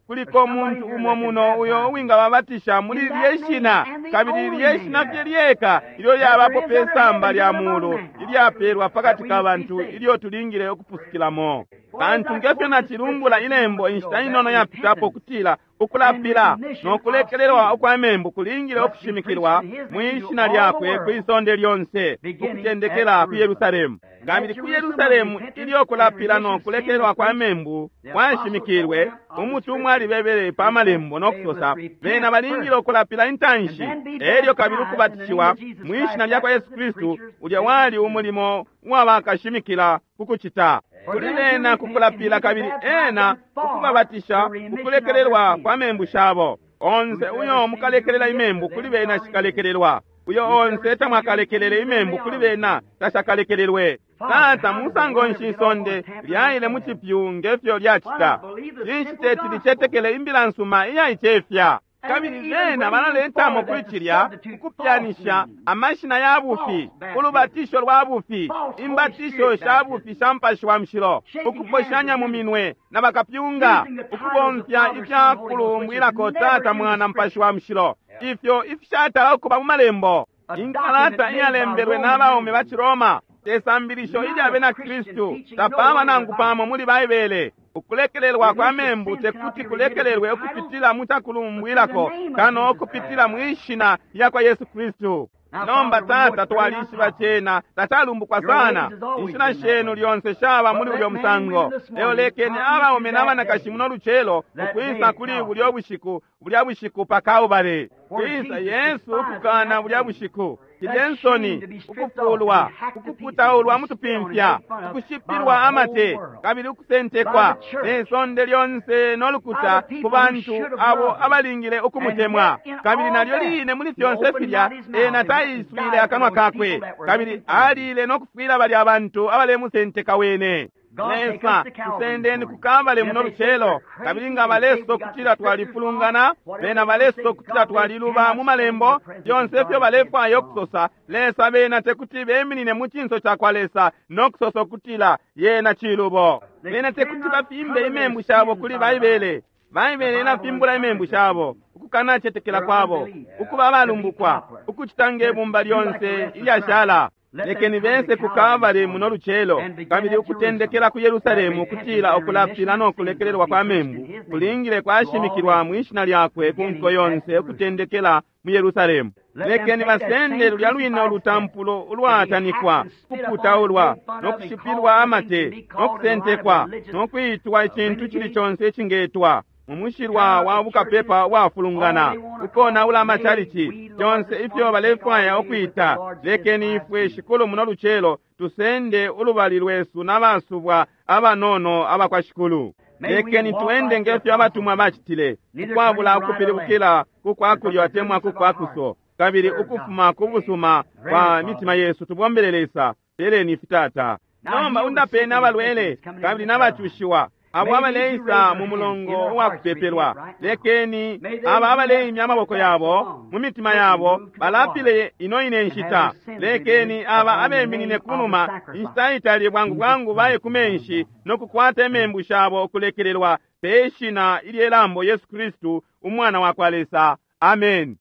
[SPEAKER 1] Kuliko umuntu umo muno uyo uwingababatisha muli lye shina, kabili lye shina fye lyeka ilyo lyabapo pe samba lya mulu ilyapelwa pakati ka bantu ilyo tulingile ukupusukilamo. Pantu ngefyo nacilumbula ilembo inshita inono yapitapo, kutila ukulapila no kulekelelwa ukwa membu kulingile ukushimikilwa mwi shina lyakwe kwi sonde lyonse, ukutendekela ku Yerusalemu. Kabili ku Yerusalemu ilyo kulapila no kulekelelwa kwa membu kwashimikilwe, umutumwa alibebele pa malembo no kusosa bena balingile ukulapila intanshi, elyo kabili ukubatishiwa mwi shina lyakwa Yesu Kristu. Ulya wali umulimo uwabakashimikila kukucita kuli bena, kukulapila kabili ena ukubabatisha ukulekelelwa kwa membu shabo. Onse uyo mukalekelela imembu kuli bena shikalekelelwa, uyo onse tamwakalekelele imembu kuli bena tashakalekelelwe. Tata, musango nshi isonde lyaile mu cipyu ngefyo lyacita? Cinshi teti licetekele imbila nsuma iyaicefya? Kabili bena balaletamo kuli cilya ukupyanisha amashina ya bufi, ulubatisho lwa bufi, imbatisho sha bufi sha Mupashi wa Mushilo, ukuposhanya mu minwe na bakapyunga, ukubomfya ifya kulumbwilako Tata, Mwana, Mupashi wa Mushilo, ifyo ifishatala ukuba mu malembo. Inkalata iyalembelwe n'abaume ba Ciroma, te sambilisho ilya bena Kristu, tapaba nangu pamo muli Baibele. Ukulekelelwa kwa membu tekuti kulekelelwe ukupitila mu cakulumbwilako kano ukupitila mwi shina lyakwa Yesu Kristu. Nomba Tata, twalishiba cena tacalumbukwa sana. Inshila shenu lyonse shaba muli ulyo musango, lelo lekeni abaume n'abanakashi muno lucelo ukwisa kuli bulyo bushiku, bulya bushiku pa Kalbale, kwisa Yesu ukukana bulya bushiku. Cilye nsoni, ukufuulwa, ukuputaulwa mutupimfya, ukushipilwa amate, kabili ukusentekwa ne sonde lyonse no lukuta ku bantu abo abalingile ukumutemwa. Kabili nalyo line muli fyonse filya, ena taiswile akanwa kakwe, kabili alile no kufwila balya bantu abalemusenteka wene. Lesa, tusendeni ku Kalbale muno lucelo. Kabili nga balesosa ukutila twalifulungana, bena balesosa ukutila twaliluba mu malembo, fyonse ifyo balefwaya ukusosa, Lesa, bena tekuti beminine mu cinso cakwa Lesa no kusosa ukutila yena cilubo. Bena tekuti bafimbe imembu shabo kuli Baibele. Baibele ilafimbula imembu shabo, ukukanacetekela kwabo, ukuba abalumbukwa, ukucita nge bumba lyonse ilyashala. Lekeni bese ku Kalbale muno lucelo, kabili ukutendekela ku Yerusalemu, ukutila ukulapila no kulekelelwa kwa membu kulingile kwashimikilwa mwi shina lyakwe ku nko yonse, ukutendekela mu Yerusalemu. Lekeni basende lulya lwine ulutampulo ulwatanikwa, kuputaulwa no kushipilwa amate no kusentekwa no kwitwa icintu cili conse icingetwa mu mushilwa wa bukapepa uwafulungana, ukonaula amacalici, fyonse ifyo balefwaya ukwita. Lekeni ifwe, Shikulu, muno lucelo tusende ulubali lwesu n'abasubwa abanono abakwa Shikulu. Lekeni twende ngefyo abatumwa bacitile, ukwabula ukupilibukila ku kwa kulyo atemwa ku kwa kuso, kabili ukufuma ku busuma kwa mitima yesu tubombele Lesa. Peleni ifi, Tata. Nomba undapeni abalwele kabili n'abacushiwa abo abaleisa mu mulongo uwakupepelwa. Lekeni aba abaleimya amaboko yabo mu mitima yabo balapile ino ine nshita. Lekeni aba abeminine kunuma inshita itali bwangu bwangu baye ku menshi no kukwata imembu shabo ukulekelelwa pe shina ilye lambo Yesu Kristu, Umwana wa kwa Lesa. Amen.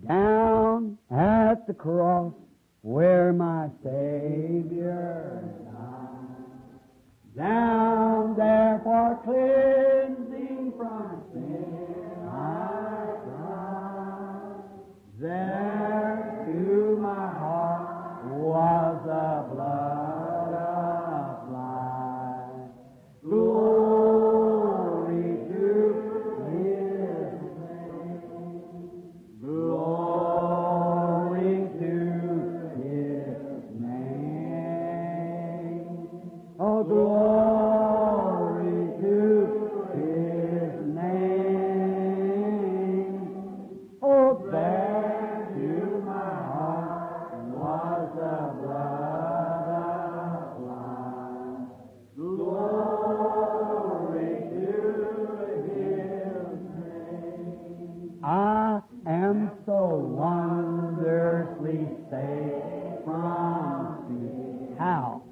[SPEAKER 2] Down at the cross where my Savior died, down there for cleansing from sin I cried. There to my heart was the blood applied. Glory to His name. Glory to His name. Oh, glory to His name. Oh, there to my heart was the blood applied. Glory to His name. I am so wondrously safe from sin. How?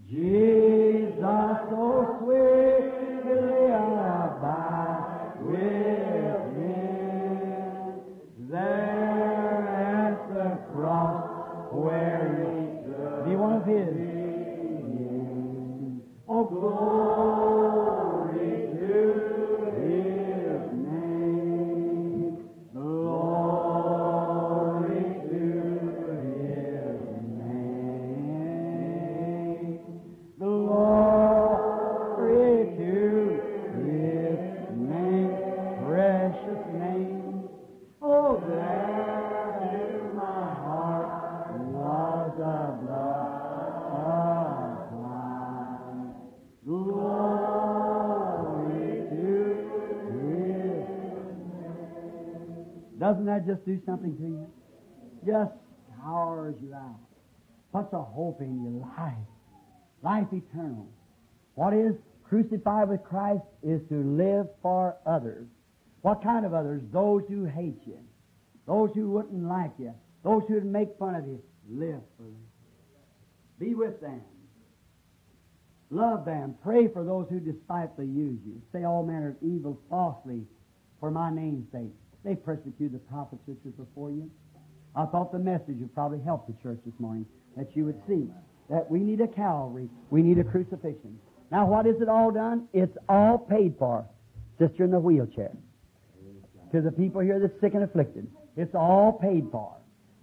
[SPEAKER 2] Jesus so sweetly abide with him. There at the cross where he be one of his. Oh, glory to his name. Glory to his name. Glory to his name, precious name. Oh, there in my heart was a blood applied. Glory to his name. Doesn't that just do something to you? Just powers you out. Puts a hope in your life. Life eternal. What is crucified with Christ is to live for others. What kind of others? Those who hate you. Those who wouldn't like you. Those who would make fun of you. Live for them. Be with them. Love them. Pray for those who despitefully use you. Say all manner of evil falsely for my name's sake. They persecuted the prophets which was before you. I thought the message would probably help the church this morning, that you would see that we need a Calvary, we need a crucifixion. Now, what is it all done? It's all paid for. Sister in the wheelchair. To the people here that's sick and afflicted. It's all paid for.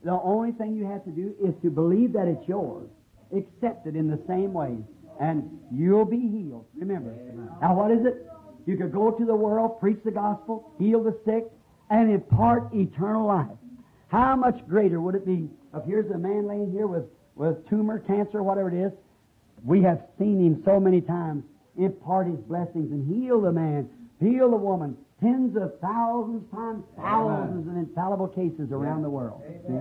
[SPEAKER 2] The only thing you have to do is to believe that it's yours. Accept it in the same way. And you'll be healed. Remember. Now what is it? You could go to the world, preach the gospel, heal the sick, and impart eternal life. How much greater would it be if here's a man laying here with, with tumor, cancer, whatever it is? We have seen him so many times impart his blessings and heal the man, heal the woman, tens of thousands times thousands of infallible cases around the world. See?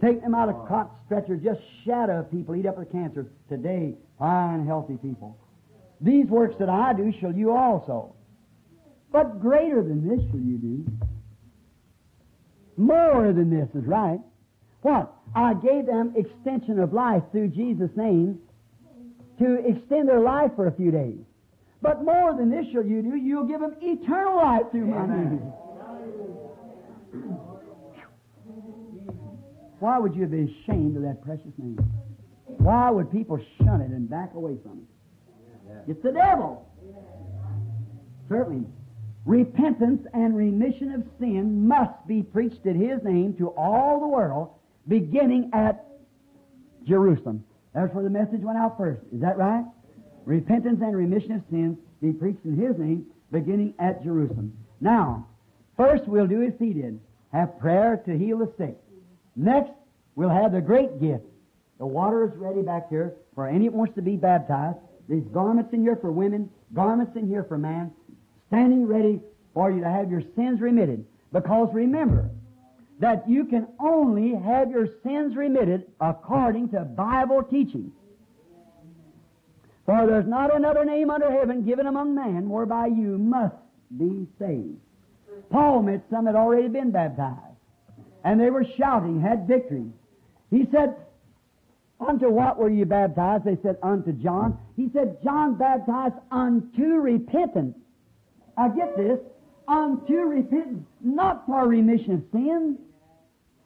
[SPEAKER 2] Take them out of cot stretchers, just shadow people, eat up with cancer. Today, fine, healthy people. These works that I do shall you also. But greater than this shall you do. More than this is right. What? I gave them extension of life through Jesus' name to extend their life for a few days. But more than this shall you do, you'll give them eternal life through my name. Why would you be ashamed of that precious name? Why would people shun it and back away from it? It's the devil. Certainly. Repentance and remission of sin must be preached in His name to all the world, beginning at Jerusalem. That's where the message went out first. Is that right? Repentance and remission of sins be preached in His name, beginning at Jerusalem. Now, first we'll do as He did. Have prayer to heal the sick. Next, we'll have the great gift. The water is ready back here for any that wants to be baptized. There's garments in here for women, garments in here for man, standing ready for you to have your sins remitted. Because remember that you can only have your sins remitted according to Bible teaching. For there's not another name under heaven given among men whereby you must be saved. Paul met some that had already been baptized, and they were shouting, had victory. He said, Unto what were you baptized? They said, Unto John. He said, John baptized unto repentance. I get this. Unto repentance, not for remission of sins.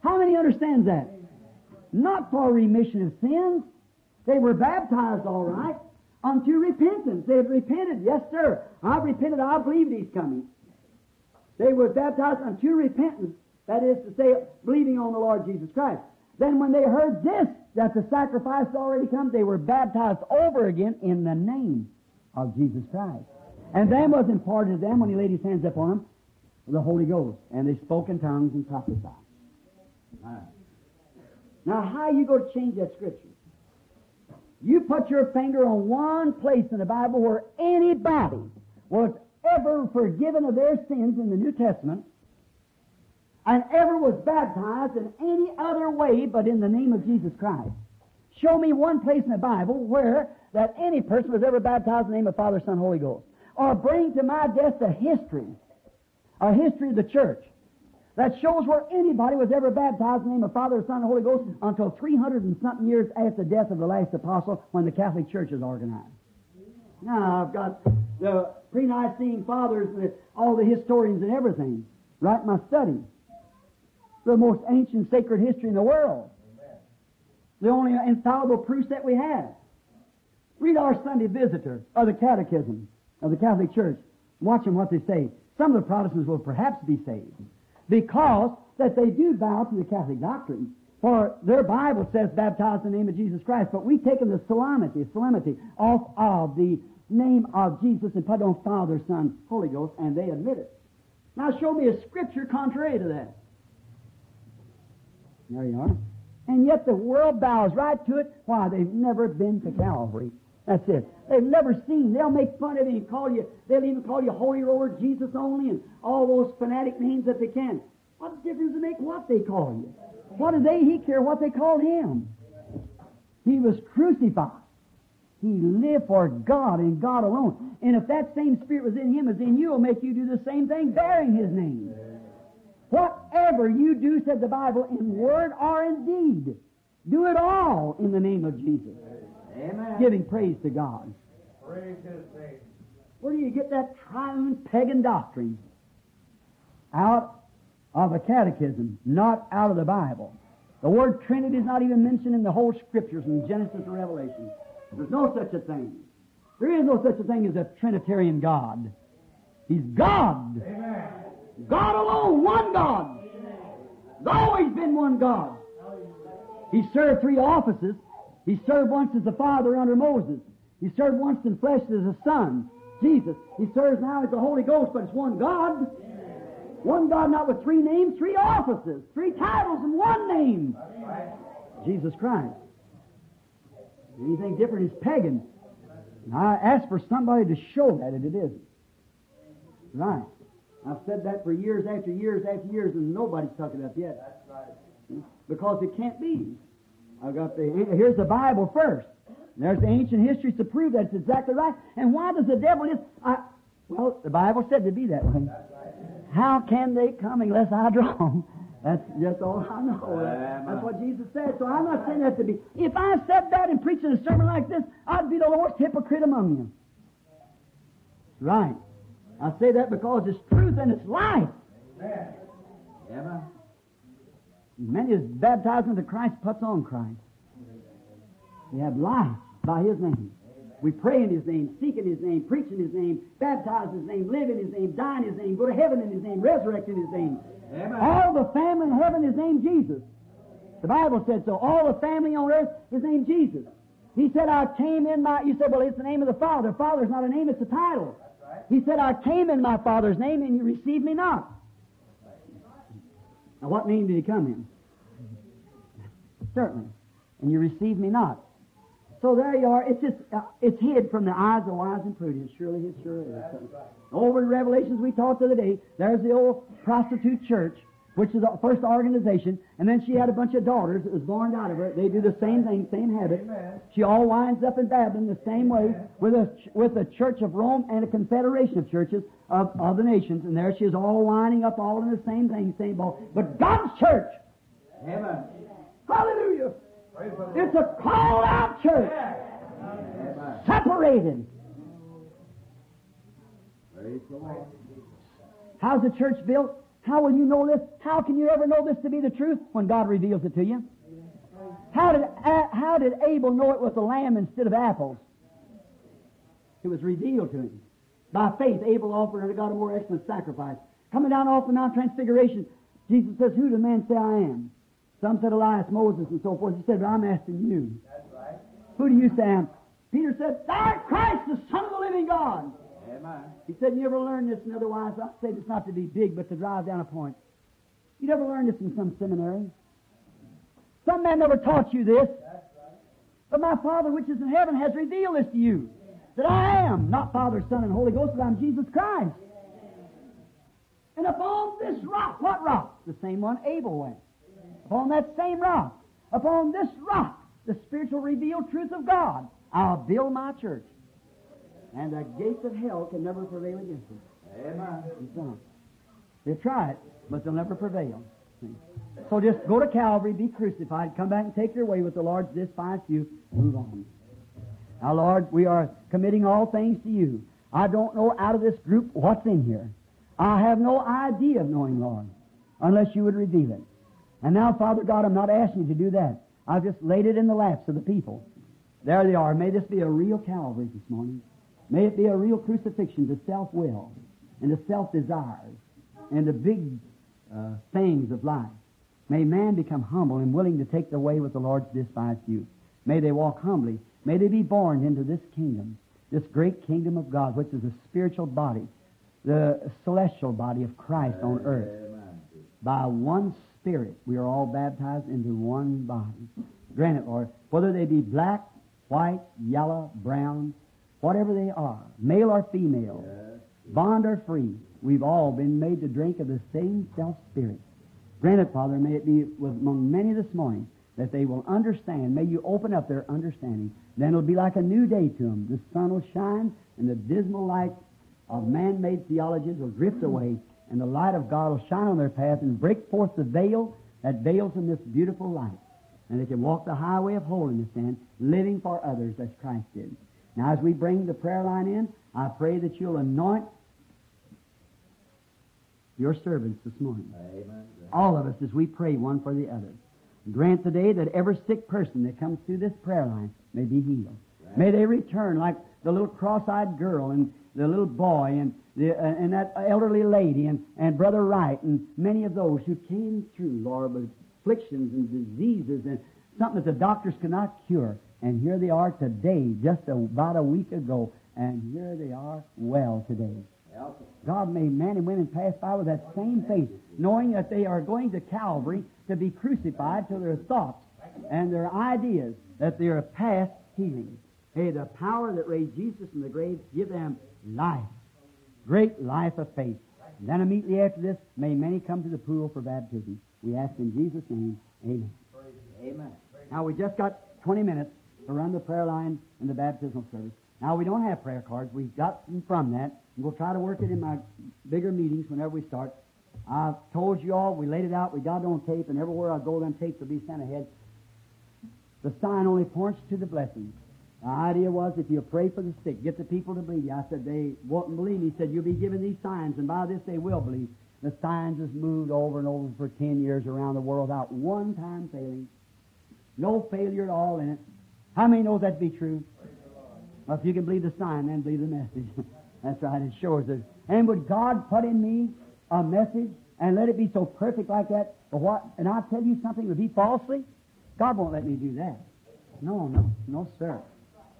[SPEAKER 2] How many understands that? Not for remission of sins. They were baptized all right. Unto repentance. They had repented. Yes, sir. I've repented. I believed He's coming. They were baptized unto repentance. That is to say, believing on the Lord Jesus Christ. Then when they heard this, that the sacrifice had already come, they were baptized over again in the name of Jesus Christ. And then was imparted to them, when He laid His hands upon them, the Holy Ghost. And they spoke in tongues and prophesied. Now, how are you going to change that scripture? You put your finger on one place in the Bible where anybody was ever forgiven of their sins in the New Testament and ever was baptized in any other way but in the name of Jesus Christ. Show me one place in the Bible where that any person was ever baptized in the name of Father, Son, Holy Ghost. Or bring to my desk a history of the church that shows where anybody was ever baptized in the name of Father, Son, and Holy Ghost until 300 and something years after the death of the last apostle when the Catholic Church is organized. Now, I've got the pre-Nicene fathers and all the historians and everything right in my study. The most ancient sacred history in the world. The only infallible proofs that we have. Read our Sunday Visitor, or the Catechism of the Catholic Church. Watch them what they say. Some of the Protestants will perhaps be saved because that they do bow to the Catholic doctrine. For their Bible says baptized in the name of Jesus Christ, but we've taken the solemnity off of the name of Jesus and put on Father, Son, Holy Ghost, and they admit it. Now show me a scripture contrary to that. There you are. And yet the world bows right to it. Why? They've never been to Calvary. That's it. They've never seen. They'll make fun of you and call you. They'll even call you Holy Roller, Jesus Only, and all those fanatic names that they can. What difference does it make what they call you? What do they he care what they called him? He was crucified. He lived for God and God alone. And if that same Spirit was in him as in you, it'll make you do the same thing, bearing His name. Whatever you do, said the Bible, in word or in deed, do it all in the name of Jesus.
[SPEAKER 3] Amen.
[SPEAKER 2] Giving praise to God.
[SPEAKER 3] Praise His name.
[SPEAKER 2] Where do you get that triune pagan doctrine? Out of a catechism, not out of the Bible. The word Trinity is not even mentioned in the whole Scriptures from Genesis to Revelation. There's no such a thing. There is no such a thing as a Trinitarian God. He's God.
[SPEAKER 3] Amen.
[SPEAKER 2] God alone, one God. There's always been one God. He served three offices. He served once as the Father under Moses. He served once in flesh as a Son, Jesus. He serves now as the Holy Ghost, but it's one God. One God, not with three names, three offices, three titles, and one name. Jesus Christ. Anything different is pagan. And I ask for somebody to show that, and it isn't. Right. I've said that for years after years after years, and nobody's took it up yet. Because it can't be. I've got the here's the Bible first. And there's the ancient histories to prove that it's exactly right. And why does the devil just... well, the Bible said to be that way. How can they come unless I draw them? That's just all I know. That's what Jesus said. So I'm not saying that to be... If I said that and preached a sermon like this, I'd be the worst hypocrite among you. Right. I say that because it's truth and it's life.
[SPEAKER 3] Amen.
[SPEAKER 2] Many is baptized into Christ puts on Christ. We have life by His name. We pray in His name, seek in His name, preach in His name, baptize in His name, live in His name, die in His name, go to heaven in His name, resurrect in His name.
[SPEAKER 3] Amen.
[SPEAKER 2] All the family in heaven is named Jesus. The Bible said so. All the family on earth is named Jesus. He said, I came in my... You said, well, it's the name of the Father. Father's not a name, it's a title. He said, I came in my Father's name and you received me not. Now, what name did He come in? Certainly. And you received me not. So there you are. It's just it's hid from the eyes of wise and prudent. Surely it sure is. Over in Revelations we taught the other day, there's the old prostitute church, which is the first organization, and then she had a bunch of daughters that was born out of her. They do the same thing, same habit.
[SPEAKER 3] Amen.
[SPEAKER 2] She all winds up in Babylon the same way with a church of Rome and a confederation of churches of the nations, and there she is all winding up all in the same thing, same ball. But God's church!
[SPEAKER 3] Amen.
[SPEAKER 2] Hallelujah! It's a called-out church.
[SPEAKER 3] Amen.
[SPEAKER 2] Separated.
[SPEAKER 3] Praise the Lord.
[SPEAKER 2] How's the church built? How will you know this? How can you ever know this to be the truth? When God reveals it to you. How did Abel know it was a lamb instead of apples? It was revealed to him. By faith, Abel offered unto God a more excellent sacrifice. Coming down off the Mount Transfiguration, Jesus says, who do men say I am? Some said Elias, Moses, and so forth. He said, but I'm asking you.
[SPEAKER 3] That's right.
[SPEAKER 2] Who do you say I am? Peter said, Thou art Christ, the Son of the living God.
[SPEAKER 3] Amen.
[SPEAKER 2] He said, you ever learned this? And otherwise, I say this not to be big, but to drive down a point. You never learned this in some seminary. Some man never taught you this.
[SPEAKER 3] That's right.
[SPEAKER 2] But my Father which is in heaven has revealed this to you, that I am not Father, Son, and Holy Ghost, but I'm Jesus Christ. And upon this rock, what rock? The same one Abel went. Upon that same rock, upon this rock, the spiritual revealed truth of God, I'll build my church. And the gates of hell can never prevail against it.
[SPEAKER 3] Amen.
[SPEAKER 2] They'll try it, but they'll never prevail. See? So just go to Calvary, be crucified, come back and take your way with the Lord's despised you, move on. Now, Lord, we are committing all things to you. I don't know out of this group what's in here. I have no idea of knowing, Lord, unless you would reveal it. And now, Father God, I'm not asking you to do that. I've just laid it in the laps of the people. There they are. May this be a real Calvary this morning. May it be a real crucifixion to self-will and to self-desires and the big things of life. May man become humble and willing to take the way with the Lord's despised you. May they walk humbly. May they be born into this kingdom, this great kingdom of God, which is the spiritual body, the celestial body of Christ on earth.
[SPEAKER 3] Amen.
[SPEAKER 2] By one Spirit, we are all baptized into one body. Grant it, Lord, whether they be black, white, yellow, brown, whatever they are, male or female, bond or free, we've all been made to drink of the same self-spirit. Grant it, Father, may it be with among many this morning that they will understand. May you open up their understanding. Then it'll be like a new day to them. The sun will shine and the dismal light of man-made theologies will drift away, and the light of God will shine on their path and break forth the veil that veils them this beautiful light. And they can walk the highway of holiness then, living for others as Christ did. Now, as we bring the prayer line in, I pray that you'll anoint your servants this morning.
[SPEAKER 3] Amen.
[SPEAKER 2] All of us as we pray one for the other. Grant today that every sick person that comes through this prayer line may be healed.
[SPEAKER 3] Right.
[SPEAKER 2] May they return like the little cross-eyed girl and the little boy and and that elderly lady and Brother Wright and many of those who came through, Lord, with afflictions and diseases and something that the doctors could not cure. And here they are today, just about a week ago, and here they are well today. God made men and women pass by with that same faith, knowing that they are going to Calvary to be crucified to their thoughts and their ideas, that they are past healing. Hey, the power that raised Jesus from the grave give them life, great life of faith. And then immediately after this, may many come to the pool for baptism. We ask in Jesus' name, amen.
[SPEAKER 3] Amen.
[SPEAKER 2] Now, we just got 20 minutes to run the prayer line and the baptismal service. Now, we don't have prayer cards. We've got them from that. And we'll try to work it in my bigger meetings whenever we start. I've told you all, we laid it out, we got it on tape, and everywhere I go, them tapes will be sent ahead. The sign only points to the blessing. The idea was if you pray for the sick, get the people to believe you. I said, they won't believe me. He said, you'll be given these signs, and by this they will believe. The signs has moved over and over for 10 years around the world without one time failing. No failure at all in it. How many knows that to be true? Well, if you can believe the sign, then believe the message. That's right, it shows it. And would God put in me a message and let it be so perfect like that? But what? And I tell you something would be falsely? God won't let me do that. No, no, no, sir.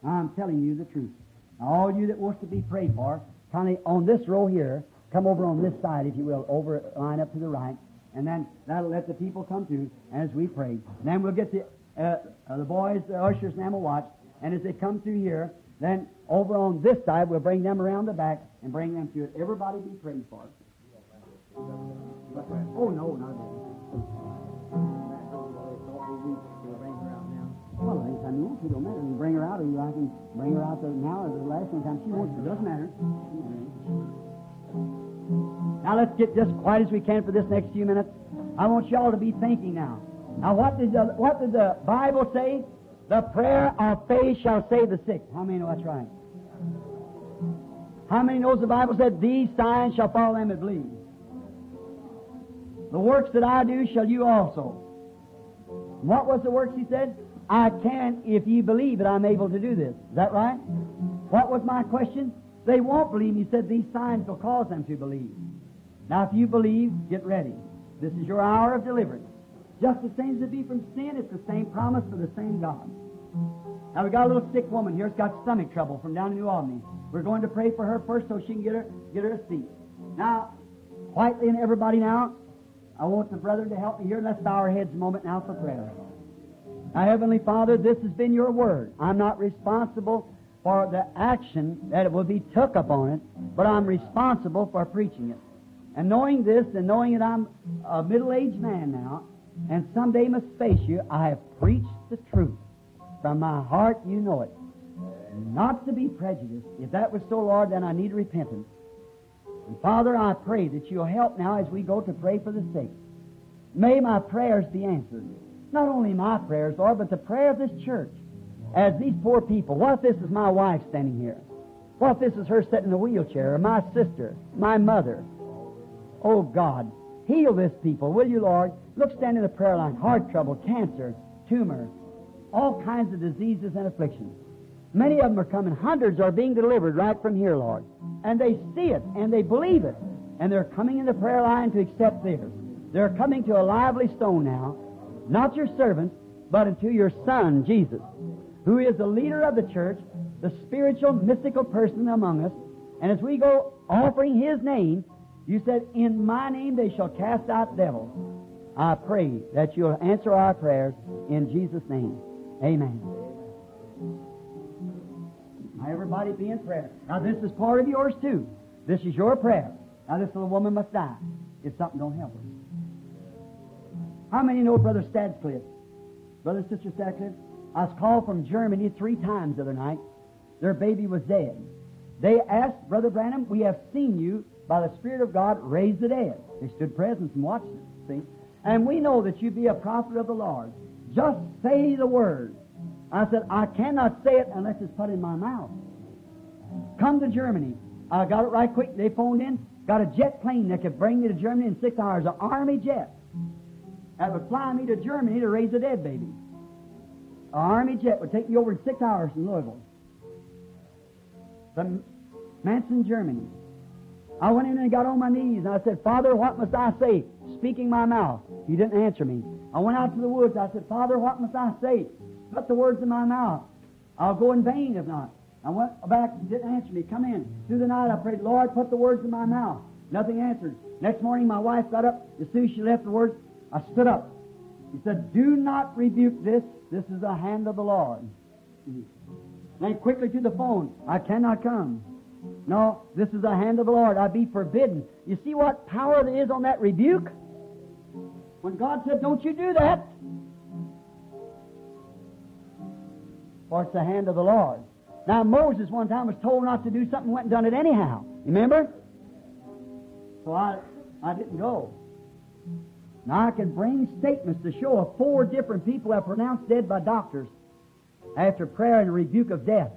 [SPEAKER 2] I'm telling you the truth. Now, all you that wants to be prayed for, kindly on this row here, come over on this side, if you will, over, line up to the right, and then that'll let the people come through as we pray. And then we'll get the boys, the ushers, and them will watch, and as they come through here, then over on this side, we'll bring them around the back and bring them through it. Everybody be prayed for. Oh, no, not that. Well, anytime you want to, don't matter. You can bring her out, or I can bring her out there now or the last anytime she wants to. It doesn't matter. Now let's get just quiet as we can for this next few minutes. I want y'all to be thinking now. Now what did the Bible say? The prayer of faith shall save the sick. How many know that's right? How many knows the Bible said, these signs shall follow them that believe? The works that I do shall you also. What was the works he said? I can if ye believe that I'm able to do this. Is that right? What was my question? They won't believe. He said these signs will cause them to believe. Now if you believe, get ready. This is your hour of deliverance. Just the same as it be from sin, it's the same promise for the same God. Now we got a little sick woman here who's got stomach trouble from down in New Albany. We're going to pray for her first so she can get her a seat. Now, quietly and everybody now, I want the brethren to help me here. Let's bow our heads a moment now for prayer. Now, Heavenly Father, this has been your word. I'm not responsible for the action that it will be took upon it, but I'm responsible for preaching it. And knowing this and knowing that I'm a middle-aged man now, and someday must face you, I have preached the truth. From my heart, you know it. Not to be prejudiced. If that was so, Lord, then I need repentance. And Father, I pray that you'll help now as we go to pray for the sick. May my prayers be answered. Not only my prayers, Lord, but the prayer of this church. As these poor people, what if this is my wife standing here? What if this is her sitting in a wheelchair, or my sister, my mother? Oh, God, heal this people, will you, Lord? Look, stand in the prayer line. Heart trouble, cancer, tumor, all kinds of diseases and afflictions. Many of them are coming. Hundreds are being delivered right from here, Lord. And they see it, and they believe it. And they're coming in the prayer line to accept theirs. They're coming to a lively stone now, not your servants, but unto your Son, Jesus, who is the leader of the church, the spiritual, mystical person among us. And as we go offering His name, you said, in my name they shall cast out devils. I pray that you'll answer our prayers in Jesus' name. Amen. Now everybody be in prayer. Now this is part of yours too. This is your prayer. Now this little woman must die if something don't help her. How many know Brother Stadcliffe? Brother and Sister Stadcliffe? I was called from Germany 3 times the other night. Their baby was dead. They asked, Brother Branham, we have seen you by the Spirit of God raise the dead. They stood present and watched it, see? And we know that you be a prophet of the Lord. Just say the word. I said, I cannot say it unless it's put in my mouth. Come to Germany. I got it right quick. They phoned in. Got a jet plane that could bring me to Germany in 6 hours, an army jet. That would fly me to Germany to raise a dead baby. An army jet would take me over in 6 hours from Louisville. From Manson, Germany. I went in and got on my knees and I said, Father, what must I say? Speaking my mouth. He didn't answer me. I went out to the woods. I said, Father, what must I say? Put the words in my mouth. I'll go in vain if not. I went back, didn't answer me. Come in. Through the night I prayed, Lord, put the words in my mouth. Nothing answered. Next morning my wife got up. As soon as she left the words, I stood up. He said, Do not rebuke this. This is the hand of the Lord. Then quickly to the phone. I cannot come. No, this is the hand of the Lord. I be forbidden. You see what power there is on that rebuke? When God said, Don't you do that. For it's the hand of the Lord. Now, Moses one time was told not to do something, went and done it anyhow. Remember? So I didn't go. Now, I can bring statements to show of 4 different people have pronounced dead by doctors after prayer and rebuke of death.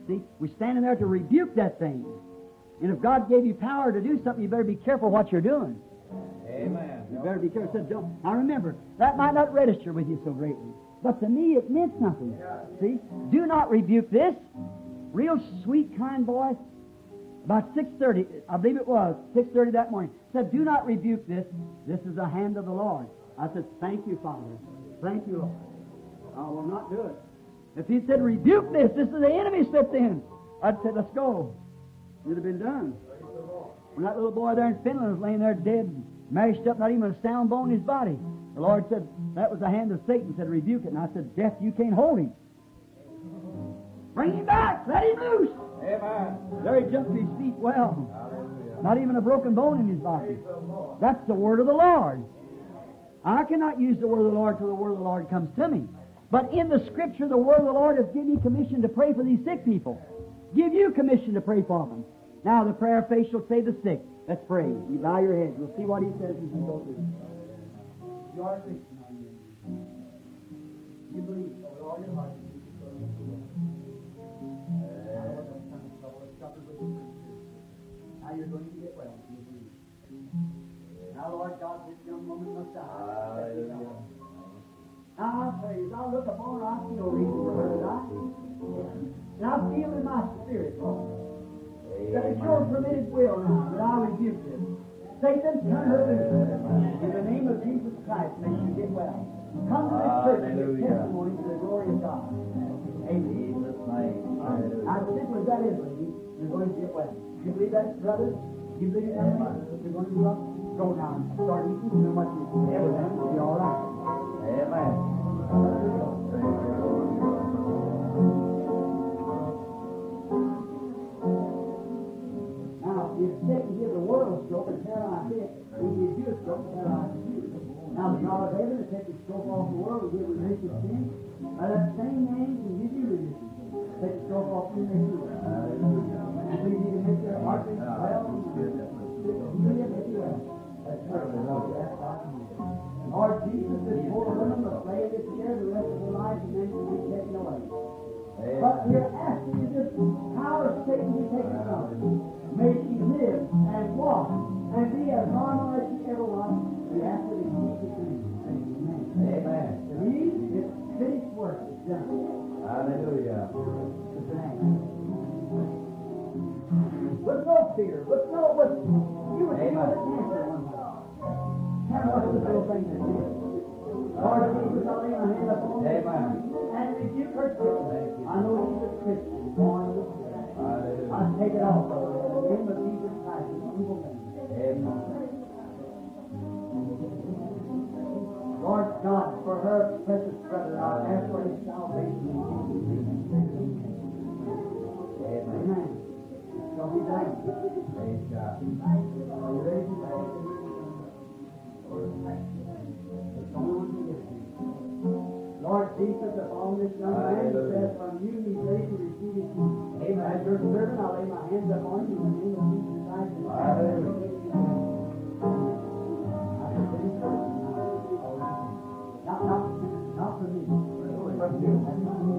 [SPEAKER 2] See, we're standing there to rebuke that thing. And if God gave you power to do something, you better be careful what you're doing.
[SPEAKER 3] Amen.
[SPEAKER 2] You better be careful. Said, don't. Now remember, that might not register with you so greatly. But to me, it meant something. See? Do not rebuke this. Real sweet, kind voice. About 6:30, I believe it was, 6:30 that morning, said, Do not rebuke this. This is the hand of the Lord. I said, Thank you, Father. Thank you, Lord. I will not do it. If he said, Rebuke this, this is the enemy slipped in, I'd say, Let's go. It'd have been done. When that little boy there in Finland was laying there dead, mashed up, not even a sound bone in his body, the Lord said, that was the hand of Satan, said, Rebuke it. And I said, Death, you can't hold him. Bring him back. Let him loose.
[SPEAKER 3] Amen.
[SPEAKER 2] There he jumped to his feet well.
[SPEAKER 3] Hallelujah.
[SPEAKER 2] Not even a broken bone in his body. That's the word of the Lord. I cannot use the word of the Lord till the word of the Lord comes to me. But in the Scripture, the word of the Lord has given me commission to pray for these sick people. Give you commission to pray for them. Now the prayer of faith shall save the sick. Let's pray. You bow your heads. We'll see what he says as we go through. You are a Christian, are you? You believe with all your heart that Jesus is going to make you well. Now you're going to get well. You believe. Now, Lord God, this young woman must die.
[SPEAKER 3] Hallelujah.
[SPEAKER 2] Now I pray, as I look upon her, I see no reason for her to die. And I feel in my spirit, Lord, that it's your permitted will now that I rebuke this. Satan, turn her loose. In the name of Jesus Christ, may she get well. Come to this church and give testimony to the glory of God. Amen.
[SPEAKER 3] Jesus' name. Hallelujah.
[SPEAKER 2] As simple as that is, lady, you're going to get well. You believe that, brother? You believe it, lady? You're going to go up, go down, start eating, you know what you everything will be all right.
[SPEAKER 3] Amen.
[SPEAKER 2] Now, if Satan give the world a stroke and paralyze it, he gives you a stroke and paralyzes you. Now, the God of heaven has taken the stroke off the world and give remission of sin. By that same name, he can give you remission. Take the stroke off you and make you well. You believe he can make your heart beat well? Heal you, make you well. That's perfect. That's God. Lord Jesus, this poor woman must lay in this chair the rest of her life and then she'll be taken away. But we're asking you this power of Satan to take it from her. May she live and walk and be as normal as she ever was. We ask it in Jesus' name. Amen.
[SPEAKER 3] Amen.
[SPEAKER 2] Believe it's finished work. It's done.
[SPEAKER 3] Hallelujah.
[SPEAKER 2] It's an act. With no fear, with no, with, you would feel it cancer one time. How much this little thing is here. Lord Jesus, I lay my hand upon her.
[SPEAKER 3] Amen.
[SPEAKER 2] And rebuke her sickness. I know she's a Christian, born of the Spirit.
[SPEAKER 3] Hallelujah.
[SPEAKER 2] I take it off of her in the name of Jesus Christ, this evil thing.
[SPEAKER 3] Amen.
[SPEAKER 2] Lord God, for her precious brother, I ask for his salvation in Jesus' name.
[SPEAKER 3] Amen.
[SPEAKER 2] Amen. Shall be done.
[SPEAKER 3] Praise God.
[SPEAKER 2] Are you ready to pray? It's the only one can give it to you. Lord Jesus, upon this young man who says from you he's ready to receive his healing.
[SPEAKER 3] Amen.
[SPEAKER 2] As your servant, I lay my hands upon you in the name of Jesus Christ. And
[SPEAKER 3] Hallelujah.
[SPEAKER 2] I present it. Not from me. From you. That's not me.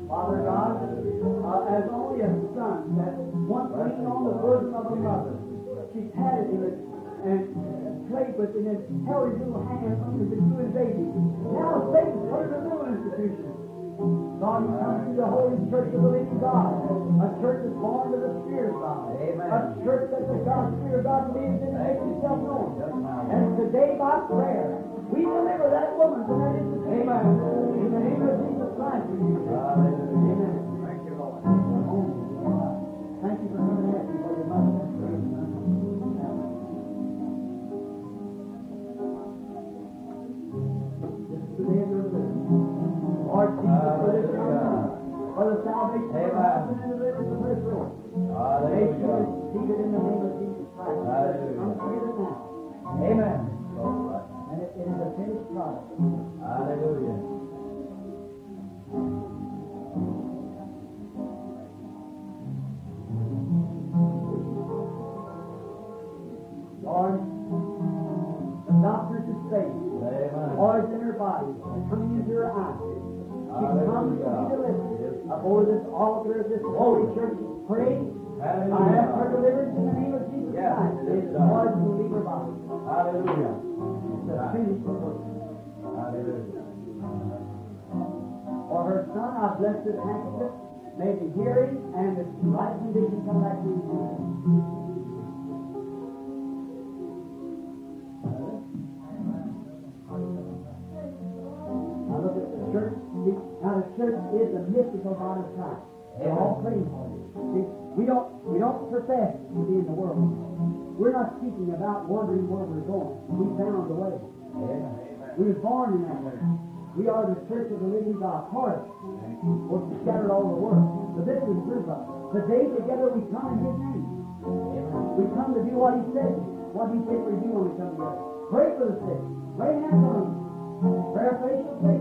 [SPEAKER 2] Father God, as only a son that once leaned on the bosom of a mother, she patted him and played with him and held his little hand under the good baby. Now Satan's put in a little institution. God, he comes to the holy church of the living God, a church that's born of the Spirit of God,
[SPEAKER 3] Amen.
[SPEAKER 2] a church that the God, Spirit of God lives in and makes himself known. And today by prayer, we deliver that woman from that institution.
[SPEAKER 3] Amen.
[SPEAKER 2] In the name of Jesus Christ, we do this.
[SPEAKER 3] Hallelujah.
[SPEAKER 2] Amen.
[SPEAKER 3] Thank you, Lord.
[SPEAKER 2] Thank you for coming asking for your mother. This is the day of your deliverance. Lord Jesus, for this young woman, for the salvation of her
[SPEAKER 3] Amen.
[SPEAKER 2] husband and deliverance of her soul. May she
[SPEAKER 3] Hallelujah.
[SPEAKER 2] receive it in the name of Jesus Christ.
[SPEAKER 3] Hallelujah.
[SPEAKER 2] Come together now.
[SPEAKER 3] Amen.
[SPEAKER 2] And it is a finished product.
[SPEAKER 3] Hallelujah.
[SPEAKER 2] Lord, the doctors are saying,
[SPEAKER 3] Amen.
[SPEAKER 2] poison in her body and coming into her eyes. She comes to be delivered. Before this altar of this holy church, pray. I ask for
[SPEAKER 3] Hallelujah.
[SPEAKER 2] deliverance in the name of Jesus
[SPEAKER 3] Yes,
[SPEAKER 2] Christ.
[SPEAKER 3] it
[SPEAKER 2] May
[SPEAKER 3] is
[SPEAKER 2] the
[SPEAKER 3] done.
[SPEAKER 2] poison will leave her body.
[SPEAKER 3] Hallelujah.
[SPEAKER 2] It's a finished work.
[SPEAKER 3] Hallelujah.
[SPEAKER 2] For her son, I bless this handkerchief. May the hearing and the right condition come back to him. Now look at the church. See, now the church is the mystical body of Christ. They're all praying for you. See, we don't profess to be in the world. We're not speaking about wondering where we're going. We found the way.
[SPEAKER 3] Amen.
[SPEAKER 2] We were born in that way. We are the church of the living God. Part was scattered all over the world. But this is group of us. Today together we come in His name.
[SPEAKER 3] Amen.
[SPEAKER 2] We come to do what He said. What He said we do when we come together. Pray for the sick. Lay hands on them. Prayer faith shall save